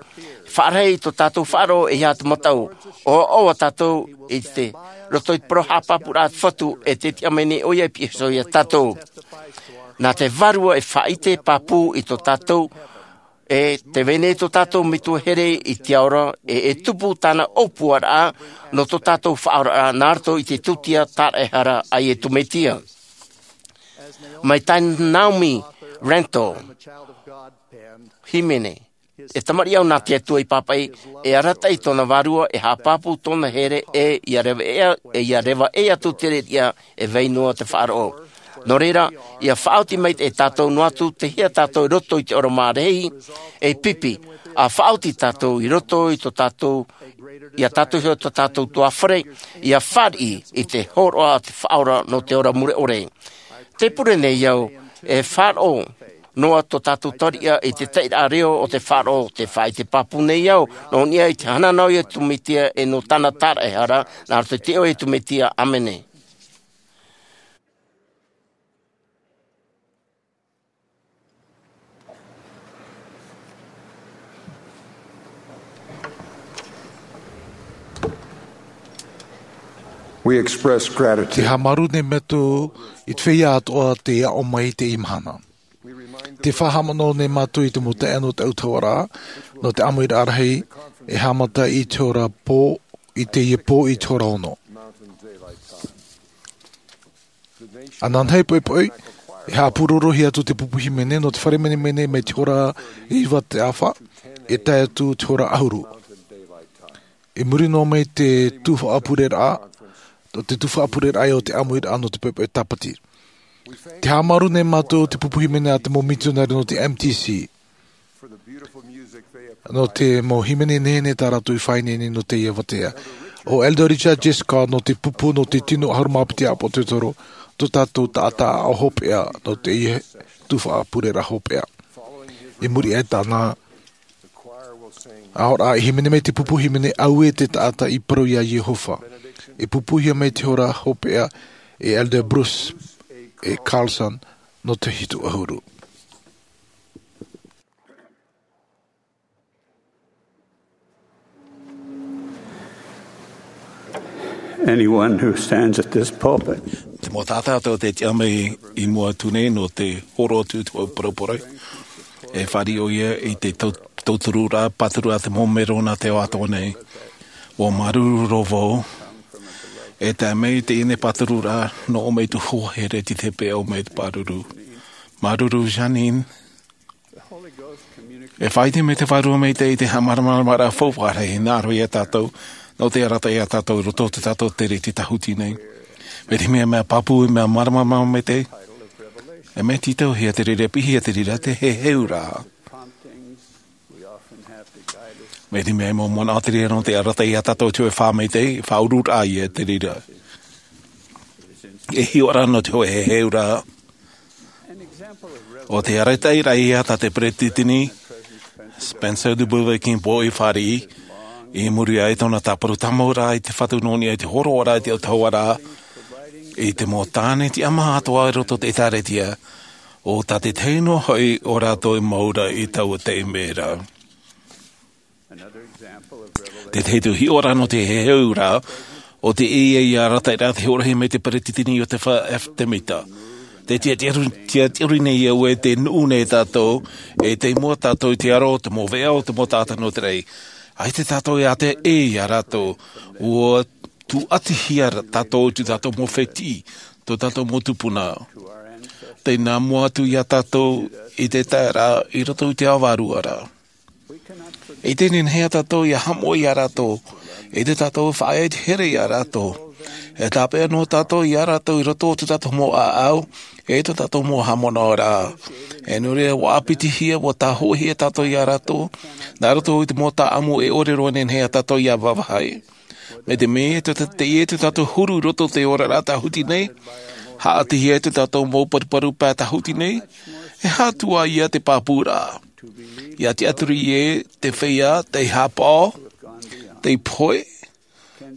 Faʻarahi tō tātou faʻaroʻo e aha te mataʻu, ʻoaʻoa tātou i te roto i te parau haʻapāpūraʻa a te Fatu, e te tiʻa mai nei ʻoia e pihaʻi iho ia tātou. Nā te Vārua e faʻaʻite pāpū i tō tātou, e tē vai nei tō tātou Metua here i te ao ra, e, e tupu tāna ʻōpuaraʻa nō tō tātou faʻaoraraʻa nā roto i te tūtia tāraʻehara a Iesu Mesia. Mai tā Naomi Rankle, hīmene, e tamariʻi au nā te Atua i pāpaʻi, e arataʻi tōna vārua, e haʻapāpū tōna here, e ʻia reva ʻē, e ʻia reva ʻē atu te reira, e vai noa te faʻaroʻo. Nō reira, ʻia faʻaoti mai e tātou noa atu, tei hea tātou i roto i te ora marahi, e pipi, ʻa faʻaoti tātou i roto i tō tātou, ia tātou iho tō tātou utuafare, ʻia fāriʻi i te hōroʻa a te Faʻaora nō te ora mure ʻore. Tē pure nei au, e faʻaroʻo noa tō tātou tariʻa i te taʻiraʻa reo o te faʻaroʻo, tē faʻaʻite pāpū nei au, nō niʻa i te hanahana o Iesu Mesia e nō tāna tāraʻehara, nā roto i te iʻoa o Iesu Mesia, ʻāmene. We express gratitude. Te haʻamāuruuru nei mātou i te feiā atoʻa tei aʻo mai i teie mahana. Te faʻahaʻamanaʻo nei mātou i te mau taeaʻe nō te autahuʻaraʻa, nō te ʻāmuiraʻa rahi, e haʻamata i te hora pō, i teie pō i te hora ono. Ananahi poʻipoʻi, e haʻapūrorohia atu te pupu hīmene nō te fare menemene mai te hora iva te ʻāfa, e tae atu te hora ʻahuru. I muri noa mai te tuhaʻa pureraʻa, te tuhaʻa pureraʻa o te ʻāmuiraʻa nō te poʻipoʻi tāpati. Te haʻamāuruuru nei mātou te pupu hīmene a te mau mitionare nō te M T C. Nō te mau hīmene nehenehe tā rātou i faʻaineine nō teie ʻāvatea. ʻO Elder Richard J. Scott nō te pupu nō te tino ʻahuru mā piti ʻāpōsetolo, tō tātou taʻata aʻo hopeʻa nō teie tuhaʻa pureraʻa hopeʻa. I muri aʻe i tāna, ʻaore rā, e hīmene mai te pupu hīmene Auē te Taʻata i Parau iā Iehova. E pupuhia mai te hora hopeʻa e Elder Bruce A. Carlson nō te hitu ʻahuru. Anyone who stands at this pulpit. Te mau taʻata atoʻa tē tiʻa mai i mua atu nei nō te hōroʻa atu i te mau parau parau, e fāriʻi ʻoia i te tau-, tautururaʻa pāturu a te mau mero nā te ao atoʻa nei. ʻUa māuruuru roa vau, e tae mai i teie nei pātururaʻa, nō ʻō mai te hoa here i te peʻe ʻo mai te pāruru. Māuruuru Jeanene, e faʻaʻite mai te Vārua Maitaʻi i te haʻamāramaramaraʻa faufaʻa rahi hinaʻaro iā tātou, nō te arataʻi iā tātou i roto o tō tātou tere i te tāhuti nei. Mai te mea, mea pāpū, mea māramarama maitaʻi. E mea tītauhia te reira, piʻihia te reira, te heheuraʻa. Mai te mea, e mau manaʻo te reira nō te arataʻi iā tātou i te hōʻē fā maitaʻi, faʻaururaʻa ia te reira. E hiʻoraʻa nō te hōʻē heheuraʻa. ʻO te arataʻiraʻa ia tā te peresideni Spencer W. Kimball i fāriʻi, i muri aʻe i tōna tāparu tāmau rā i te Fatu nō niʻa i te hōroʻa ra i te autahuʻaraʻa, i te mau tāne tiʻamā atoʻa i roto i te ʻĒtārētia, ʻo tā te tahi noa hoʻi o rātou e mau ra i taua taime ra. Te tahi atu hiʻoraʻa nō te heheuraʻa, ʻo te ʻē ia i arataʻi ra te hōroʻahia mai te peresideni Iosepha F. Samita. Te tiaʻi-, tiaʻi-, tiaʻi-, tiaʻi-, tiaʻi nei au e te nuʻu nei tātou, e tei mua tātou i te aro, te mau veʻa, te mau taʻata nō te raʻi. ʻAita tātou e ʻātea ʻē ia rātou, ʻua tūʻatihia ra tātou i tō tātou mau fētiʻi, tō tātou mau tupuna. Tei nā mua atu ia tātou i te taeraʻa i roto i te ao vārua ra. E ʻite nehenehe tātou ia haʻamoʻe ia rātou, e ʻite tātou e faʻaea te here ia rātou. E tāpeʻa noa tātou ia rātou i roto o tō tātou mau ʻāʻau, e tō tātou mau haʻamanaʻo ra. E nō reira ʻua ʻāpitihia, ʻua tāhōʻēhia tātou ia rātou, nā roto i te mau taʻamu e ʻore roa nehenehe tātou ia vāvāhi. Mai te mea, tō tā-, teie tō tātou huru i roto i te oraraʻa tāhuti nei, haʻatihia tō tātou mau paruparu pae tāhuti nei, e aha atu ā ia te pāpūraʻa. ʻIa tiʻaturi ē te feiā, tei haʻapaʻo, tei pohe,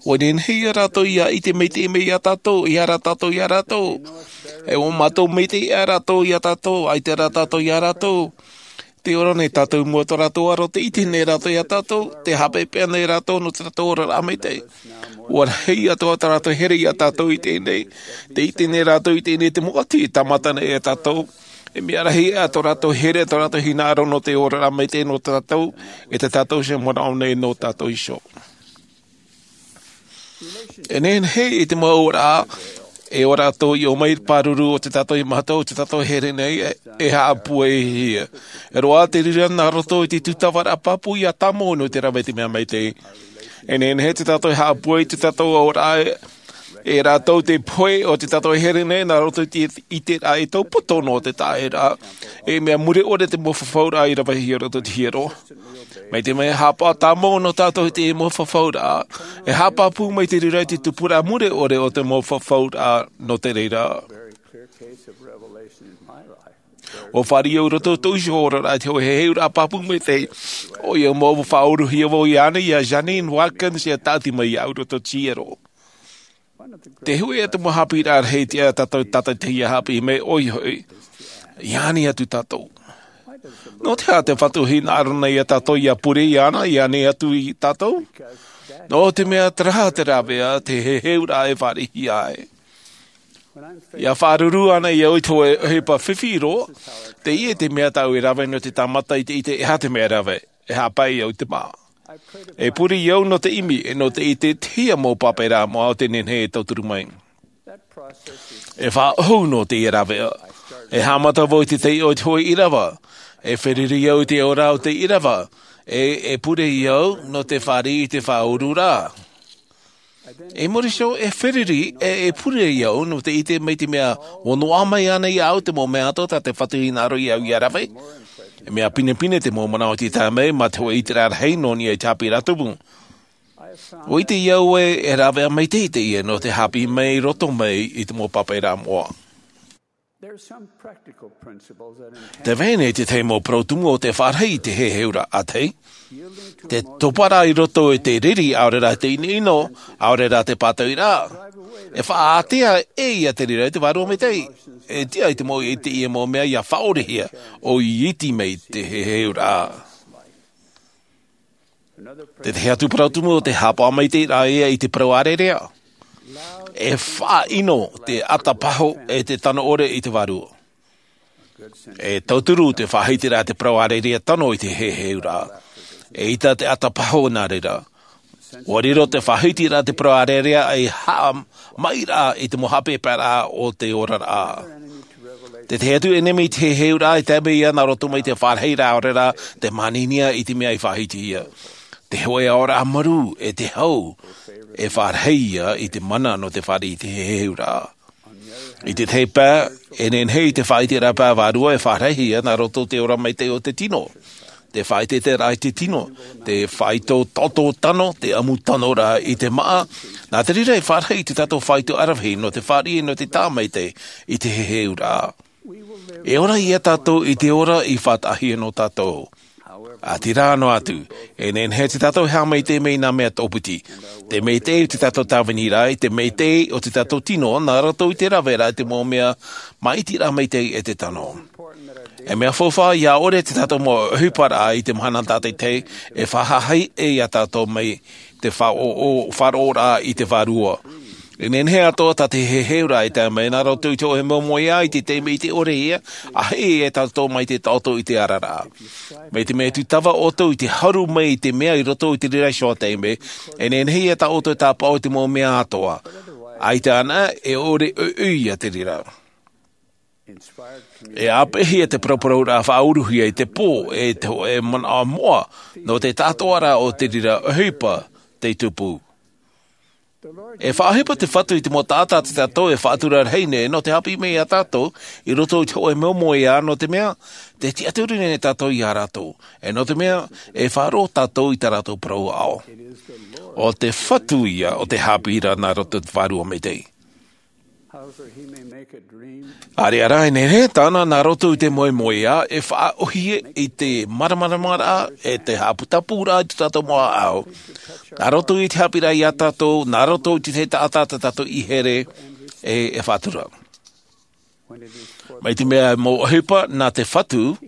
ʻua nehenehe ia rātou ʻia ʻite maitaʻi mai ia tātou, ʻia ara tātou ia rātou. E ʻua mātou maitaʻi ia rātou ia tātou, ʻaita rā tātou ia rātou. Tē ora nei tātou i mua i tō rātou aro, tē ʻite nei rātou ia tātou, tē haʻapeʻapeʻa nei rātou nō tō rātou oraraʻa maitaʻi. ʻUa rahi atoʻa tō rātou here ia tātou i teie nei, tē ʻite nei rātou i teie nei te mau ʻati e tāmata nei ia tātou. E mea rahi ā tō rātou here, tō rātou hinaʻaro nō te oraraʻa maitaʻi nō tātou, e tō tātou iho manaʻo nei nō tātou iho. E nehenehe i te mau ora, e ora atoʻa i ʻō mai i te pāruru o tō tātou mahana, o tō tātou here nei, e, e haʻapūaihia. E roaʻa te reira nā roto i te tūtavaraʻa pāpū ʻia tāmau nō te rave i te mea maitaʻi. E nehenehe tō tātou haʻapūai i tō tātou ora, e, e rātou te pohe o tō tātou here nei, nā roto i te, i te ʻiteraʻa e taupoto nō te taʻata. E mea mure ʻore te mau fafauraʻa i ravehia i roto i te hiero. Mai te mea haʻapaʻo tāmau nō tātou i te mau fafauraʻa, e haʻapāpū mai te reira i te tupuraʻa mure ʻore o te mau fafauraʻa nō te reira. ʻUa fāriʻi au i roto i tōʻu iho oraraʻa i te hōʻē heheuraʻa pāpū maitaʻi, ʻoia mau faʻauruhia vau iāna, ia Jeanene Watkins, ʻia tāʻati mai iāʻu i roto i te hiero. Te hōʻē atu mau haʻapiʻiraʻa rahi tiʻa tātou tātaʻitahi ʻia haʻapiʻi mai, ʻoia hoʻi, ʻia ani atu tātou. Nō te aha te Fatu e hinaʻaro nei ia tātou ʻia pure iāna, ʻia ani atu ia tātou? Nō te mea terā te rāveʻa, te heheuraʻa e fāriʻihia ai. ʻIa faʻaruru ana au i te hōʻē ʻohipa fifi roa, teie te mea tāʻu e rave nō te tāmata i te ʻite e aha te mea e rave, e haʻapae au i te mā. E pure au nō te ʻimi, e nō te ʻite i te hia mau pāpaʻiraʻa moʻa o te nehenehe e tauturu mai. E faʻaʻohu nō teie rāveʻa. E haʻamata vau i te taiʻo i te hōʻē ʻīrava. E feruri au i te ora o te ʻīrava. E, e pure au nō te fāriʻi i te faʻaururaʻa. I muri iho, e feruri, e, e pure au nō te ʻite mai te mea, ʻua noaʻa mai ana iāʻu te mau mea atoʻa tā te Fatu i hinaʻaro iāʻu ʻia rave. E mea pinepine te mau manaʻo i te tae mai, mā te hōʻē ʻiteraʻa rahi nō niʻa i te haʻapiʻiraʻa tumu. ʻUa ʻite au ē, e rāveʻa maitaʻi teie nō te haʻapiʻi mai i roto mai i te mau pāpaʻiraʻa moʻa. Tē vai nei te tahi mau parau tumu o te faʻarahi i te heheuraʻa, ʻa tahi. Te toparaʻa i roto i te riri, ʻaore rā te ʻinoʻino, ʻaore rā te pātoʻiraʻa. E faʻaātea ʻē ia te reira i te Vārua Maitaʻi. E tiʻa i te mau, i teie mau mea ʻia faʻaorehia, ʻo ʻiti mai te heheuraʻa. Te tahi atu parau tumu o te haʻapaʻo maitaʻi ra ia i te parau ʻārearea. E faʻaʻino te ʻata paho e te tano ʻore i te Vārua. E tauturu te faʻahitiraʻa te parau ʻārearea tano i te heheuraʻa. Eʻita te ʻata paho nā reira. ʻUa riro te faʻahitiraʻa te parau ʻārearea ei haʻamaʻiraʻa i te mau haʻapeʻapeʻaraʻa o te oraraʻa. Te tahi atu ʻenemi i te heheuraʻa e tae mai ia nā roto mai te faʻarahiraʻa ʻaore rā te māninia i te mea i faʻahitihia. Te hōʻē aoraʻa marū e te hau e faʻarahi ia i te mana nō te fāriʻi i te heheuraʻa. I te tahi pae, e nehenehe i te faʻaʻiteraʻa pae vārua e faʻarahi ia nā roto i te ora maitaʻi o te tino. Te faʻaʻiteraʻa i te tino, te faito toto tano, te ʻamu tano ra i te māʻa, nā te reira e faʻarahi i te tātou faito ʻaravihi nō te fāriʻi nō te tāmaitaʻi i te heheuraʻa. E ora ia tātou i te ora i faʻataʻahia nō tātou. ʻĀtīrā noa atu, e nehenehe te tātou e haʻamaitaʻi mai i nā mea tōpiti. Te maitaʻi o te tātou tāviniraʻa, te maitaʻi o te tātou tino, nā roto i te rave ra i te mau mea maʻitiraʻa maitaʻi e te tano. E mea faufaʻa ia ʻore te tātou mau ʻohiparaʻa i te mahana tātaʻitahi, e faʻahaʻi ia tātou mai te faʻaroʻo, faʻaroʻoraʻa i te vārua. E nehenehe atoʻa tā te heheuraʻa e tae mai nā roto i te hōʻē moemoeā i te taime i te ʻore ia, ʻa hei e tātou mai te taʻoto i te araraʻa. Mai te mea tūtava ʻoutou i te haru mai i te mea i roto i te reira iho taime, e nehenehe ia tā ʻoutou e tāpaʻo i te mau mea atoʻa. ʻAita anaʻe, e ʻore ʻoiʻoi ia te reira. E ʻāpeʻehia te parauparau ra faʻauruhia i te pō, e te hōʻē manaʻo moʻa, nō te tātoʻaraʻa o te reira ʻohipa tei tupu. E faʻaʻohipa te Fatu i te mau taʻata tā tātou e faʻatura rahi nei, nō te haʻapiʻi mai ia tātou, i roto i te hōʻē moemoeā, nō te mea, te tiʻaturi nei tātou ia rātou. E nō te mea, e faʻaroʻo tātou i tā rātou parau aʻo. ʻO te Fatu ia, ʻo te haʻapiʻiraʻa nā roto i te vārua maitaʻi. ʻĀreʻa rā, e nehenehe tāna nā roto i te moemoeā, e faʻaʻohie i te māramaramaraʻa, e te haʻaputapūraʻa i tō tātou mau ʻāʻau. Nā roto i te haʻapiʻiraʻa ia tātou, nā roto i te taʻata tā tātou i here, e, e faʻatura. Mai te mea mau ʻohipa nā te Fatu,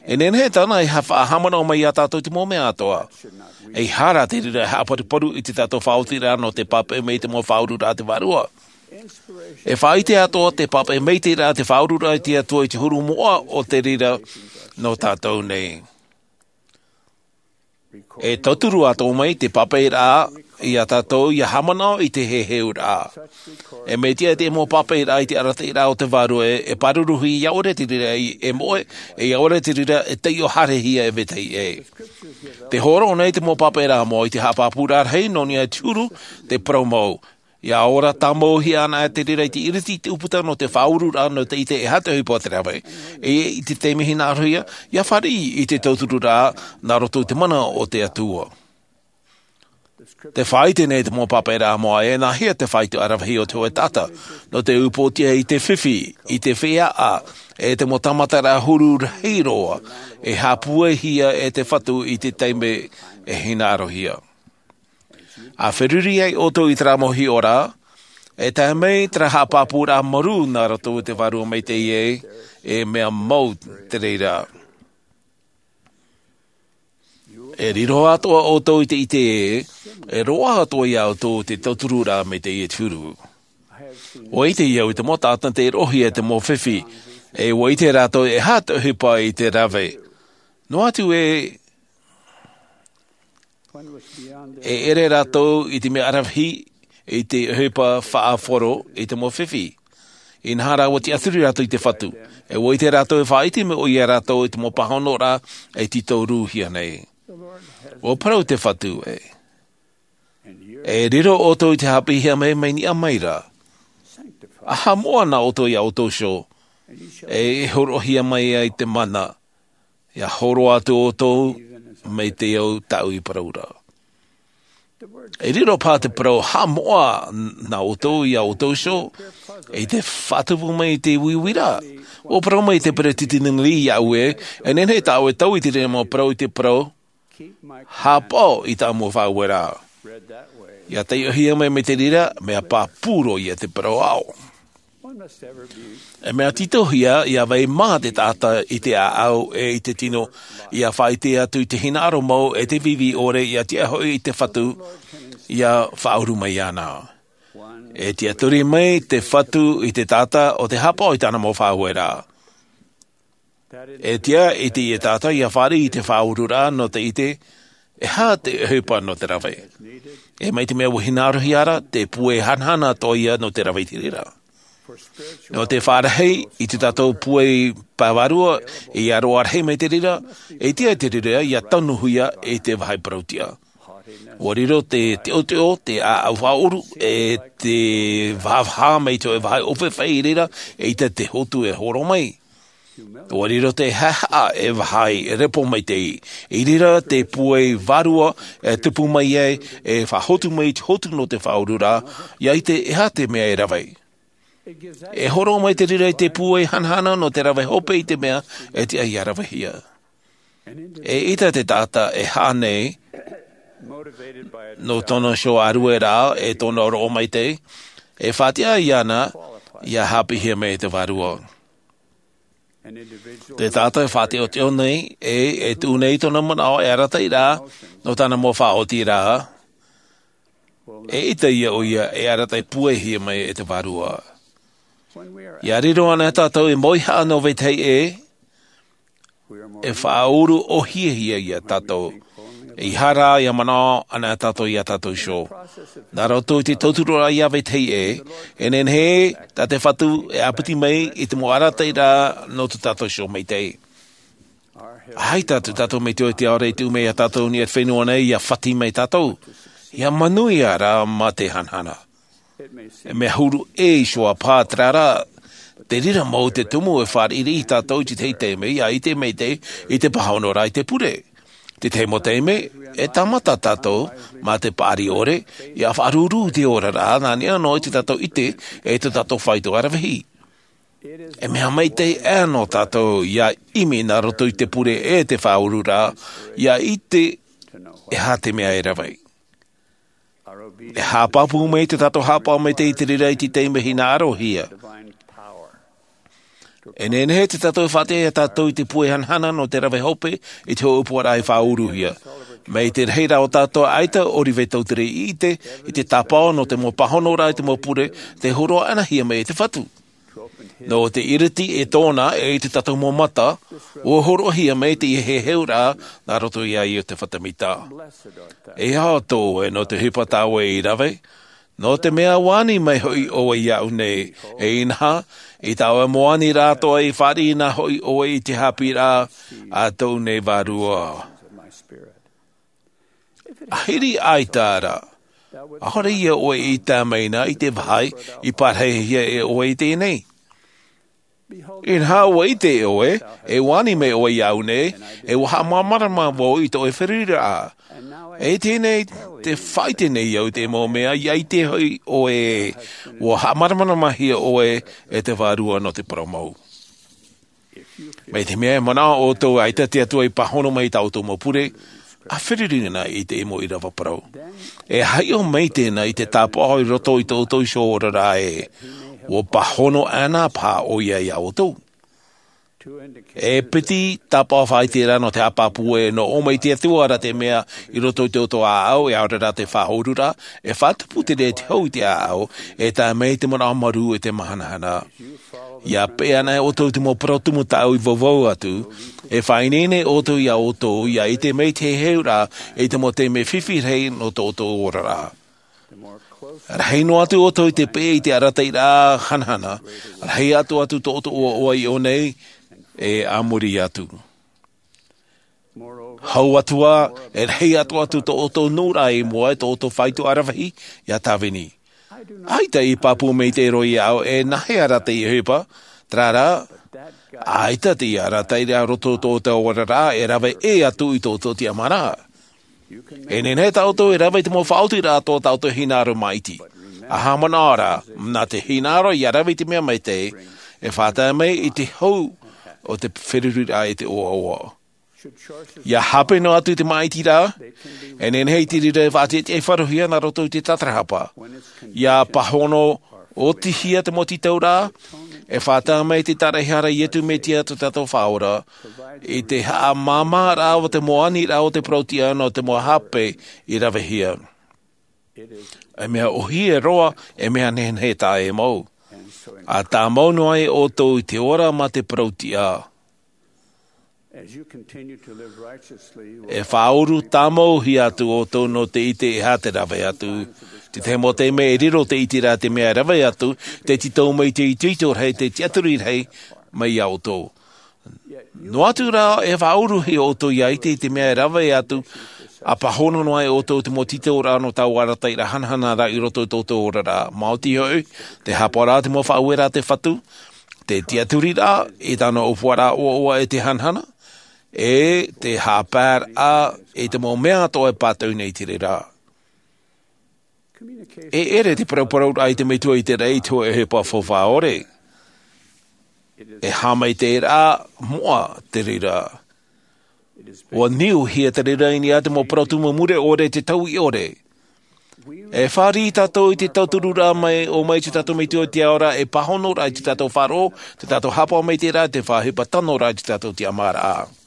e nehenehe tāna e ha-, faʻahaʻamanaʻo mai ia tātou i te mau mea atoʻa. ʻEiaha rā te reira e haʻaparuparu i tō tātou faʻaotiraʻa nō te pāpaʻi mai i te mau faʻaururaʻa a te Vārua. E faʻaʻite atoʻa te pāpaʻi mai i te reira te faʻaururaʻa a te Atua i te huru moʻa o te reira nō tātou nei. E tauturu atoʻa mai te pāpaʻiraʻa ia tātou ia haʻamanaʻo i te heheuraʻa. E mea tiʻa te mau pāpaʻiraʻa i te arataʻiraʻa o te Vārua e, e pāruruhia ia ʻore te reira e, e moʻe, e ia ʻore te reira e taiʻo haerehia e vetahi ʻē. Tē hōroʻa nei te mau pāpaʻiraʻa moʻa i te haʻapāpūraʻa rahi nō niʻa i te huru, te parau mau. ʻIa ora tāmauhia anaʻe te reira i te ʻiriti i te ʻūputa nō te faʻaururaʻa nō te ʻite e aha te ʻohipa o te rave. E i te taime hinaʻarohia, ʻia fāriʻi i te tautururaʻa nā roto i te mana o te Atua. Tē faʻaʻite nei te mau pāpaʻiraʻa moʻa e nāhea te faʻaitoitoraʻa ravehi o te hōʻē taʻata, nō te upoʻotiʻa i te fifi, i te feiā, e te mau tāmataraʻa huru rahi roa, e haʻapūaihia e te Fatu i te taime e hinaʻarohia. ʻA feruri ai ʻoutou i terā mau hiʻoraʻa, e tae mai terā haʻapāpūraʻa marū nā roto i te Vārua Maitaʻi ē, e mea mau te reira. E riro atoʻa ʻoutou i te ʻite ē, e roaʻa atoʻa ia ʻoutou te tautururaʻa maitaʻi e te huru. ʻUa ʻite au i te mau taʻata tei roʻohia e te mau fifi, e ʻua ʻite rātou e aha te ʻohipa i te rave. Noa atu ē, e ʻere rātou i te mea ʻaravihi i te ʻohipa faʻahoro i te mau fifi. Inaha rā ʻua tiʻaturi rātou i te Fatu. E ʻua ʻite rātou e faʻaʻite mai ʻoia ia rātou i te mau pāhonoraʻa e tītauhia nei. ʻUa parau te Fatu ē. E riro ʻoutou i te haʻapiʻihia mai, mai niʻa mai ra. ʻAha moʻa nā ʻoutou ia ʻoutou iho. E hōroʻahia mai ai te mana. ʻIa hōroʻa atu ʻoutou mai te au tāʻu i parau ra. E riro paha te parau haʻamoʻa nā ʻoutou ia ʻoutou iho, i te faʻatupu mai i te uiuiraʻa. ʻUa parau mai te peresideni Lee iāʻu ē, e nehenehe tāʻu e tau i te reira mau parau i te parau, haʻapaʻo i tā mau faʻaueraʻa. ʻIa taiʻohia mai, mai te reira, mea pāpū roa ia te parau aʻo. E mea tītauhia, ʻia vai mā te taʻata i te ʻāʻau e i te tino, ʻia faʻaʻite atu i te hinaʻaro mau e te vīvī ʻore, ʻia tiʻa hoʻi i te Fatu, ʻia faʻauru mai iāna. E tiʻaturi mai te Fatu i te taʻata ʻo tē haʻapaʻo i tāna mau faʻaueraʻa. E tiʻa i te taʻata ʻia fāriʻi i te faʻaururaʻa nō te ʻite, e aha te ʻohipa nō te rave. E mai te mea ʻua hinaʻarohia ra, te puai hanahana atoʻa ia nō te rave i te reira. Nō te faʻarahi i tō tātou puai pae vārua, ʻia roaʻa rahi mai te reira, e tiʻa i te reira, ʻia tanuhia i te vāhi parauʻtiʻa. ʻUa riro te teʻoteʻo, te ʻāʻau faʻaʻoru, e te vāvāhi mai te vāhi ʻōfefeʻi i reira, eʻita te hotu e horo mai. ʻUa riro te haʻehaʻa e vāhi, e repo maitaʻi. I reira te puai vārua e tupu mai ai, e faʻahotu mai i te hotu nō te faʻaururaʻa, ʻia ʻite e aha te mea e rave. E horo mai te reira i te pūai hanahana nō te rave hope i te mea e tiʻa ia ravehia. E ʻita te taʻata e haʻa nei nō tōna iho ʻārueraʻa e tōna roʻo maitaʻi, e faʻatiʻa iāna ia haʻapiʻihia mai e te vārua. Te taʻata e faʻateʻoteʻo nei e e tuʻu nei tōna manaʻo e arataʻi rā nō tāna mau faʻaotiraʻa, e ʻita ia ʻoia e arataʻi pūaihia mai e te vārua. Ia riro ana tātou e moihaʻa nō vetahi ʻē, e faʻauru ʻōhiahia ia tātou. E ʻeiaha rā ia manaʻo ana tātou ia tātou iho. Nā roto i te tauturu rā ia vetahi ʻē, e nehenehe tā te Fatu e ʻāpiti mai i te mau arataʻi rā nō tō tātou iho maitaʻi. ʻAita atu tātou mai te ʻoe te aore i tuʻu mai ia tātou i niʻa i te fenua nei ia fati mai tātou, ia manuia rā mā te hanahana. E mea huru ʻē iho ā pā, terā rā, te reira mau te tumu e fāriʻi tātou i te tahi taime ia ʻite maitaʻi i te pāhono rā i te pure. Te tahi mau taime, e tāmata tātou mā te paʻari ʻore ia faʻaruru i te oraraʻa nā niʻa noa i tō tātou ʻite e tō tātou faito aravihi. E mea maitaʻi aʻe nō tātou ia ʻimi nā roto i te pure e te faʻaururaʻa, ia ʻite e aha te mea e rave. E haʻapāpū mai tō tātou haʻapaʻo maitaʻi i te reira i te taime hinaʻarohia. E nehenehe tō tātou e faʻatiʻa ia tātou i te pūai hanahana nō te rave hope i te hōʻē ʻōpuaraʻa i faʻauruhia. Mai te rahi rā o tātou ʻaita ʻorive tautere i ʻite i te tāpaʻo nō te mau pāhono rā i te mau pure tei hōroʻa anahia mai e te Fatu. Nō te ʻiriti e tōna e i tō tātou mau mata, ʻua hōroʻahia mai teie heheuraʻa nā roto ia Iosepha Semita. E ao atu ʻoe nō te ʻohipa tā ʻoe i rave, nō te mea ʻua ani mai hoʻi ʻoe iāʻu nei, e inaha, i tā ʻoe mau aniraʻa atoʻa i fāriʻi na hoʻi ʻoe i te haʻapiʻiraʻa a tōʻu nei Vārua. ʻAhiri ʻaita rā, ʻaore ia ʻoe i tāmau na i te vāhi i parahihia e ʻoe i teie nei. Inaha, ʻua ʻite ʻoe, e ʻua ani mai ʻoe iāʻu nei, e ʻua haʻamāramarama vau i tō ʻoe feruriraʻa. E teie nei, tē faʻaʻite nei au i te mau mea, ia ʻite hoʻi ʻoe, ʻua haʻamāramaramahia ʻoe e te Vārua nō te parau mau. Mai te mea e manaʻo ʻoutou ʻaita te Atua i pāhono mai i tā ʻoutou mau pure, ʻa feruri na i te mau ʻīrava parau. E haʻiʻo mai tēnā i te tāpaʻo i roto i tō ʻoutou iho oraraʻa ē, ʻua pāhono ana paha ʻoia iā ʻoutou. E piti tāpaʻo faʻaʻite ra nō te haʻapāpū ē, nō ʻō mai te Atua ra te mea i roto i tō ʻoutou ʻāʻau, e ʻaore rā te faʻaururaʻa, e faʻatupu te reira te hau i te ʻāʻau, e tae mai te manaʻo marū e te māhanahana. Ia peʻe ana ʻoutou i te mau parau tumu tāʻu i vauvau atu, e faʻaineine ʻoutou iā ʻoutou, ia ʻite mai te heheuraʻa i te mau taime fifi rahi nō tō ʻoutou oraraʻa. Rahi noa atu ʻoutou i te peʻe i te arataʻiraʻa hanahana, rahi atoʻa atu tō ʻoutou ʻoaʻoa i ʻō nei, e a muri atu. Hau atu ā, e rahi atoʻa atu tō ʻoutou nuʻuraʻa i mua i tō ʻoutou faito aravihi, ia tāvini. ʻAita i pāpū maitaʻi roa iāʻu e nāhea rā teie ʻohipa, terā rā, ʻaita teie arataʻiraʻa i roto i tō ʻoutou oraraʻa e rave ʻē atu i tō ʻoutou tiʻamāraʻa. E nehenehe tā ʻoutou e rave i te mau faʻaotiraʻa atoʻa tā ʻoutou e hinaʻaro maʻiti. ʻA haʻamanaʻo ra, nā te hinaʻaro ia rave i te mea maitaʻi, e faʻatae mai i te hau o te feruriraʻa e te ʻoaʻoa. Ia hape noa atu i te maʻitiraʻa, e nehenehe i te reira e faʻatiʻatiʻa faʻarohia nā roto i te tatarahapa. Ia pāhono ʻōtihia te mau tītauraʻa, e faʻatae mai te tāraʻehara a Iesu Mesia tō tātou Faʻaora, i te haʻamāmāraʻa o te mau aniraʻa o te parautiʻa nō te mau hape i ravehia. E mea ʻōhie roa, e mea nehenehe taʻa ʻē mau. ʻA tāmau noa ai ʻoutou i te ora mā te parautiʻa. E faʻauru tāmauhia atu ʻoutou nō te ʻite e aha te rave atu. Te tahi mau taime e riro te ʻiteraʻa te mea e rave atu, tē tītau mai te itoito rahi, te tiʻaturi rahi mai iā ʻoutou. Noa atu rā, e faʻauruhia ʻoutou ia ʻite i te mea e rave atu, ʻa pāhono noa ai ʻoutou i te mau tītauraʻa nō taua arataʻiraʻa hanahana ra i roto i tō ʻoutou oraraʻa. Maoti hoʻi, te haʻapaʻoraʻa i te mau faʻaueraʻa a te Fatu, te tiʻaturiraʻa i tāna ʻōpuaraʻa ʻoaʻoa e te hanahana, e te haʻapaeraʻa i te mau mea atoʻa e pātau nei i te reira. E ʻere te parauparau raʻa i te metua i te raʻi i te hōʻē ʻohipa faufaʻa ʻore. E haʻamaitaʻiraʻa moʻa te reira. Ua niuhia te reira i niʻa i te mau parau tumu mure ʻore, te tauiʻore. E fāriʻi tātou i te tauturu raʻa mai o mai te tātou metua i te ao ra, e pāhono raʻa i te tātou faʻaroʻo, te tātou haʻapaʻo mai te reira, te faʻaʻohipa tano raʻa i te tātou tiʻamāraʻa.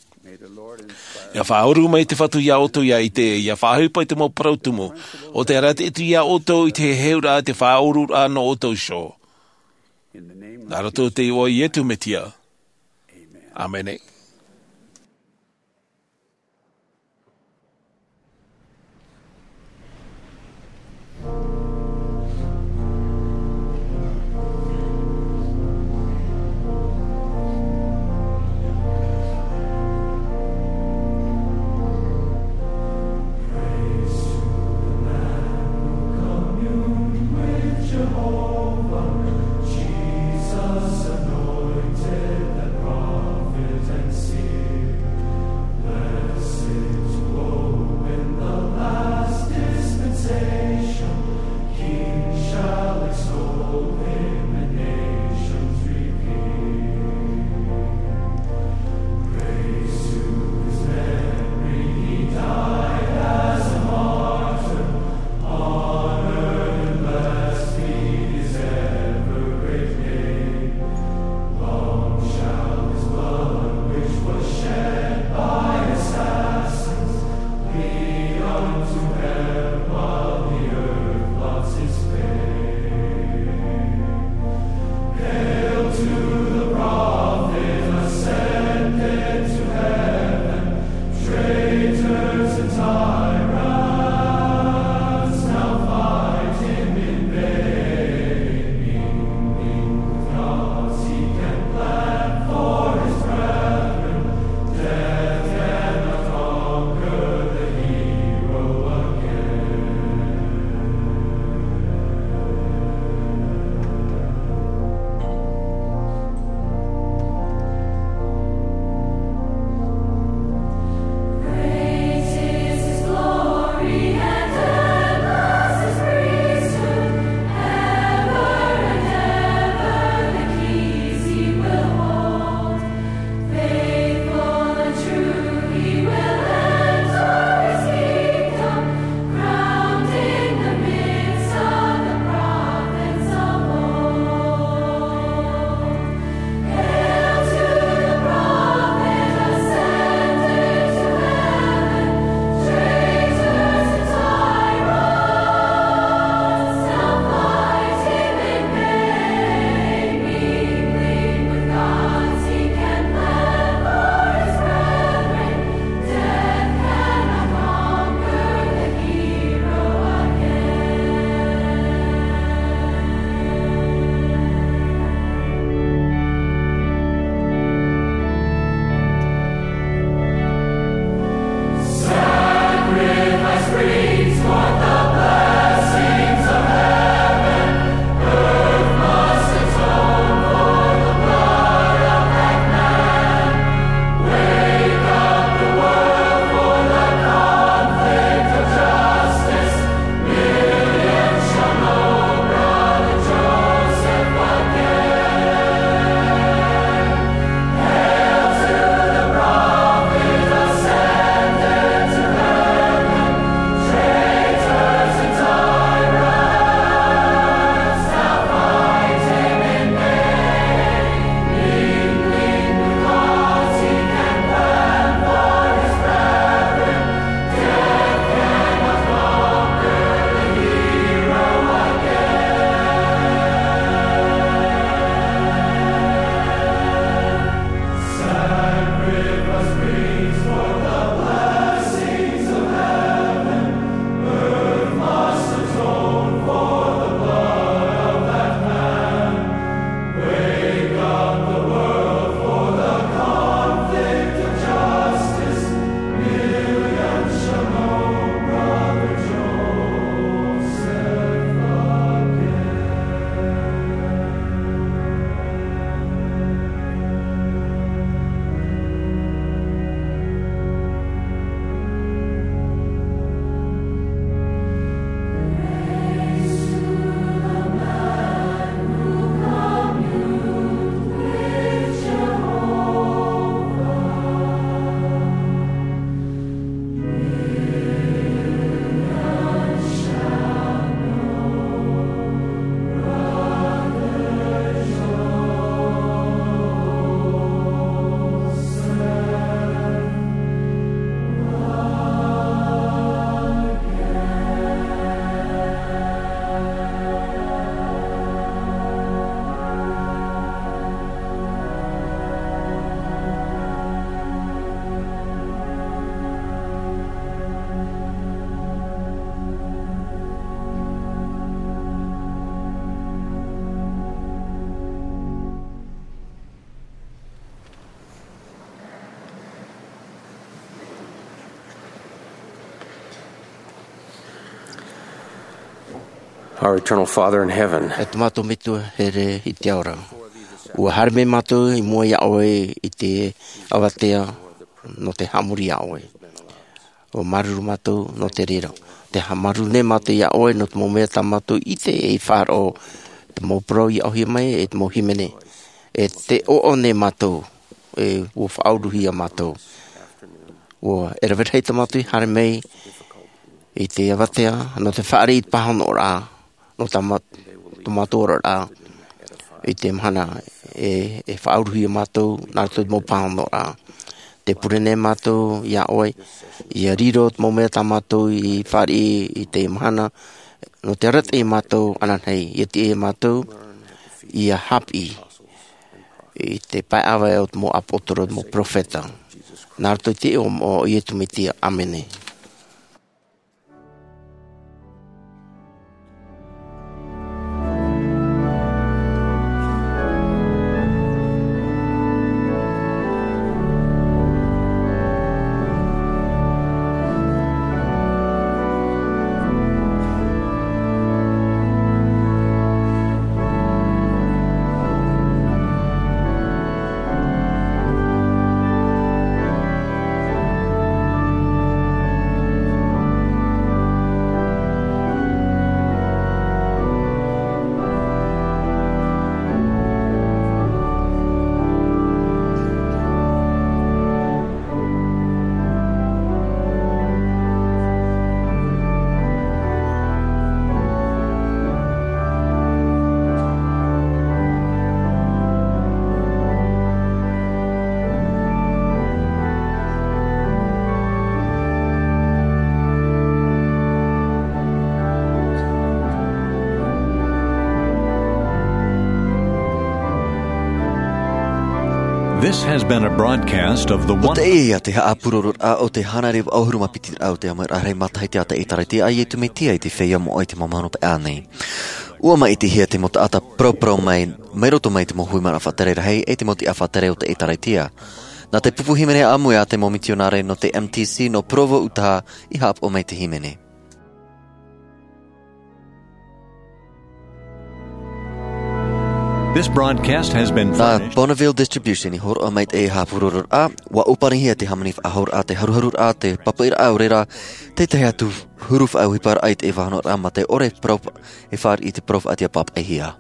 Ia faʻaʻuru mai te Fatu iā ʻoutou ia ʻite, ia faʻaʻohipa i te mau parau tumu, ʻo te arataʻi atu iā ʻoutou i te heheuraʻa, te faʻaʻururaʻa nō ʻoutou iho. Nā roto i te iʻoa o Iesu Mesia. ʻĀmene. Our eternal Father in heaven. E te mātou Metua here i te ao ra. Ua haere mai mātou i mua iā ʻoe i te avatea nō te haʻamori iā ʻoe. Ua māuruuru mātou nō te reira. Te haʻamāuruuru nei mātou iā ʻoe nō te mau mea tā mātou i ʻite e faʻaroʻo, te mau parau i aʻohia mai e te mau hīmene. E te ʻoaʻoa nei mātou, e ua faʻauruhia mātou. Ua e rave rahi tā mātou i haere mai i te avatea, nō te fāriʻi i te pāhonoraʻa, nō tā mā-, tō mātou oraraʻa, i te mahana e, e faʻauruhia mātou, nā roto i te mau pāhonoraʻa. Te pure nei mātou iā ʻoe, ʻia riro te mau mea tā mātou i fāriʻi i te mahana, nō te arataʻi iā mātou ananahi, ʻia tiʻa iā mātou, ʻia haʻapiʻi i te pae ʻāvae o te mau ʻāpōsetolo, te mau perofeta. Nā roto i te iʻoa o Iesu Mesia, ʻāmene. This has been a broadcast of the ʻO one teie ia te haʻapurororaʻa o te hānere vaʻu ʻahuru mā piti raʻa o te ʻāmuiraʻa rahi matahiti a te ʻĒtārētia a Iesu Mesia i te feiā moʻa i te mau mahana paʻi nei. ʻUa maʻitihia te mau taʻata paraparau mai, mai roto mai te mau hui manaʻo faʻatere rahi e te mau tiʻa faʻatere o te ʻĒtārētia. Nā te pupu hīmene ʻāmui a te mau mitionare nō te M T C nō Provo, Utaha, i haʻapaʻo mai te hīmene. This broadcast has been furnished. Nā Bonneville Distribution i hōroʻa mai te haʻapurororaʻa, ʻua ʻōpanihia te hāmani faʻahouraʻa, te haruharuraʻa, te pāpaʻiraʻa, ʻaore rā, te tahi atu huru faʻaʻohiparaʻa i te faʻanahoraʻa mā te ʻore parau, e fāriʻi i te parau faʻaʻite papaʻihia.